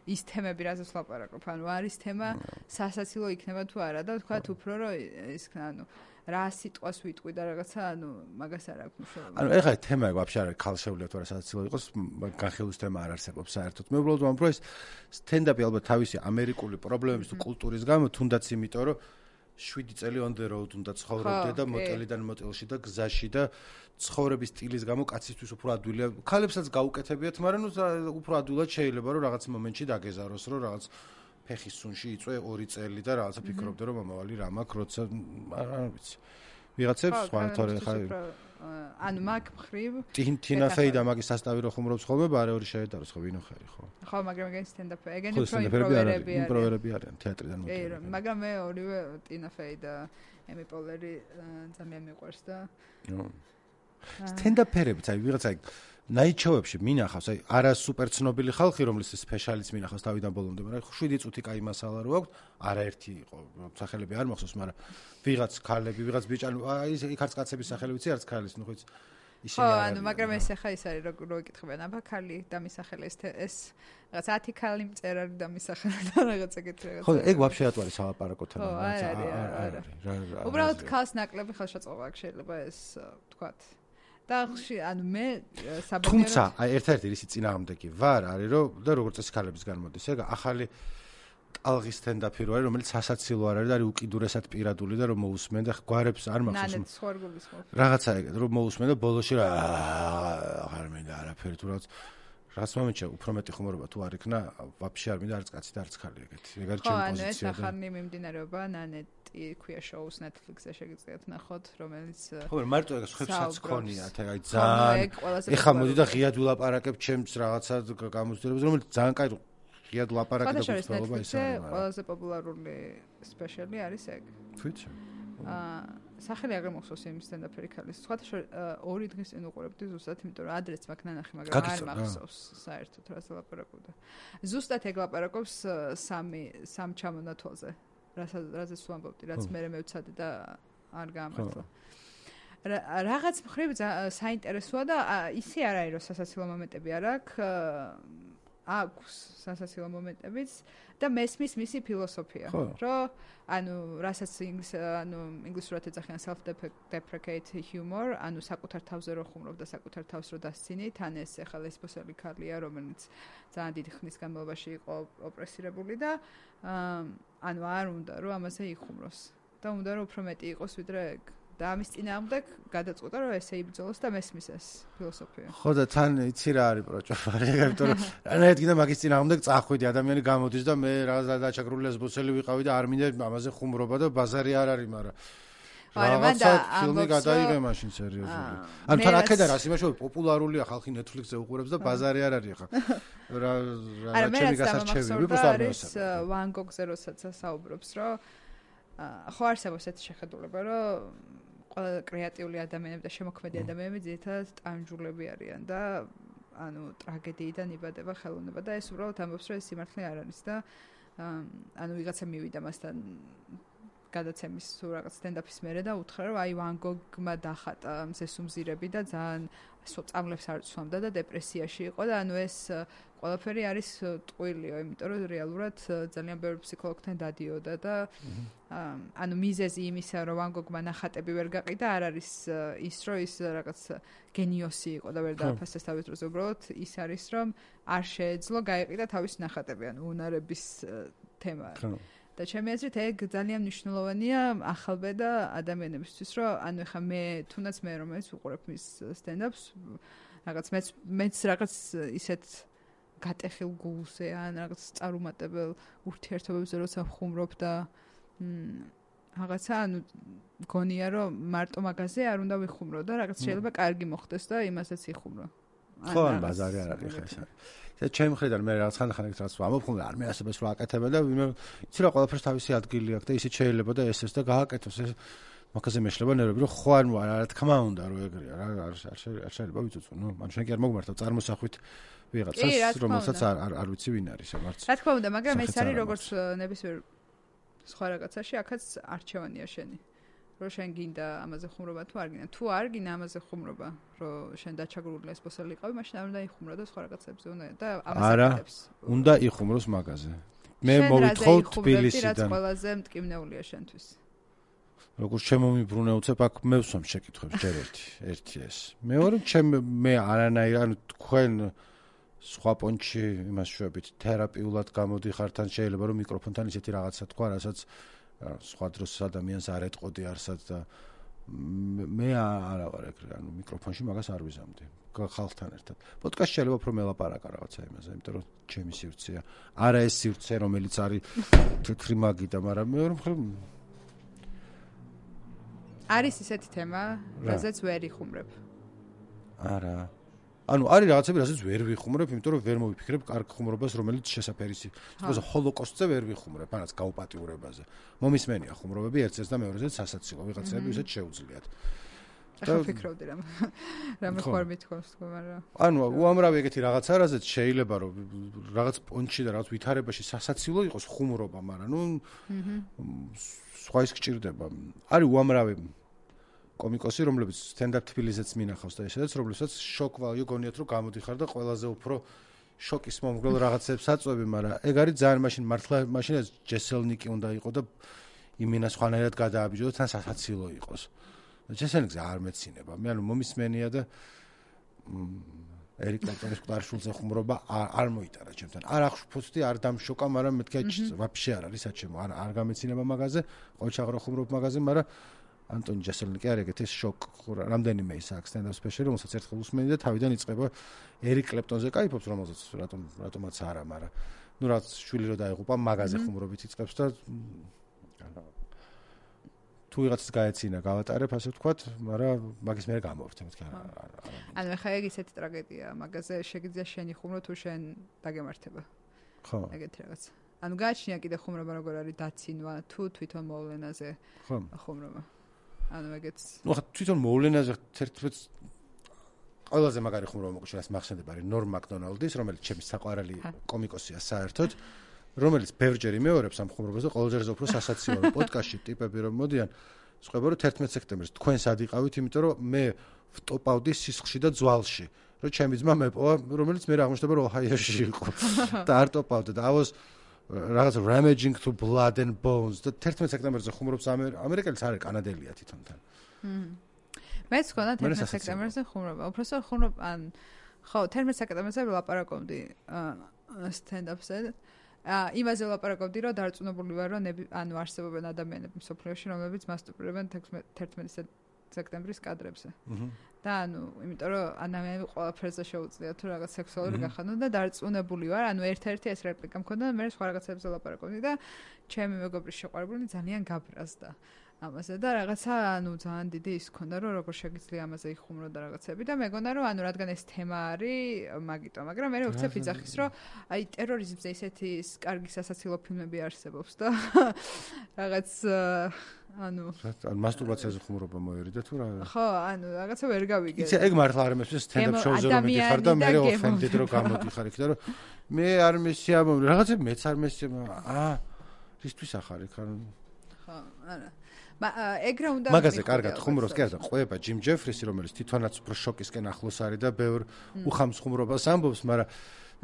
B: ის თემები რაზეც ვლაპარაკობ, ანუ არის თემა სასაცილო იქნება თუ არა და თქვა უფრო რომ ის ანუ რა სიტყვას ვიტყვი და რაღაცა ანუ მაგას არ აქვს მნიშვნელობა.
A: ანუ ეხლა თემა ვაფშე არ არის ქალშეულიათ თუ არა სასაცილო იყოს, განხილვის თემა არ არსებობს საერთოდ. მე უბრალოდ ვამბობ რომ ეს სტენდაპი ალბათ თავისი ამერიკული პრობლემების თუ კულტურის გამო თუნდაც იმიტომ რომ შვიდი წელი on the road უნდა ცხოვრობდე და მოტელიდან მოტელში და გზაში და ცხოვრების სტილის გამო კაცისთვის უფრო ადვილია. ქალებსაც გაუკეთებიათ, მაგრამ ნუ უფრო ადვილად შეიძლება რომ რაღაც მომენტში დაგეზაროს, რომ რაღაც ფეხის სუნში იწვე ორი წელი და რაღაცა ფიქრობდე რომ მომავალი რა მაქვს, როცა არ ვიცი. ვიღაცებს სხვა თორე ხა
B: ანუ მაგ მხრივ
A: ტინა ფეი და მაგის სასტავი რო ხუმრობს ხოლმე, ბარე ორი შეედაროს ხო ვინო ხარი ხო.
B: ხო, მაგრამ ეგენ სტენდაპი, ეგენი უფრო იმპროვერები არიან.
A: იმპროვერები არიან თეატრიდან
B: მოდიან. კი, მაგრამ მე ორივე ტინა ფეი და ემი პოლერი ძალიან მიყვარს და
A: სტენდაპერებიც, აი ვიღაცა ნაიჩოვებში მინახავს, აი არა სუპერ ცნობილი ხალხი, რომლის სპეციალისტ მინახავს თავიდან ბოლომდე, მაგრამ შვიდი წუთი კაი მასალა რო აქვს, არაერთი იყო, სახელები არ მახსოვს, მაგრამ ვიღაც ქალები, ვიღაც ბიჭანი, აი იქ არც კაცების სახელებიც, არც ქალის, ნუ ხოიც ისინი
B: არა. ხო, ანუ მაგრამ ეს ახლა ის არის, რო იკითხებიან, აბა ქალი დამისახელე ეს ეს რაღაც ათი ქალი მწერალი დამისახელე და რაღაც ეგეთი რაღაც.
A: ხო, ეგ ვაფშე ატ არის სალაპარაკო თემა,
B: რაღაც არა. უბრალოდ ქალს ნაკლები ხელშეწყობა აქვს შეიძლება ეს ვთქვათ. და ანუ მე საბუნებრივად
A: თუმცა აი ერთ-ერთი ისი წინააღმდეგი ვარ არის რომ და როგორც ეს ქალების განმოდის ეგ ახალი ტალღის სტენდაპი რო არის რომელიც სასაცილო არ არის და არის უკიდურესად პირადული და რომ მოусმენ და გვარებს არ მახსოვს
B: ნანეთ სხორგულის ხო
A: რაღაცა ეგ რომ მოусმენ და ბოლოში რა აღარ მინდა არაფერი თუ რაღაც რაც მომენტში უფრო მეტი ხუმრობა თუ არ იქნა ვაფშე არ მინდა არც კაცი და არც ხალი ეგეთი ეგ არის ჩემი პოზიცია და
B: ხო ანუ ეს ახალი მიმდინარეობა ნანეთ ქვია შოუს Netflix-ზე შეგიძლიათ ნახოთ, რომელიც
A: ხო, მარტო ეგ ხებსაც ქონიათ, აი ძალიან ეხა მოდი და ღიად ვილაპარაკებ ჩემს რაღაცა გამოცდილებას, რომელიც ძალიან კაი ღიად ვლაპარაკებ და გულწრფელობა ის არის.
B: ყველაზე პოპულარული სპეციალი არის ეგ.
A: თვითონ.
B: აა სახელი აღარ მახსოვს იმ სტენდაპერი ქალის. სხვათა შორის ორი დღის წინ უყურებდი ზუსტად, იმიტომ რომ ადრეც მაქვს ნანახი, მაგრამ არ მახსოვს საერთოდ რას ლაპარაკობდა. ზუსტად ეგ ლაპარაკობს სამი სამ ჩამონათვალზე. რაზეც ვამბობდი, რაც მე მევცადე და არ გამართლა. რაღაც მხრივ საინტერესოა და ისე არ არის, რომ სასაცილო მომენტები არ აქვს, აქვს სასაცილო მომენტებიც და მესმის მისი ფილოსოფია, რომ ანუ რასაც ინგლის ანუ ინგლისურად ეძახიან self deprecate humor, ანუ საკუთარ თავზე რო ხუმრობ და საკუთარ თავს რო დასცინი, თან ეს ახლა ლესბოსელი ქალია, რომელიც ძალიან დიდი ხნის განმავლობაში იყო ოპრესირებული და ანუ არ უნდა რომ ამაზე იხუმროს და უნდა რომ უფრო მეტი იყოს ვიდრე ეგ და ამის წინააღმდეგ გადაწყვიტა რომ ესე იბრძოლოს და მესმის ეს ფილოსოფია.
A: ხო და თან იცი რა არის პროჭოფარი, იმიტომ რომ რანაირად კიდე მაგის წინააღმდეგ წახვიდი ადამიანი გამოდის და მე რა დაჩაგრული ლესბოსელი ვიყავი და არ მინდა ამაზე ხუმრობა და ბაზარი არ არის, მაგრამ რაღაცა ფილმი გადაიღე მაშინ სერიოზული. ანუ თან აქედან რას იმაში პოპულარულია ხალხი Netflix-ზე უყურებს და ბაზარი არ არის ახლა. რა რა ჩემი გასარჩევი ვიპროს არ მოსა.
B: Van Gogh-ზე როცა საუბრობს, რომ ხო არსებობს ეს შეხედულება, რომ ყველა კრეატიული ადამიანები და შემოქმედი ადამიანები ძირითადად ტანჯულები არიან და ანუ ტრაგედიიდან იბადება ხელოვნება და ეს უბრალოდ ამბობს, რომ ეს სიმართლე არ არის და ანუ ვიღაცა მივიდა მასთან გადაცემის თუ რაღაც სტენდაპის მერე და უთხრა რომ აი Van Gogh-მა დახატა მზესუმზირები და ძალიან წამლებს არ ცვამდა და დეპრესიაში იყო და ანუ ეს ყველაფერი არის ტყუილიო, იმიტომ რომ რეალურად ძალიან ბევრი ფსიქოლოგთან დადიოდა და ანუ მიზეზი იმისა რომ Van Gogh-მა ნახატები ვერ გაყიდა არ არის ის რომ ის რაღაც გენიოსი იყო და ვერ დააფასეს თავის დროზე, უბრალოდ ის არის რომ არ შეეძლო გაიყიდა თავის ნახატები, ანუ უნარების თემა. და ჩემი აზრით ეგ ძალიან მნიშვნელოვანია ახალბედა ადამიანებისთვის, რომ ანუ ეხა მე თუნდაც მე რომელიც უყურებ მის სტენდაპს, რაღაც მეც მეც რაღაც ისეთ გატეხილ გულზე ან რაღაც წარუმატებელ ურთიერთობებზე როცა ხუმრობ და რაღაცა ანუ გონია რომ მარტო მაგაზე არ უნდა ვიხუმრო და რაღაც შეიძლება კარგი მოხდეს და იმასაც იხუმრო.
A: ხო, ან ბაზარი არ არის ხა ეს. და ჩემი მხრიდან მე რაღაც ხანხანით რაც ვამბობ, ხოლმე არ მეასებას რა აკეთებენ და ვინმე იცი რა ყველაფერს თავისი ადგილი აქვს და ისიც შეიძლება და ესეც და გააკეთოს ეს მაგაზე მეშლება ნერვები რომ ხო არ რა თქმა უნდა რომ ეგრეა რა არ არ შეიძლება ვიცოცხო ნუ მან შენ კი არ მოგმართავ წარმოსახვით ვიღაცას რომელსაც არ არ ვიცი ვინ არის მარც
B: რა თქმა უნდა მაგრამ ეს არის როგორც ნებისმიერ სხვა რაღაცაში აქაც არჩევანია შენი რომ შენ გინდა ამაზე ხუმრობა თუ არ გინდა. თუ არ გინდა ამაზე ხუმრობა, რომ შენ დაჩაგრული ესპოსელი იყავი, მაშინ არ უნდა იხუმრო და სხვა რაღაცებზე უნდა და ამას აკეთებს.
A: უნდა იხუმროს მაგაზე. მე მოვითხოვ თბილისიდან.
B: რაც ყველაზე მტკივნეულია შენთვის.
A: როგორც შემომიბრუნე უცებ აქ მე ვსვამ შეკითხვებს ჯერ ერთი, ერთი ეს. მეორე ჩემ მე არანაირ ანუ თქვენ სხვა პონჩი იმას შევებით თერაპიულად გამოდიხართ თან შეიძლება რომ მიკროფონთან ისეთი რაღაცა თქვა, რასაც სხვა დროს ადამიანს არ ეტყოდი არსად და მე არა ვარ ეგრე, ანუ მიკროფონში მაგას არ ვიზამდი ხალხთან ერთად. პოდკასტში შეიძლება უფრო მელაპარაკა რაღაცა იმაზე, იმიტომ რომ ჩემი სივრცეა. არა ეს სივრცე, რომელიც არის თეთრი მაგიდა, მაგრამ მეორე მხრივ
B: არის ისეთი თემა, რაზეც ვერ იხუმრებ.
A: არა. ანუ არის რაღაცები, რასაც ვერ ვიხუმრებ, იმიტომ რომ ვერ მოვიფიქრებ კარგ ხუმრობას, რომელიც შესაფერისი. თქოს ჰოლოკოსტზე ვერ ვიხუმრებ, ანაც გაუპატიურებაზე. მომისმენია ხუმრობები ერთ-ერთს და მეორეზე სასაცილო, ვიღაცები ისეთ შეუძლიათ.
B: და ვფიქრობდი რამ რამე ხوار მithქვამს თქო, მაგრამ
A: ანუ უამრავი ეგეთი რაღაცა, რასაც შეიძლება რომ რაღაც პონჩი და რაღაც ვითარებაში სასაცილო იყოს ხუმრობა, მაგრამ ნუ სხვა ის გჭირდება. არის უამრავი კომიკოსი, რომლებიც stand-up თბილისზეც მინახავს და ესეც, რომლებსაც შოკ value გონიათ რომ გამოდიხარ და ყველაზე უფრო შოკის მომგვრელ რაღაცებს აწვევი, მაგრამ ეგ არის ძალიან მაშინ მართლა მაშინ ეს ჯესელნიკი უნდა იყო და იმინა სხვანაირად გადააბიჯო და თან სასაცილო იყოს. ჯესელნიკზე არ მეცინება. მე ანუ მომისმენია და ერიკ კლეპტონის ყარშულზე ხუმრობა არ მოიტარა ჩემთან. არ აღშფოთდი, არ დამშოკა, მაგრამ მეთქი ვაფშე არ არის საჩემო. არ არ გამეცინება მაგაზე, ყოჩაღრო ხუმრობ მაგაზე, მაგრამ ანტონი ჯესელნიკი არ ეგეთი შოკ რამდენიმე ის აქვს stand-up special, რომელსაც ერთხელ უსმენი და თავიდან იწყება ერიკ კლეპტონზე кайფობს, რომელსაც რატომ რატომაც არა, მაგრამ ნუ რაც შვილი რო დაიღუპა, მაგაზე ხუმრობით იწყებს და თუ ვიღაცას გაეცინა, გავატარებ, ასე ვთქვათ, მაგრამ მაგის მე გამოვრთ, მეთქი არა.
B: ანუ ხა ეგ ისეთი ტრაგედია, მაგაზე შეგიძლია შენი ხუმრო თუ შენ დაგემართება.
A: ხო.
B: ეგეთი რაღაც. ანუ გააჩნია კიდე ხუმრობა როგორ არის დაცინვა თუ თვითონ მოვლენაზე ხუმრობა. ანუ ეგეც.
A: ნუ ხა თვითონ მოვლენაზე თერთმეტ ყველაზე მაგარი ხუმრობა მოგვიჩნდა მახსენდება არის ნორმ მაკდონალდის, რომელიც ჩემი საყვარელი კომიკოსია საერთოდ, რომელიც ბევრჯერ იმეორებს ამ ხუმრობას და ყოველჯერზე უფრო სასაცილო პოდკასტში ტიპები რომ მოდიან, სხვაობა რომ თერთმეტ სექტემბერს თქვენ სად იყავით, იმიტომ რომ მე ვტოპავდი სისხლში და ძვალში, რომ ჩემი ძმა მეპოვა, რომელიც მე აღმოჩნდება რომ ოჰაიოში იყო და არ ტოპავდა და ავოს რაღაც Ramaging Through Blood and Bones და თერთმეტ სექტემბერზე ხუმრობს ამერიკელიც არის კანადელია თვითონთან.
B: მე თქვა თერთმეტ სექტემბერზე ხუმრობა. უბრალოდ ხუმრობ ან ხო თერთმეტ სექტემბერზე ვლაპარაკობდი stand-up-ზე. იმაზე ვლაპარაკობდი რომ დარწმუნებული ვარ რომ ანუ არსებობენ ადამიანები მსოფლიოში რომლებიც მასტურბირებენ თერთმეტ სექტემბრის კადრებზე. და ანუ იმიტომ რომ ადამიანები ყველაფერზე შეუძლიათ თუ რაღაც სექსუალური გახადონ და დარწმუნებული ვარ, ანუ ერთ-ერთი ეს რეპლიკა მქონდა და მე სხვა რაღაცებზე ვლაპარაკობდი და ჩემი მეგობრის შეყვარებული ძალიან გაბრაზდა ამაზე და რაღაცა ანუ ძალიან დიდი ის მქონდა რომ როგორ შეგიძლია ამაზე იხუმრო და რაღაცები და მეგონა რომ ანუ რადგან ეს თემა არის მაგიტო, მაგრამ მე ვეცებ იძახის რომ აი ტერორიზმზე ისეთი კარგი სასაცილო ფილმები არსებობს და რაღაც ანუ
A: ან მასტურბაციაზე ხუმრობა მოერიდა თუ რა?
B: ხო, ანუ რაღაცა ვერ გავიგე.
A: იცი, ეგ მართლა არ მესმის stand-up show-ზე რომ მიდიხარ და მე offended რომ გამოდიხარ იქ და რომ მე არ მესია რაღაცა მეც არ მესია აა რისთვის ახარ იქ ანუ
B: ხო, არა. ეგ რა უნდა
A: მაგაზე კარგად ხუმრობს კი არა ყვება ჯიმ ჯეფრისი რომელიც თვითონაც უფრო შოკისკენ ახლოს არის და ბევრ უხამს ხუმრობას ამბობს, მაგრამ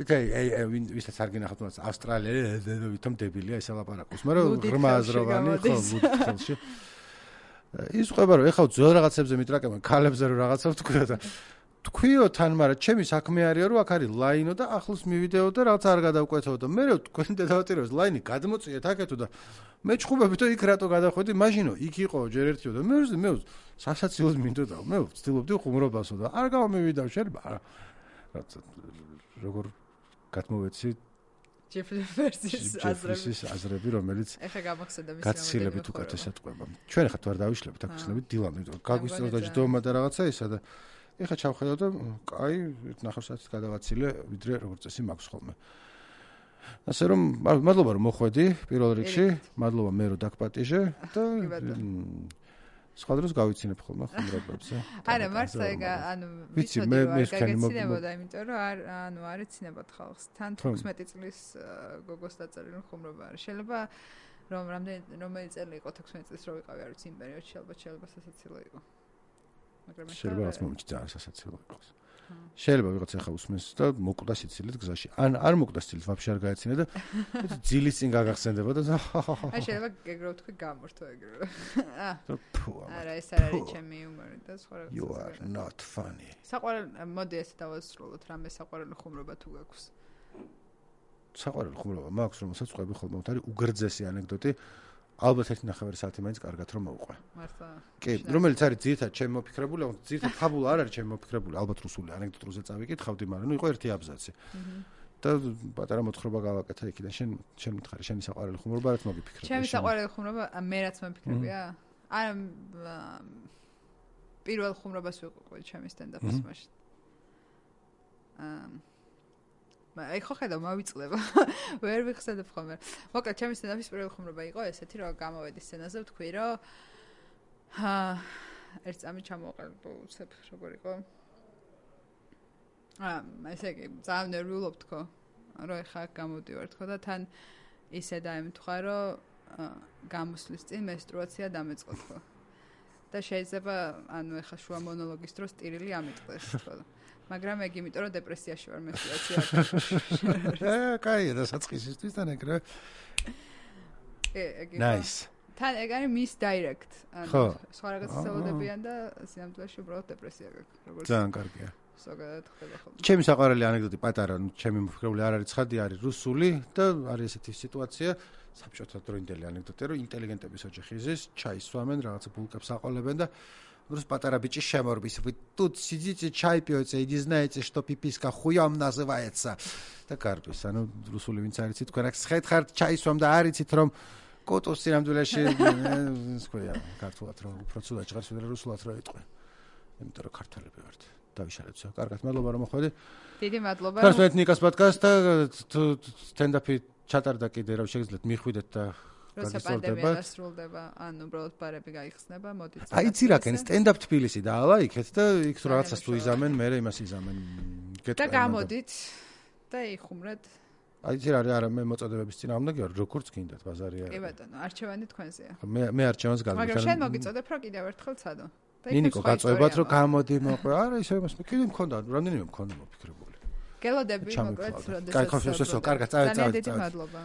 A: იცი აი ვისაც არ გინახავთ თუნდაც ავსტრალიელი ვითომ დებილია ეს ლაპარაკობს, მაგრამ ღრმა აზროვანი ხო მუდხელში ის ყვება რომ ეხლა ძველ რაღაცებზე მიტრაკებენ ქალებზე რომ რაღაცა ვთქვიო და თქვიო თან, მაგრამ ჩემი საქმე არისო რომ აქ არის ლაინო და ახლოს მივიდეო და რაღაც არ გადავკვეთო და მე თქვენ დედავატირებს ლაინი გადმოწიეთ აქეთო და მე ჩხუბებით და იქ რატო გადახვედი, მაშინო იქ იყო ჯერ ერთიო და მე მე სასაცილოდ მინდოდა მე ვცდილობდი ხუმრობასო და არ გამომივიდა შეიძლება რაღაცა როგორ გადმოვეცი
B: ჯეფრისის აზრები
A: აზრები რომელიც
B: ეხა გამახსენდა მის
A: გაცილებით უკეთესად ყვება. ჩვენ ხათ ვარ დავიშლებით აქ ვიშლებით დილამდე, გაგვისწორდა და ჯდომა და რაღაცა ისა და ეხა ჩავხედავ და კაი ნახევარსაათით გადავაცილე ვიდრე როგორც წესი მაქვს ხოლმე. ასე რომ მადლობა რომ მოხვედი პირველ რიგში, მადლობა მე რომ დაგპატიჟე და სხვა დროს გავიცინებ ხოლმე ხუმრობებზე.
B: არა, მართლა ეგ ანუ ვიცი მე მე გაგეცინებოდა, იმიტომ რომ არ ანუ არ ეცინებოდ ხალხს. თან თხუთმეტი წლის გოგოს დაწერილი ხუმრობა არის. შეიძლება რომ რამდენი რომელი წელი იყო თექვსმეტი წლის რო ვიყავი არ ვიცი იმ პერიოდში ალბათ შეიძლება სასაცილო იყო მაგრამ
A: შეიძლება რაც მომჩი ძალიან სასაცილო იყოს შეიძლება ვიღაც ახლა უსმენს და მოკვდა სიცილით გზაში ან არ მოკვდა სიცილით ვაფშე არ გაეცინე და ძილის წინ გაგახსენდება და
B: აი შეიძლება გეგრო თქვი გამორთო ეგრე არა ეს არ არის ჩემი იუმორი და სხვა რაღაც
A: You are not funny
B: საყვარელი მოდი ესე დავასრულოთ რამე საყვარელი ხუმრობა თუ გაქვს
A: საყვარელი ხუმრობა მაქვს რომელსაც ყვები ხოლმე არის უგრძესი ანეკდოტი ალბათ ერთი ნახევარი საათი მაინც კარგად რომ მოვყვე.
B: მართლა.
A: კი, რომელიც არის ძირითადად ჩემი მოფიქრებული, ძირითადად ფაბულა არ არის ჩემი მოფიქრებული, ალბათ რუსული ანეკდოტზე წავიკითხავდი, მაგრამ ნუ იყო ერთი აბზაცი. და პატარა მოთხრობა გავაკეთა იქიდან. შენ შენ მითხარი, შენი საყვარელი ხუმრობა რაც მოგიფიქრე.
B: ჩემი საყვარელი ხუმრობა მე რაც მოფიქრებია? არა პირველ ხუმრობას ვიყო ჩემი სტენდაპის მაშინ. აა აი ხო ხედავ მავიწლება ვერ ვიხსენებ ხოლმე მოკლედ ჩემი სტენდაპის პირველი ხუმრობა იყო ესეთი რომ გამოვედი სცენაზე ვთქვი რომ აა ერთ წამი ჩამოვყალიბო უცებ როგორ იყო აა ესე იგი ძალიან ნერვიულობ თქო რომ ეხა გამოდივარ თქო და თან ისე დაემთხვა რომ გამოსვლის წინ მენსტრუაცია დამეწყო თქო და შეიძლება ანუ ეხა შუა მონოლოგის დროს ტირილი ამიტყდეს თქო მაგრამ ეგ იმიტომ რომ დეპრესიაში ვარ მენსტრუაცია
A: აა კაია და საწყისისთვის თან ეგრე
B: ეგ
A: nice
B: თან ეგ არის miss direct ანუ სხვა რაღაცას ელოდებიან და სინამდვილეში უბრალოდ დეპრესია გაქვს როგორც
A: ძალიან კარგია
B: ზოგადად ხდება ხოლმე
A: ჩემი საყვარელი ანეკდოტი პატარა ჩემი მოფიქრებული არ არის ცხადი არის რუსული და არის ესეთი სიტუაცია საბჭოთა დროინდელი ანეკდოტია რომ ინტელიგენტების ოჯახი ზის ჩაის სვამენ რაღაცა ბულკებს აყოლებენ და Просто патара бичи шеморбис. Вы тут сидите, чай пьете и не знаете, что пиписка хуем называется. Так арбис. Ану, русули винц арицит. Кварак схайт хард чай свам да арицит ром. Котос сирам дулеши. Скоя, картулат ро. Процуда чгар сюда русулат ро итყვე. იმიტომ რომ ქართველები ვართ. დავიშალეთ. კარგად, მადლობა რომ მოხვედი.
B: დიდი მადლობა.
A: ხარშმეთ ნიკას პოდკასტ და სტენდაპი ჩატარდა კიდე რა შეგიძლიათ მიხვიდეთ და
B: როცა პანდემია დასრულდება, ან უბრალოდ ბარები გაიხსნება, მოდით.
A: აი იცი რა კენ სტენდაპ თბილისი დაალა იქეთ და იქ თუ რაღაცას თუ იზამენ, მე იმას იზამენ.
B: და გამოდით და იხუმრეთ.
A: აი იცი რა არა მე მოწოდებების წინააღმდეგი ვარ, როგორც გინდათ ბაზარი არა.
B: კი ბატონო, არჩევანი თქვენზეა.
A: მე მე არჩევანს გავიგე.
B: მაგრამ შენ მოგიწოდებ რა კიდევ ერთხელ ცადო.
A: ნინიკო გაწევებათ რომ გამოდი მოყვე. არა ისე იმას მე კიდე მქონდა, რამდენიმე მქონდა მოფიქრებული.
B: გელოდები მოკლედ, როდესაც.
A: კაი, ხო, შესო, კარგად, წავედი, წავედი.
B: დიდი მადლობა.